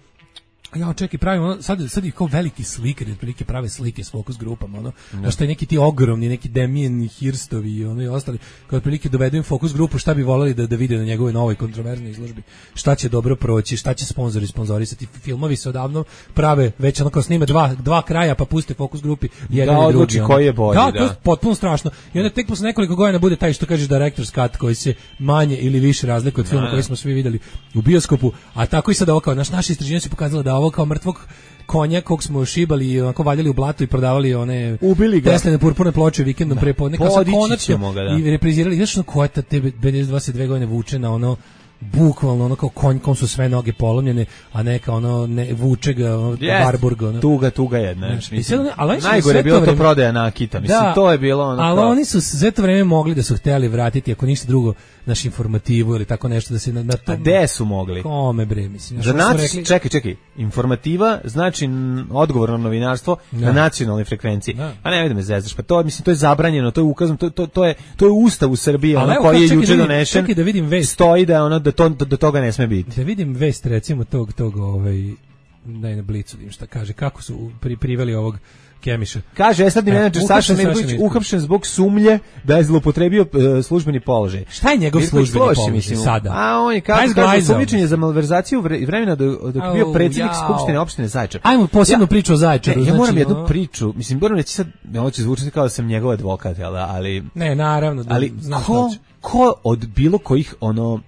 Ja čekaj, pravimo, sad, sad je kao veliki slikari, otprilike prave slike s fokus grupama, ono, no. Što je neki ti ogromni, neki Damien Hirstovi i ono i ostali, kao otprilike dovedu im fokus grupu, šta bi voleli da, da vide na njegovoj novoj kontroverznoj izložbi, šta će dobro proći, šta će sponzori sponzorisati, filmovi se odavno prave, već ono kao snime dva, dva kraja pa puste fokus grupi, jedan da, i drugi. Da, odluči koji je bolji, da. Da, to je potpuno strašno. I onda tek posle nekoliko godina bude taj što kažeš director's cut koji se manje ili više razlikuje od filma koji smo svi videli u bioskopu, a tako i sad ovo kao, naš, naše istraživanje su pokazalo da prodavao kao mrtvog konja kog smo šibali i onako valjali u blatu i prodavali one ubili ga Tesline purpurne ploče vikendom da. pre podne kao konačno ga, da. i reprizirali znaš ono koja ta te dvadeset dve godine vuče na ono bukvalno ono kao konj kom su sve noge polomljene, a neka ono ne, vuče ga ono, yes, Barburg ono. Tuga, tuga jedna. Znači, mislim, sad, ali najgore je bilo vreme, to prodaja nakita. Mislim, da, to je bilo ono ali kao... oni su sve to vreme mogli da su hteli vratiti, ako ništa drugo, naš informativu ili tako nešto da se na, na to... A gde su mogli? Kome bre, mislim. Za nac... rekli... Čekaj, čekaj. Informativa znači odgovorno novinarstvo da. Na nacionalnoj frekvenciji. Da. A ne, vidim me zezaš, pa to, mislim, to je zabranjeno, to je ukazano, to, to, to, je, to je ustav u Srbiji, ono koji je juče donešen. Čekaj da vidim vest. Stoji da, ono, da to, do toga ne sme biti. Da vidim vest, recimo, tog, tog, ovaj, daj na Blicu, vidim šta kaže, kako su pri, priveli ovog Kemiša. Kaže estradni menadžer Saša Mirković uhapšen zbog sumnje da je zloupotrebio uh, službeni položaj. Šta je njegov Mirković službeni položaj mislim, sada? A on je kaže da sumnjičenje za malverzaciju vremena dok je bio predsjednik skupštine opštine Zaječar. Ajmo posebnu ja, priču o Zaječaru. Ne, ja znači, moram jednu no... priču. Mislim, moram reći sad, ovo će zvučati kao da sam njegov advokat, jel da, ali... Ne, naravno. Da, ali ko, ko od bilo kojih, ono...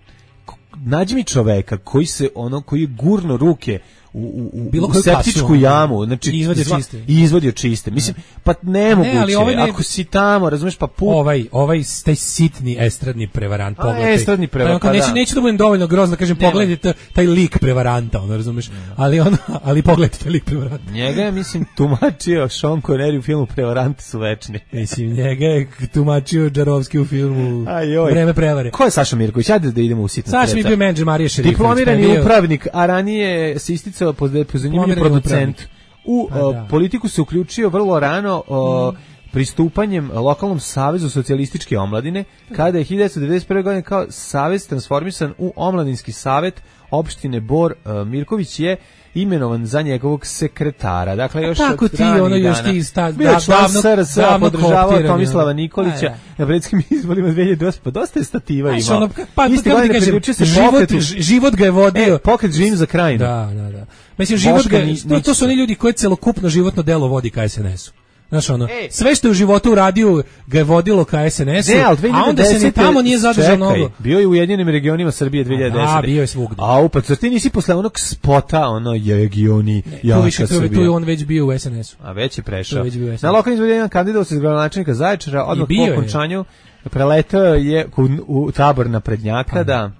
Nađi mi čoveka koji se, ono, koji je gurno ruke u, u, u, u septičku kasu, jamu, znači i izvodio čiste. I izvodio čiste. Mislim, pa nemoguće, ne, ali ovaj ne, ako si tamo, razumeš, pa put... Ovaj, ovaj taj sitni estradni prevarant, A, pogledaj. Estradni prevarant, pa, neću, da. Neću da budem dovoljno grozno, kažem, ne, pogledajte taj lik prevaranta, ono, razumeš, ne. ali ono, ali pogledajte taj lik prevaranta. Njega je, mislim, tumačio Sean Connery u filmu Prevaranti su večni. Mislim, njega je tumačio Džarovski u filmu Ajoj. Vreme prevare. Ko je Saša Mirković? Ajde da idemo u sitno. Saša mi bio menadžer Marije Šerifović. Diplomirani upravnik, a ranije se isticao po zanimljiv producent. U o, politiku se uključio vrlo rano o, pristupanjem lokalnom savezu socijalističke omladine, kada je hiljadu devetsto devedeset prve. godine kao savez transformisan u omladinski savet opštine Bor. o, Mirković je imenovan za njegovog sekretara. Dakle, još tako od ti, ono još ti sta, bio da, član S R S, podržavao Tomislava Nikolića ja. na predsjedničkim izborima dve hiljade osme. Pa dosta je stativa imao. Ono, pa, Isti pa, kažem, se život, pokretu, život ga je vodio. E, pokret Živim za krajinu. Da, da, da. Mislim, život ga, to, to su oni ljudi koji celokupno životno delo vodi ka S N S-u. Znaš, ono, Ej. sve što je u životu uradio ga je vodilo ka S N S-u, ne, a onda se ni tamo nije zadržao mnogo. Bio je u Ujedinjenim regionima Srbije dve hiljade desete. A, bio je svugdje. A upa, zar ti nisi posle onog spota, ono, regioni, jaka Srbija. Tu je on već bio u S N S-u. A već je prešao. Već bio na lokalnim izborima kandidat se za gradonačelnika Zaječara, odmah po okončanju preletao je u, u tabor naprednjaka, pa, da.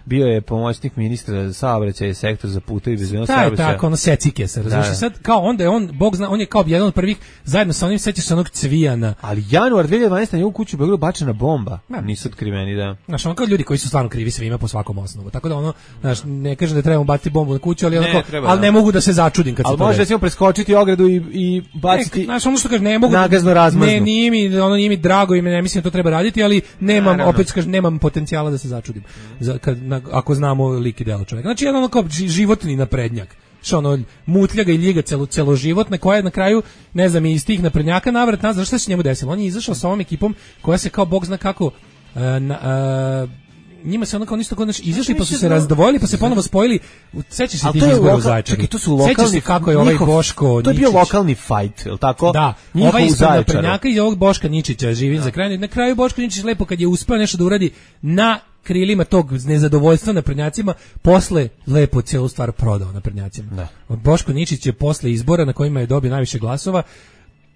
Bio je pomoćnik ministra za saobraćaj, sektor za putevi i bezbednost saobraćaja. Taj tako, ono secike se, razumiješ? Da. Sad, kao onda je on, Bog zna, on je kao jedan od prvih, zajedno sa onim, sećaš se onog Cvijana. Ali januar dve hiljade dvanaeste. na njegovu kuću bila bačena bomba. Ja. Nisu otkriveni, da. Znaš, ono kao ljudi koji su stvarno krivi svima po svakom osnovu. Tako da ono, znaš, ne kažem da trebamo baciti bombu na kuću, ali, ne, onako, treba, ali ne mogu da se začudim kad ali se to može recimo preskočiti ogradu i, i baciti. Ne, znaš, ono što kaže, ne mogu. Nagazno razmazno. Ne, nije mi, ono nije mi drago i ne mislim da to treba raditi, ali nemam, Naravno. opet kažem, nemam potencijala da se začudim. Za, kad, na, ako znamo lik i delo čovjeka. Znači, jedan ono kao životni naprednjak. Što ono, mutljaga i ljiga celo, celoživotna, koja je na kraju, ne znam, iz tih naprednjaka navrat nazad, šta se njemu desilo? On je izašao sa ovom ekipom koja se kao Bog zna kako uh, na, uh, njima se ono kao ništa znači izašli pa su se razdvojili pa se ponovo spojili. Sećaš se tih izbora u Zaječaru? To su lokalni, kako je ovaj Boško to je bio lokalni fight, je l' tako? Da, njihov ovaj ispred naprednjaka i ovog Boška Ničića Živim za kraj. Na kraju Boško Ničić lepo kad je uspeo nešto da uradi na krilima tog nezadovoljstva naprednjacima, posle lepo cijelu stvar prodao naprednjacima. Da. Boško Ničić je posle izbora na kojima je dobio najviše glasova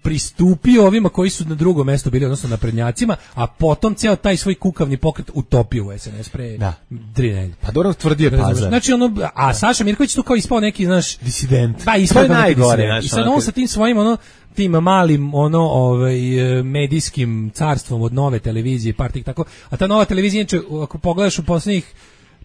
pristupio ovima koji su na drugom mjestu bili, odnosno naprednjacima, a potom ceo taj svoj kukavni pokret utopio u S N S pre da. tri nedelje. Pa dobro tvrdio je Pazar. Znači ono, a Saša Mirković tu kao ispao neki, znaš, disident. Da, ispao neki disident. I sad on sa tim svojim ono tim malim ono ovaj medijskim carstvom od Nove televizije, partih tako, a ta Nova televizija inače, ako pogledaš u poslednjih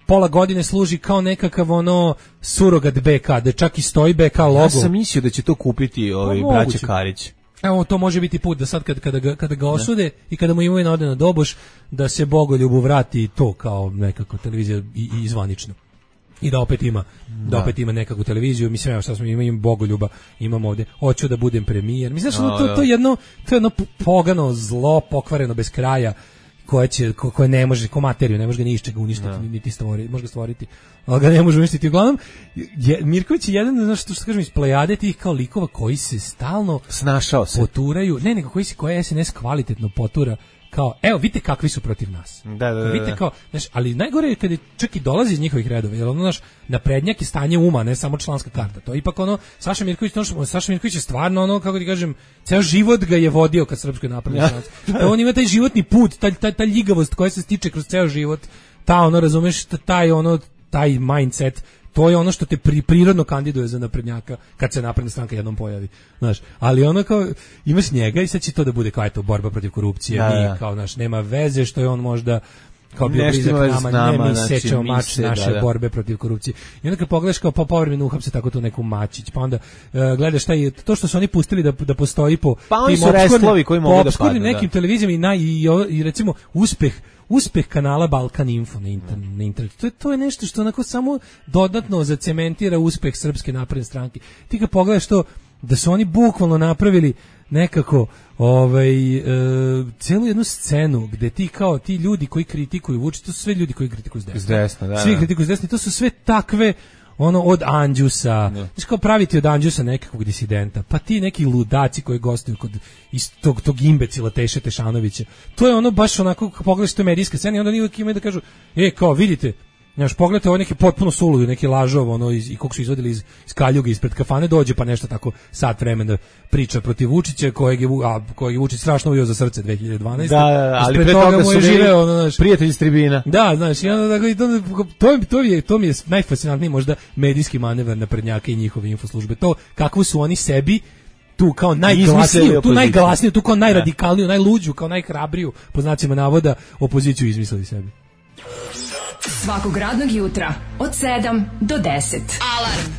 pola godine služi kao nekakav ono surogat B K, da čak i stoji B K logo. Ja sam mislio da će to kupiti ovaj braća Karić. Evo, to može biti put da sad kad, kada, ga, kada ga osude ne. i kada mu imovina ode na doboš, da se Bogoljubu vrati to kao nekako televizija i, i zvanično. I da opet ima, da, da opet ima nekakvu televiziju, mislim, evo šta smo imamo Bogoljuba, imamo ovde, hoću da budem premijer. Mislim, znaš, no, to, to, jedno, to je jedno pogano zlo, pokvareno bez kraja, koje će ko, koje ne može ko materiju, ne može ga ni iz čega uništiti, no. niti stvoriti, može ga stvoriti, ali ga ne može uništiti. Uglavnom je Mirković je jedan, znaš što, što kažem, iz plejade tih kao likova koji se stalno snašao se poturaju, ne nego koji se koje S N S kvalitetno potura kao, evo, vidite kakvi su protiv nas. Da, da, da. Vidite kao, znaš, ali najgore je kada čak i dolazi iz njihovih redova, jer ono, znaš, naprednjak je stanje uma, ne samo članska karta. To je ipak ono, Saša Mirković, ono, Saša Mirković je stvarno ono, kako ti kažem, ceo život ga je vodio ka Srpskoj naprednoj stranci. Da, on ima taj životni put, taj, taj, ta ljigavost koja se stiče kroz ceo život, ta ono, razumeš, taj ono, taj mindset, to je ono što te pri, prirodno kandiduje za naprednjaka kad se napredna stranka jednom pojavi, znaš, ali ono kao imaš njega i sad će to da bude kao eto borba protiv korupcije, da, mi da. kao naš nema veze što je on možda kao bio blizak nama, nama, ne mi znači, sečeo mač se, naše da, da. borbe protiv korupcije. I onda kad pogledaš kao po povremenu uhapse tako tu neku mačić, pa onda uh, gledaš taj, to što su oni pustili da, da postoji po pa oni su restlovi koji mogu da padnu, nekim da. televizijama i, na, i, i recimo uspeh uspeh kanala Balkan Info na, inter, na internetu. To je, to je nešto što onako samo dodatno zacementira uspeh Srpske napredne stranke. Ti kad pogledaš to, da su oni bukvalno napravili nekako ovaj, e, celu jednu scenu gde ti kao ti ljudi koji kritikuju Vučića, to su sve ljudi koji kritikuju s desna. S desna, da, Svi da. kritikuju s desna, to su sve takve ono od Anđusa, znaš kao praviti od Anđusa nekakvog disidenta, pa ti neki ludaci koji gostuju kod iz tog, tog imbecila Teše Tešanovića, to je ono baš onako, pogledaš to medijska scena i onda oni uvijek imaju da kažu, e, kao vidite, znaš, pogledajte ovo neki potpuno suludo, neki lažov, ono, iz, i koliko su izvodili iz, iz kaljuge, ispred kafane, dođe pa nešto tako sat vremena priča protiv Vučića, kojeg je, a, kojeg je Vučić strašno uvio za srce dve hiljade dvanaeste. Da, da, ali ispred pre toga, toga mu je su živeo, ono, znaš, prijatelji iz tribina. Da, znaš, i onda, to, to, to, je, to mi je najfascinantniji možda medijski manevar naprednjaka i njihove infoslužbe. To kako su oni sebi tu kao najglasniju, tu najglasniju, tu kao najradikalniju, najluđu, kao najhrabriju, po znacima navoda, opoziciju izmislili sebi. Svakog radnog jutra od sedam do deset. Alarm.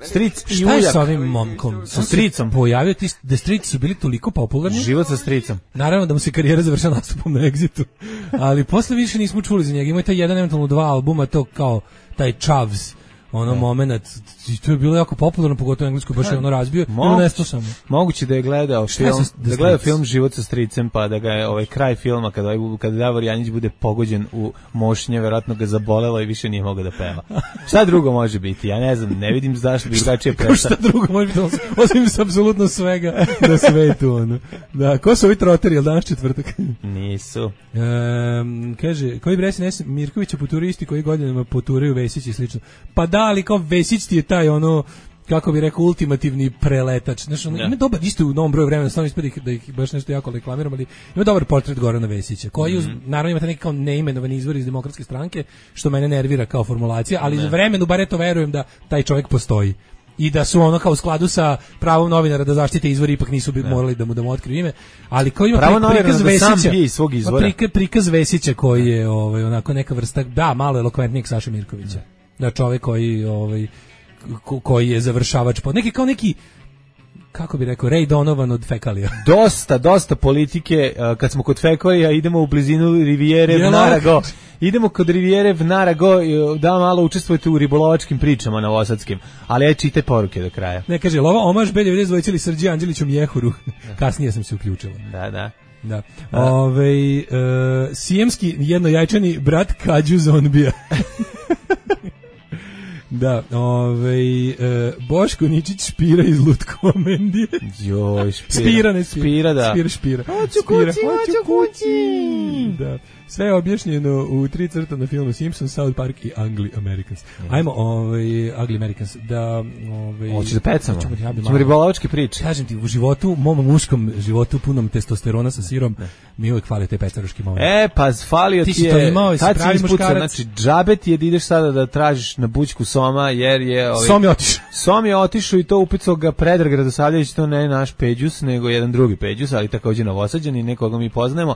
Stric i šta je ujak. Sa ovim momkom? Sa stricom. Pojavio ti da strici su bili toliko popularni. Život sa stricom. Naravno da mu se karijera završila nastupom na Exitu. Ali posle više nismo čuli za njega. Ima taj jedan, eventualno dva albuma, to kao taj Chavs, ono no. moment, i to je bilo jako popularno, pogotovo u Engleskoj, baš je ono razbio, ili nestao samo. Moguće da je gledao film, da je gledao film Život sa stricem, pa da ga je ovaj kraj filma, kada, kada Davor Janjić bude pogođen u mošnje, verovatno ga zabolelo i više nije mogao da peva. Šta drugo može biti? Ja ne znam, ne vidim zašto bi drugačije prestao. Šta drugo može biti, osim s apsolutno svega na svetu, ono. Da, ko su ovi troteri, jel danas četvrtak? Nisu. Um, kaže, koji bre se Mirkovića poturisti koji godinama poturaju Vesić i slično. Pa da, ali kao Vesić ti je taj ono, kako bi rekao, ultimativni preletač. Znaš, ono, ima dobar, isto u novom broju vremena, stvarno ispred da ih baš nešto jako reklamiram, ali ima dobar portret Gorana Vesića, koji uz, mm. naravno imate neki kao neimenovani izvor iz Demokratske stranke, što mene nervira kao formulacija, ali za vremenu bar eto verujem da taj čovjek postoji. I da su ono kao u skladu sa pravom novinara da zaštite izvori, ipak nisu bi morali da mu da mu otkriju ime, ali kao ima pravo prikaz da Vesića, iz svog izvora. Prikaz, prikaz Vesića koji je ovaj onako neka vrsta, da, malo elokventnijeg Saše Mirkovića. Da, čovjek koji ovaj ko, koji je završavač pod neki kao neki, kako bi rekao, Ray Donovan od fekalija. Dosta, dosta politike, kad smo kod fekalija idemo u blizinu Rivijere Vnarago. Idemo kod Rivijere Vnarago, da malo učestvujete u ribolovačkim pričama novosadskim, ali aj čite poruke do kraja. Ne, kaže, lova omaž Belje Vredzovićili Srđi Anđeliću Mjehuru. Kasnije sam se uključila. Da, da. Da. Ove, uh, sijemski jednojajčani brat Kađu Zombija. Da, ovaj e, Boško Ničić špira iz Lutkomendije. Joj, špira. Spira, ne spira. Spira, da. Spira, špira. Hoću kući, hoću kući. Da. Sve je objašnjeno u tri crta na filmu Simpsons, South Park i Ugly Americans. Ajmo, ovaj, Ugly Americans, da... Ovaj, hoćeš da pecamo? Ćemo ribolovačke priče. Kažem ti, u životu, mom muškom životu, punom testosterona sa sirom, ne. Mi uvijek fali te pecaruški moment. E, pa falio ti, ti je... Ti si to imao, si pravi muškarac. Znači, džabe ti je da ideš sada da tražiš na bućku Soma, jer je... Ovaj, Som je otišao. Som je otišao i to upicao ga Predrag Radosavljević, to ne naš Peđus, nego jedan drugi Peđus, ali također novosađan i nekoga mi poznajemo.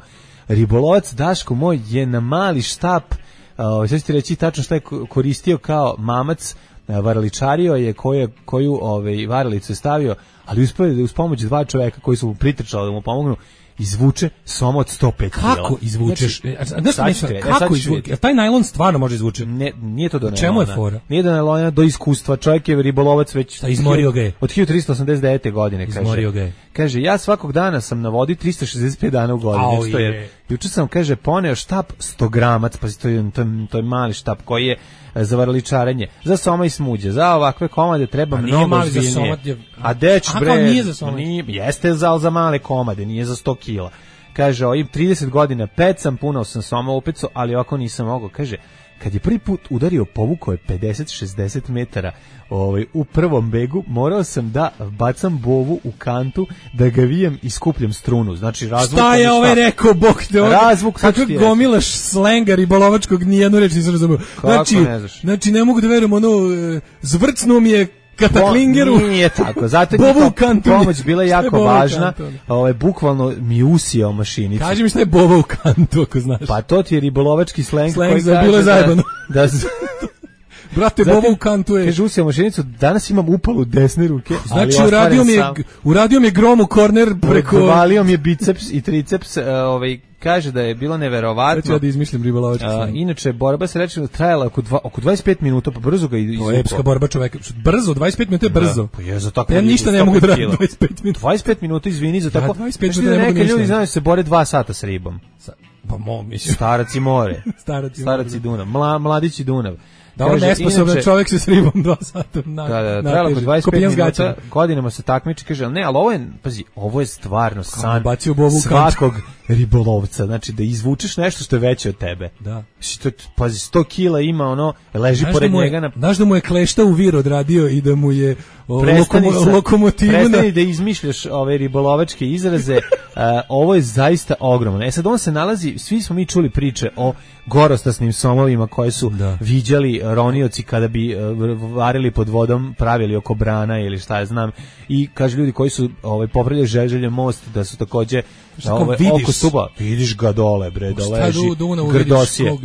Ribolovac Daško moj je na mali štap, uh, sad ću ti reći tačno šta je koristio kao mamac, uh, varaličario je koju, koju ovaj, varalicu je stavio, ali uspio da uz pomoć dva čoveka koji su mu pritrčali da mu pomognu, izvuče Soma od sto pet kila. Kako izvučeš? Znači, znači, kako izvučeš? Taj najlon stvarno može izvuče? Ne, nije to do najlona. Čemu je fora? Nije do najlona, do iskustva. Čovjek je ribolovac već... Šta, izmorio ga je? Od hiljadu tristo osamdeset devete. godine, kaže. Izmorio ga je. Kaže, ja svakog dana sam na vodi tristo šezdeset pet dana u godini. Au je. Juče sam, kaže, poneo štap sto gramac, pa to je, to je, to je mali štap koji je za varaličarenje, za soma i smuđe, za ovakve komade treba mnogo ozbiljnije. A deć bre, nije za soma. Nije, jeste za, za male komade, nije za sto kila. kaže, ovim trideset godina pecam, puno sam soma upecao, ali ovako nisam mogao, kaže, kad je prvi put udario, povukao je pedeset šezdeset metara ovaj, u prvom begu, morao sam da bacam bovu u kantu, da ga vijem i skupljam strunu. Znači, razvuk... Šta je ovaj rekao, bok te ovdje? Razvuk, kako gomilaš slenga ribolovačkog, nijednu reč nisam razumio. Znači, ne znaš? Znači, ne mogu da verujem, ono, zvrcnuo mi je kataklingeru. Bo, nije tako, zato je pomoć bila jako važna. Ovaj, bukvalno mi usijao mašinicu. Kaži mi šta je bova u kantu, ako znaš. Pa to ti je ribolovački sleng, sleng koji za kaže bilo zajebano. Da, da brate, bova u kantu je. Kaže, usijao mašinicu, danas imam upalu desne ruke. Znači, uradio mi, je, uradio mi je grom u korner preko... Valio mi je biceps i triceps, uh, ovaj, kaže da je bilo neverovatno. Sada ja da izmislim ribolovački uh, inače, borba se reče trajala oko, dva, oko dvadeset pet minuta, pa brzo ga izvukao. To je epska borba čoveka. Brzo, dvadeset pet minuta je brzo. Da, pa je za tako. Ja ništa ne mogu da radim dvadeset pet minuta. dvadeset pet minuta, izvini, za tako. Ja, dvadeset pet minuta ne mogu ništa. Ljudi znaju se bore dva sata s ribom. Sa, pa mo, mislim. Starac i more. Starac i Starac i Dunav. Mla, mladić i Dunav. Da, on nesposoban čovjek se s ribom dva sata na, da, da, trajalo oko dvadeset pet minuta, godinama se takmiči, kaže, ali ne, ali ovo je, pazi, ovo je stvarno san svakog ribolovca, znači da izvučeš nešto što je veće od tebe. Da. To, pazi, sto kila ima, ono, leži znaš pored da njega na... Znaš da mu je klešta u vir odradio i da mu je o, lokomo, sa, lokomotivu... Prestani na... da izmišljaš ove ribolovačke izraze, uh, ovo je zaista ogromno. E sad on se nalazi, svi smo mi čuli priče o gorostasnim somovima koje su da. viđali ronioci kada bi uh, varili pod vodom, pravili oko brana ili šta ja znam, i kaže ljudi koji su ovaj, popravljali Žeželje most, da su takođe ovaj, oko stuba, vidiš ga dole, bre, da leži grdosije.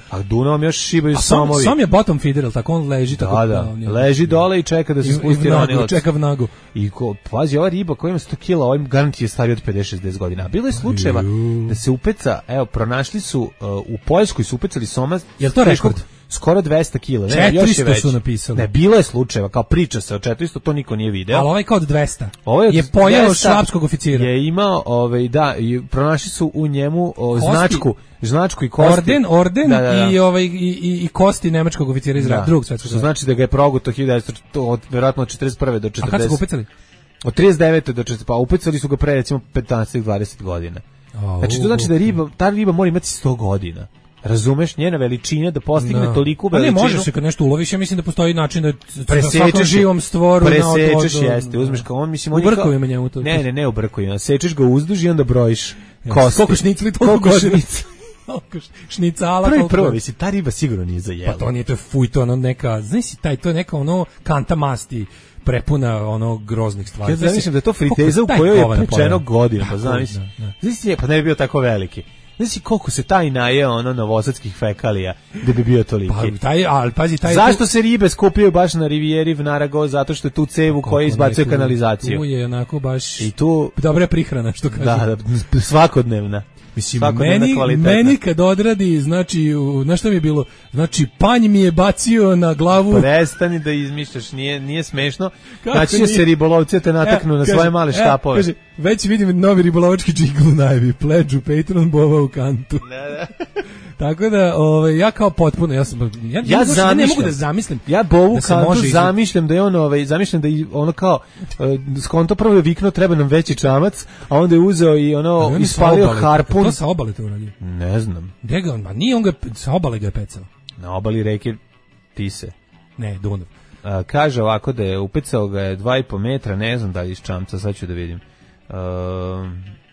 A Dunavom još šibaju somovi. Sam je bottom feeder, tako on leži tako. Da, da, da leži dole i čeka da se spusti ronilac. Čeka vnagu. I ko, pazi, ova riba koja ima sto kila, ovaj garant je stariji od pedeset šezdeset godina. Bilo je slučajeva da se upeca, evo, pronašli su, uh, u Poljskoj su upecali soma. Je li to rekord? Skoro dvesta kila. Ne, četiristo još je već. Su napisali. Ne, bilo je slučajeva, kao priča se o četiristo, to niko nije video. Ali ovaj kao od dvesta. Ovaj je pojeo švapskog oficira. Je imao, ovaj, da, i pronašli su u njemu o, značku, značku i kosti. Orden, orden da, da, da. i ovaj i, i, i kosti nemačkog oficira iz da. drugog svetskog rata. Znači da ga je proguto hiljadu devetsto, od verovatno od četrdeset prve do četrdeset. A kad su ga upecali? Od trideset devete do četrdeset, pa upecali su ga pre recimo petnaest dvadeset godina. Oh, znači to znači da riba, ta riba mora imati sto godina. Razumeš, njena veličina da postigne no. toliku veličinu. Ali ne može se kad nešto uloviš, ja mislim da postoji način da presečeš živom stvoru presečeš na jeste, uzmeš kao on, mislim on je kao njemu to. Ne, ne, ne u brkovima, sečeš ga uzduž i onda brojiš kosti. Koliko šnicli toliko godina. Šnicala prvi prvo, mislim, ta riba sigurno nije za jelo. Pa to nije, to je fuj, to ono neka, znaš si, taj, to je neka ono kanta masti prepuna ono groznih stvari. Ja zamislim da je to friteza u kojoj je pečeno godina, pa zamislim. Znaš, pa ne bi bio tako veliki. Znaš koliko se taj najeo ono novosadskih fekalija da bi bio toliki. Pa, taj, ali, pazi, taj zašto tu... se ribe skupljaju baš na rivijeri Vnarago? Zato što je tu cevu koja izbacuje kanalizaciju. Tu je onako baš i tu dobra prihrana, što kaže. Da, da, svakodnevna. Mislim, meni, meni kad odradi, znači, znaš šta mi je bilo? Znači, panj mi je bacio na glavu. Prestani da izmišljaš, nije, nije smešno. Znači, će se ribolovci te nataknu e, na kaže, svoje male štapove. E, kaže, već vidim novi ribolovački džingl u najavi. Pleđu, Patreon, bova u kantu. Ne, ne. Tako da, ovaj, ja kao potpuno, ja sam, ja, ja, ja, ja ne mogu da zamislim. Ja bovu da kantu zamišljam da je on, ovaj, zamišljam da je ono kao, uh, skonto prvo je vikno, treba nam veći čamac, a onda je uzeo i ono, on ispalio harpun. To sa obale to uradio? Ne znam. Gde ga on, ma nije on ga, sa obale ga je pecao. Na obali reke Tise. Ne, Dunav. Uh, kaže ovako da je upecao ga je dva i po metra, ne znam da li iz čamca, sad ću da vidim. Uh,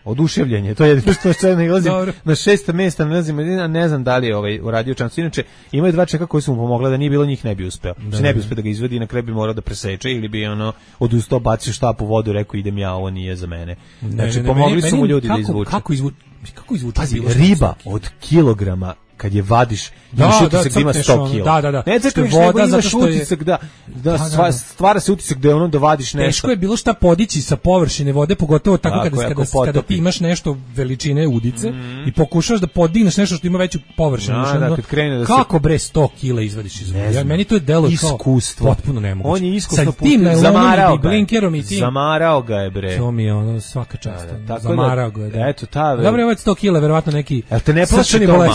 oduševljenje, to je jedino što što ne ilazim na šesta mesta, ne znam, ne znam da li je ovaj uradio čamcu. Inače ima je dva čeka koji su mu pomogla, da nije bilo njih ne bi uspeo. Da, se ne bi uspeo da ga izvadi, na kraju bi morao da preseče ili bi ono odustao, bacio štap u vodu, rekao idem ja, ovo nije za mene. Znači ne, ne, pomogli meni, su mu ljudi kako, da izvuče. Kako izvuče? Kako izvuče? Pazi, riba od kilograma kad je vadiš, imaš da, utisak da, da ima sto kila. Da, da, da. Ne crkneš, voda, zato što je utisak da, da, da, da, stvara se utisak da je ono da vadiš nešto. Teško je bilo šta podići sa površine vode, pogotovo tako, tako kada, kada, kada ti imaš nešto veličine udice mm. i pokušaš da podigneš nešto što ima veću površinu. Da, da, kad krene da kako se... bre sto kila izvadiš iz vode? Ja, meni to je delo iskustvo. Kao potpuno nemoguće. On je iskusno putem zamarao ga. Blinkerom i tim. Zamarao ga je bre. To mi je ono svaka čast. Da, da, zamarao ga je. Da. Eto ta. Dobro, ovo je sto kila, verovatno neki. Jel te ne plaši to malo?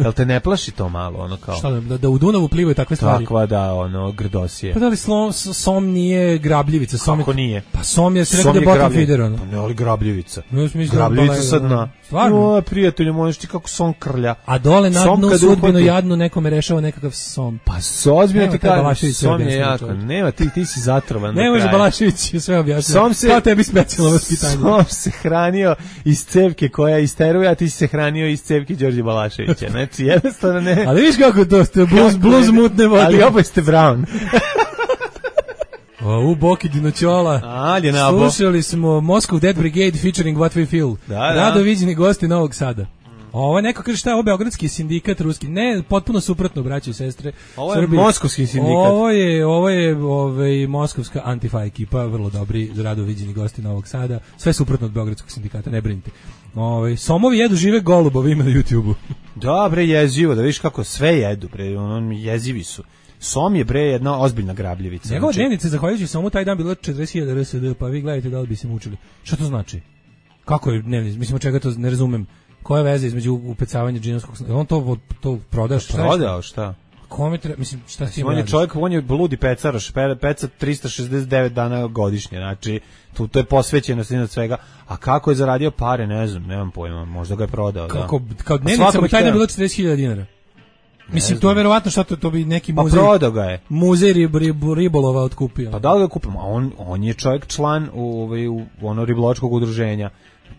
Jel te ne plaši to malo, ono kao? Šta da, da u Dunavu plivaju takve stvari? Takva da, ono, grdosije. Pa da li slom, som nije grabljivica? Som Kako je, nije? Pa som je, se rekao da je bottom feeder, ono. Pa ne, ali grabljivica. No, grabljivica sad na... Stvarno? O, prijatelju, možeš ti kako som krlja. A dole na dnu sudbinu jadnu nekome rešava nekakav som. Pa sozbiljno ti kažem, som je jako. Nema, ti, ti si zatrovan. Ne može Balašević sve objasniti. Som se... Kao tebi specijalno vaspitanje. Som se hranio iz cevke koja isteruje, a ti si se hranio iz cevke Đorđe Balaševića. Znači, jednostavno ne... Ali viš kako to ste, bluz, bluz mutne vode. Ali oboje ste Brown. O, u Boki Dinoćola. Ali je nabo. Slušali smo Moscow Dead Brigade featuring What We Feel. Da, da. Rado viđeni gosti Novog Sada. Ovo je neko kaže šta je ovo beogradski sindikat ruski. Ne, potpuno suprotno, braće i sestre. Ovo je Srbiji. Moskovski sindikat. Ovo je, ovo je ovaj, moskovska antifa ekipa, vrlo dobri, rado viđeni gosti Novog Sada. Sve suprotno od beogradskog sindikata, ne brinite. Ovaj somovi jedu žive golubovi ima na YouTubeu. Dobre, jezivo, da vidiš kako sve jedu, bre, ono jezivi su. Som je bre jedna ozbiljna grabljevica. Njegova znači... dnevnica zahvaljujući Somu taj dan bila četrdeset hiljada R S D, pa vi gledajte da li bi se mučili. Šta to znači? Kako je dnevnica? Mislim, od čega to ne razumem. Koja je veza između upecavanja džinovskog... On to, to prodaš? Šta prodao, šta? Kome treba, mislim, šta ti on je čovjek, on je bludi pecaraš, peca tristo šezdeset devet dana godišnje, znači, tu, to je posvećenost od svega. A kako je zaradio pare, ne znam, nemam pojma, možda ga je prodao. Kako, da. Kao dnevnica mu taj dan bila četrdeset hiljada dinara. Mislim, to je verovatno što to, to bi neki muzej... Pa prodao ga je. Muzej rib, rib, ribolova otkupio. Pa da li ga kupimo? A on, on je čovjek član u, u, u ono riboločkog udruženja.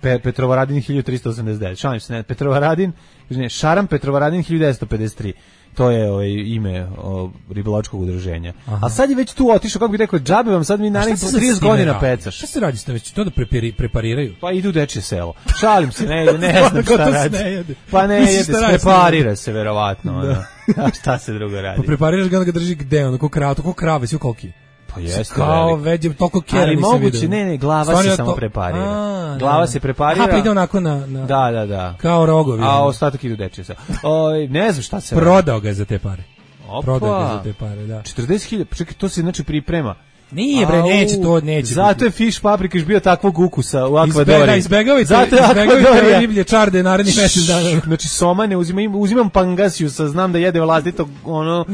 Pe, Petrovaradin hiljadu tristo osamdeset devet. Šalim se, ne, Petrovaradin, ne, Šaram Petrovaradin hiljadu devetsto pedeset tri. To je ovaj ime o, riboločkog udruženja. Aha. A sad je već tu otišao, kako bih rekao, džabe vam sad mi narednih trideset godina pecaš. Šta se radi s tim već? To da prepari, prepariraju? Pa idu u dečje selo. Šalim se, ne, ne znam šta radi. Pa ne jede, preparira se verovatno. Da. A šta se drugo radi? Pa prepariraš ga da ga drži gde, ono, ko krava, ko krave, svi koliki. Pa jeste kao veđe, toliko kjera nisam vidio. Ali moguće, ne, ne, glava Stvarno se samo to... preparira. A, glava ne, se preparira. A, pa ide onako na, na... Da, da, da. Kao rogovi. A ostatak idu dečje se. O, ne znam šta se... Prodao ga je za te pare. Opa. Prodao ga je za te pare, da. četrdeset hiljada, čekaj, to se znači priprema. Nije bre, neće to, neće. Zato je Fish Paprikaš bio takvog ukusa u akvadoriji. Da, izbegavajte, izbegavajte riblje čarde narednih mesec dana. Znači, soma ne uzimam, uzimam pangasiusa, znam da jede vlastito, ono,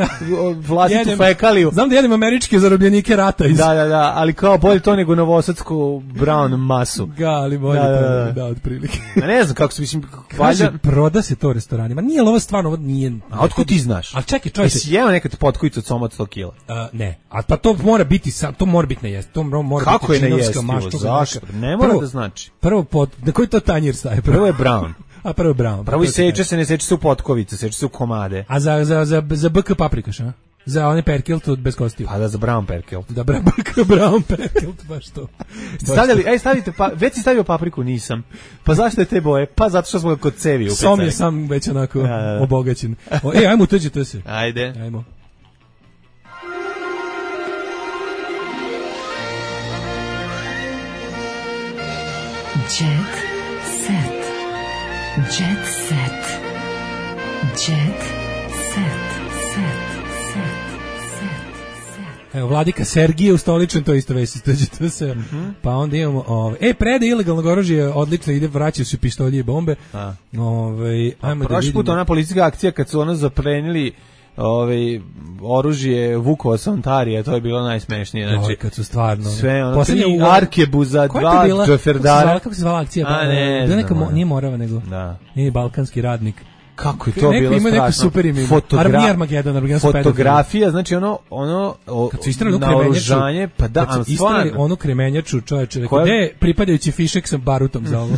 vlastitu fekaliju. Znam da jedem američke zarobljenike rata. Iz... Da, da, da, ali kao bolje to nego novosadsku brown masu. Ga, ali bolje da, to, da, da, da, otprilike. Ja ne znam kako se, mislim, kaže, valjda... proda se to restoranima. Nije li ovo stvarno, ovo nije... A otkud ti znaš? Ali čekaj, čovječe. Jesi jeo nekad potkovicu od soma od sto kila? Uh, ne, a pa to mora biti, to mora biti na jest. To mora kako biti činovska mašta. Zašto? Ne mora prvo, da znači. Prvo pot, na koji to tanjir staje? Prvo, prvo je brown. A prvo je brown. Prvo i seče se, ne seče se u potkovice, seče se u komade. A za, za, za, za B K paprikaš, a? Za one perkilt od bez kostiju. Pa da, za brown perkilt. Da, brown, brown perkilt, baš to. Baš stavljali, ej, stavite, pa, već si stavio papriku, nisam. Pa zašto je te boje? Pa zato što smo ga kod cevi upecali. Som je sam već onako ja, da, da. obogaćen. O, ej, ajmo tuđi to se. Ajde. Ajmo. Jet set. Jet set. Jet set. Set. Set. Set. Evo, Vladika Sergije ustoličen, to isto već istođe se. Mm -hmm. Pa onda imamo, ove, e, prede ilegalnog oružja odlično ide, vraćaju se pištolji i bombe. A. Ove, ajmo A da vidimo. Put ona policijska akcija kad su ono zaplenili ovaj oružje Vukova sa Ontarija, to je bilo najsmešnije, znači kad su stvarno sve ono tri arkebuza, dva džoferdara. Kako se zvala akcija? A ne, da neka nije Morava nego. Da. Nije balkanski radnik. Kako je to neko bilo strašno. Super ime. Fotogra Armageddon, Armageddon fotografija, znači ono ono o, kad su istrali kremenjaču, pa da, kad su istrali onu kremenjaču, čoveče, rekao, gde je pripadajući fišek sa barutom za ovo?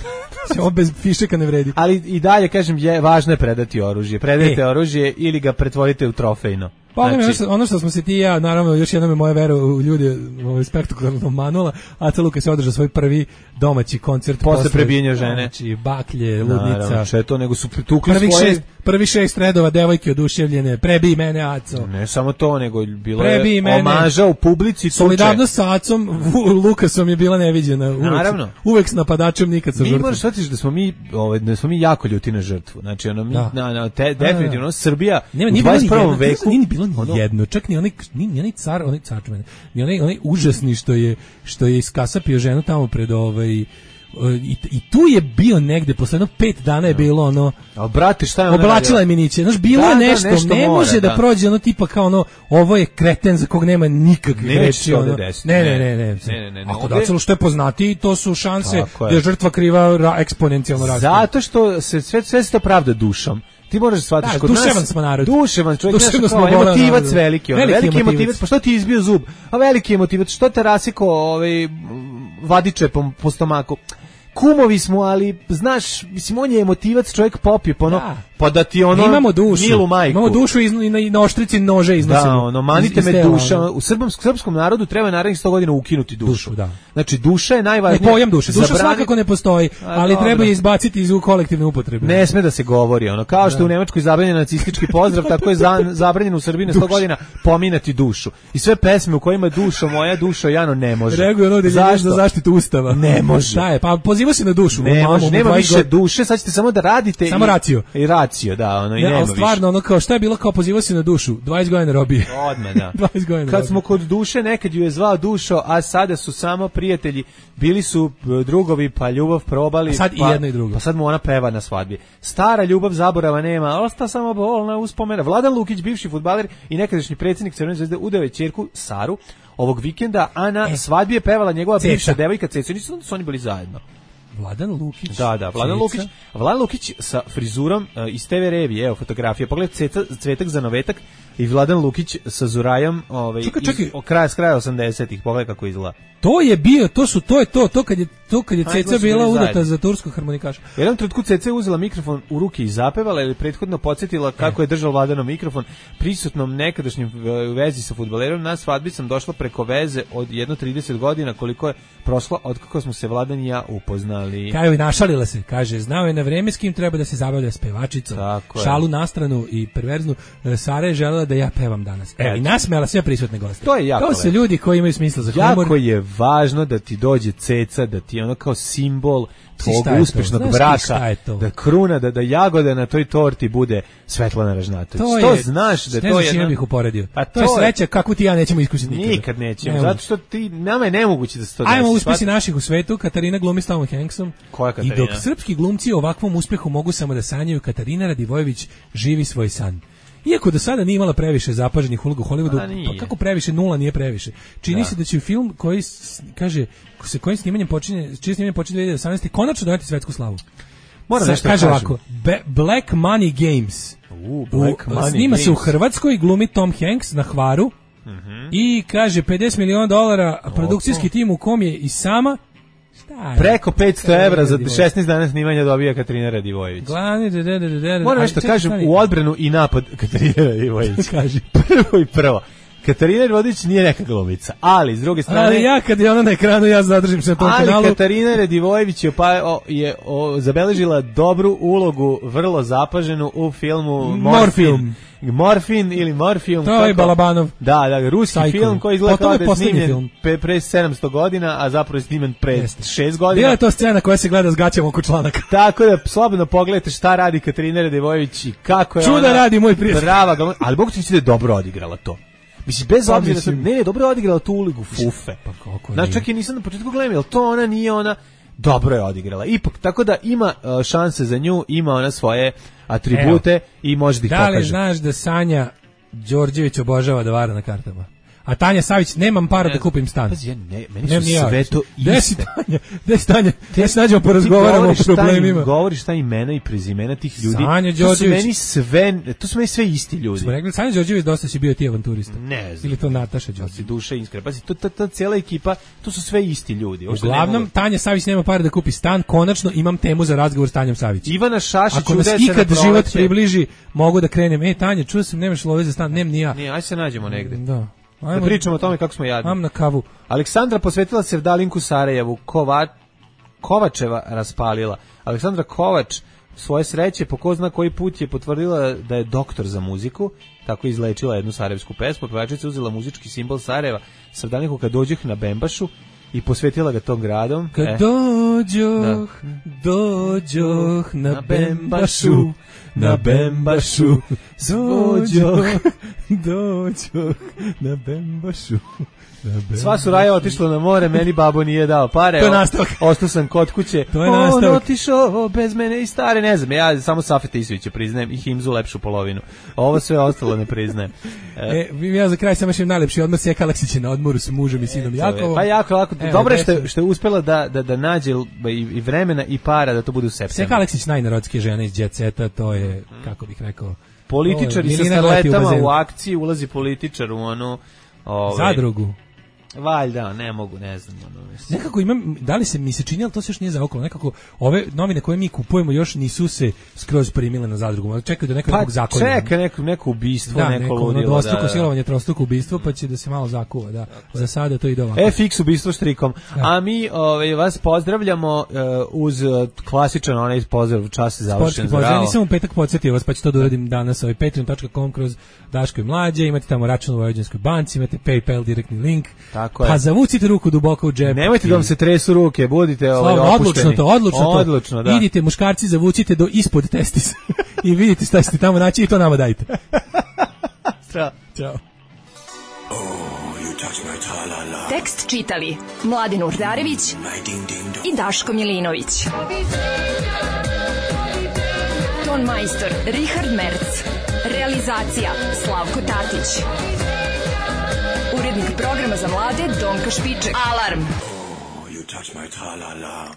Ovo bez fišeka ne vredi. Ali i dalje, kažem, je, važno je predati oružje. Predajte e. oružje ili ga pretvorite u trofejno. Pa znači, ono što smo se ti i ja, naravno, još jednom je moja vera u ljude ovaj, spektakularno manula, Aca Luka se održao svoj prvi domaći koncert. Posle, posle prebijenja žene. Znači, baklje, ludnica. Naravno, što je to, nego su tukli prvi svoje... Šest, prvi šest redova, devojke oduševljene, prebij mene, Aco. Ne samo to, nego bilo prebij je mene. Omaža u publici. Solidarnost sa Acom, Lukasom je bila neviđena. Uvek, naravno. Uvek s napadačem, nikad sa žrtvom. Mi moraš shvatiti da smo mi, ovaj, da smo mi jako ljuti na žrtvu. Znači, ono, mi, na, na, te, definitivno, Srbija nema, u dvadeset prvom veku... Nije bilo ni jedno, čak ni onaj, ni, ni onaj car, onaj car, ni onaj, onaj užasni što je, što je iskasapio ženu tamo pred ovaj, I, i tu je bio negde, posle jedno pet dana je bilo ono... A brate, šta je ona oblačila je miniće, znaš, bilo da, je nešto, da, nešto ne mora, može da. da prođe ono tipa kao ono, ovo je kreten za kog nema nikakvih reči. Ono. Ne, ne, ne, ne. ne, ne, ne Ako da celo što je poznati, to su šanse da je žrtva kriva ra, eksponencijalno raste. Zato što se sve, sve se to pravda dušom. Ti moraš shvatiti da, kod duševan nas... smo narod. Duševan čovjek, znaš kao, emotivac veliki. Ono, veliki, veliki emotivac, pa što ti izbio zub? A veliki emotivac, što te rasiko ovaj, vadiče po, po stomaku? Kumovi smo, ali, znaš, mislim, on je emotivac, čovjek popije, pa ono, da. pa da ti ono, imamo dušu, milu majku. Imamo dušu i na, na oštrici nože iznosimo. Da, ono, manite iz, me iz duša. U srbom, srpskom narodu treba narednih sto godina ukinuti dušu. dušu da. Znači, duša je najvažnija. Ne, pojam duše. Duša zabrani... svakako ne postoji, ali dobro. Treba je izbaciti iz kolektivne upotrebe. Ne sme da se govori, ono, kao što da. U Nemačkoj zabranjen nacistički pozdrav, tako je za, zabranjeno u Srbiji na sto godina pominati dušu. I sve pesme u kojima dušo moja, dušo Jano ne može. Reaguje ono da je za zaštitu ustava. Ne može. Šta je? Pa poziva se na dušu. Ne može, nema više duše, sad ćete samo da radite samo i, racio. I racio, da, ono, i ne, nema ali stvarno, ono, kao, šta je bilo kao poziva se na dušu? dvadeset godina robije. Odmah, da. dvadeset godina Kad smo kod duše, nekad ju je zvao dušo, a sada su samo prijatelji, bili su drugovi, pa ljubav probali. A sad pa, i jedno i drugo. Pa sad mu ona peva na svadbi. Stara ljubav zaborava nema, osta samo bolna uspomena. Vladan Lukić, bivši fudbaler i nekadašnji predsjednik Crvene zvezde, udao je ćerku Saru ovog vikenda, a na e, svadbi je pevala njegova Ceca. Bivša devojka Ceca, nisu su oni bili zajedno. Vladan Lukić. Da, da, Vladan Lukić. Vladan Lukić sa frizurom uh, iz te ve revije, evo fotografija. Pogled Ceca, Cvetak za novetak i Vladan Lukić sa Zurajom, ovaj čekaj, čekaj. Iz, o kraja s kraja osamdesetih. Pogled kako izgleda. To je bio, to su to je to, to kad je to kad je Ceca bila udata za turskog harmonikaša. Jedan trenutku Ceca je uzela mikrofon u ruke i zapevala ili prethodno podsjetila kako je držao Vladanov mikrofon prisutnom nekadašnjem vezi sa fudbalerom. Na svadbi sam došla preko veze od jedno trideset godina, koliko je prošlo od kako smo se Vladan i ja upoznali. Kao i našalila se, kaže, znao je na vreme s kim treba da se zabavlja s pevačicom. Šalu na stranu i perverznu, Sara je želela da ja pevam danas. Evo, i nasmejala sve prisutne goste. To je jako. To su ljudi koji imaju smisla za humor. Jako je važno da ti dođe Ceca, da ti ono kao simbol tvog uspešnog braka, da kruna, da, da jagoda na toj torti bude Svetlana Ražnatović. To, to je, znaš da ne to je... Ne znam bih uporedio. Pa to, to je sreća kakvu ti ja nećemo iskusiti nikada. Nikad nećemo, zato što ti, nama je nemoguće da se to desi. Ajmo uspesi naših u svetu, Katarina glumi s Tomom Hanksom. Koja Katarina? I dok srpski glumci o ovakvom uspehu mogu samo da sanjaju, Katarina Radivojević živi svoj san. Iako do sada nije imala previše zapaženih uloga u Hollywoodu, pa kako previše, nula nije previše. Čini da. se da će film koji kaže se kojim snimanjem počinje, čije snimanje počinje dve hiljade osamnaeste konačno doneti svetsku slavu. Moram nešto kaže ovako, Black Money Games. Uh, Black u, Money snima Games. se u Hrvatskoj, glumi Tom Hanks na Hvaru. Uh-huh. I kaže pedeset miliona dolara produkcijski tim u kom je i sama Šta preko petsto evra za šesnaest dana snimanja dobija Katarina Radivojević. Glavni, de, de, de, de, moram nešto kažem u odbranu i napad Katarina Radivojević. Kaži. Prvo i prvo. Katarina Radivojević nije neka glumica, ali s druge strane... Ali ja kad je ona na ekranu, ja zadržim se na tom ali kanalu. Ali Katarina Radivojević je, pa, o, je o, zabeležila dobru ulogu, vrlo zapaženu u filmu Morfin. Morfin ili Morfium. To je Balabanov. Da, da, ruski Psycho. Film koji izgleda kao da je snimljen pre, pre sedamsto godina, a zapravo je snimljen pre Jeste. šest godina. Bila je to scena koja se gleda s gaćama oko članaka. Tako da, slobodno pogledajte šta radi Katarina Radivojević i kako je Čuda ona... radi, moj prijatelj. Prava, ali Bog će da je dobro odigrala to. Mislim, bez pa, obzira, mislim, ne, je dobro odigrala tu ulogu fufe. Pa kako znači, čak i nisam na početku gledam, jel to ona nije ona, dobro je odigrala. Ipak, tako da ima uh, šanse za nju, ima ona svoje atribute Evo, i može da ih pokaže. Da li znaš da Sanja Đorđević obožava da vara na kartama? A Tanja Savić, nemam para ne, da kupim stan. Pazi, ja ne, meni su ne, sve to iste. Desi Tanja, desi Tanja, ja se nađemo porazgovaramo o problemima. Im, govoriš šta imena i prezimena tih ljudi. Sanja Đorđević. To su meni sve, to su meni sve isti ljudi. Smo rekli, Sanja Đorđević dosta si bio ti avanturista. Ne znam. Ili to Nataša Đorđević. Si duše iskrena. Pazi, to, ta, ta cijela ekipa, to su sve isti ljudi. Uglavnom, mogu... Tanja Savić nema para da kupi stan, konačno imam temu za razgovor s Tanjom Savić. Ivana Šašić ako nas ikad život približi, mogu da krenem. E, Tanja, čuo sam, nemaš love za stan, nem ni ja. Nije, aj se nađemo negde. Da. Ajmo, da pričamo o tome kako smo jadni. Mam na kavu. Aleksandra posvetila se Vdalinku Sarajevu, Kova, Kovačeva raspalila. Aleksandra Kovač svoje sreće po ko zna koji put je potvrdila da je doktor za muziku, tako izlečila jednu sarajevsku pesmu. Pevačica uzela muzički simbol Sarajeva sa Vdalinku kad dođeh na Bembašu i posvetila ga tom gradom. Kad e. dođoh, da. dođoh na Bembašu, na Bembašu, dođoh, Doću na bembašu. Sva su raja otišla na more, meni babo nije dao pare. To je nastavak. Ostao sam kod kuće. To je nastavak. On otišao bez mene i stare, ne znam. Ja samo Safeta Isovića priznajem i Himzu lepšu polovinu. Ovo sve ostalo ne priznajem. E, ja za kraj samo još najlepši odmor Sjeka Aleksića na odmoru s mužem i sinom Jakovom. Pa jako, jako. Dobro je što, što je uspela da, da, da nađe i, i vremena i para da to bude u septembru. Sjeka Aleksić najnarodskija žena iz Jet Seta, to je, kako bih rekao... Političari sa starletama u, u akciji, ulazi političar u onu... Ovaj, zadrugu. Valjda, ne mogu, ne znam. Ono, nekako imam, da li se mi se čini, ali to se još nije zaokolo, nekako ove novine koje mi kupujemo još nisu se skroz primile na zadrugu, čekaju da neko pa, nekog zakona. Pa čeka neko, neko ubistvo, da, neko, neko ludilo. Dvostruko da, silovanje, trostruko ubistvo, pa će da se malo zakuva, da. Za sada to ide ovako. F X ubistvo štrikom. Da. A mi ovaj, vas pozdravljamo uh, uz uh, klasičan onaj pozdrav, čas je završen. Pozdrav, nisam u petak podsjetio vas, pa ću to da uradim danas, ovaj patreon dot com kroz Daško i Mlađe, imate tamo račun u Vojvođanskoj banci, imate PayPal direktni link. Tako je. Pa zavucite ruku duboko u džep. Nemojte da vam se tresu ruke, budite ovaj opušteni. Odlučno to, odlučno, odlučno to. Da. Idite muškarci, zavucite do ispod testisa i vidite šta ćete tamo naći i to nama dajte. Ćao. Ćao. Oh, you touch my tra-la-la. Tekst čitali Mladin Urdarević i Daško Milinović. Ton majstor Richard Merc. Realizacija Slavko Tatić. Urednik programa za mlade Donka Špiček. Alarm! Oh, you touch my tra-la-la.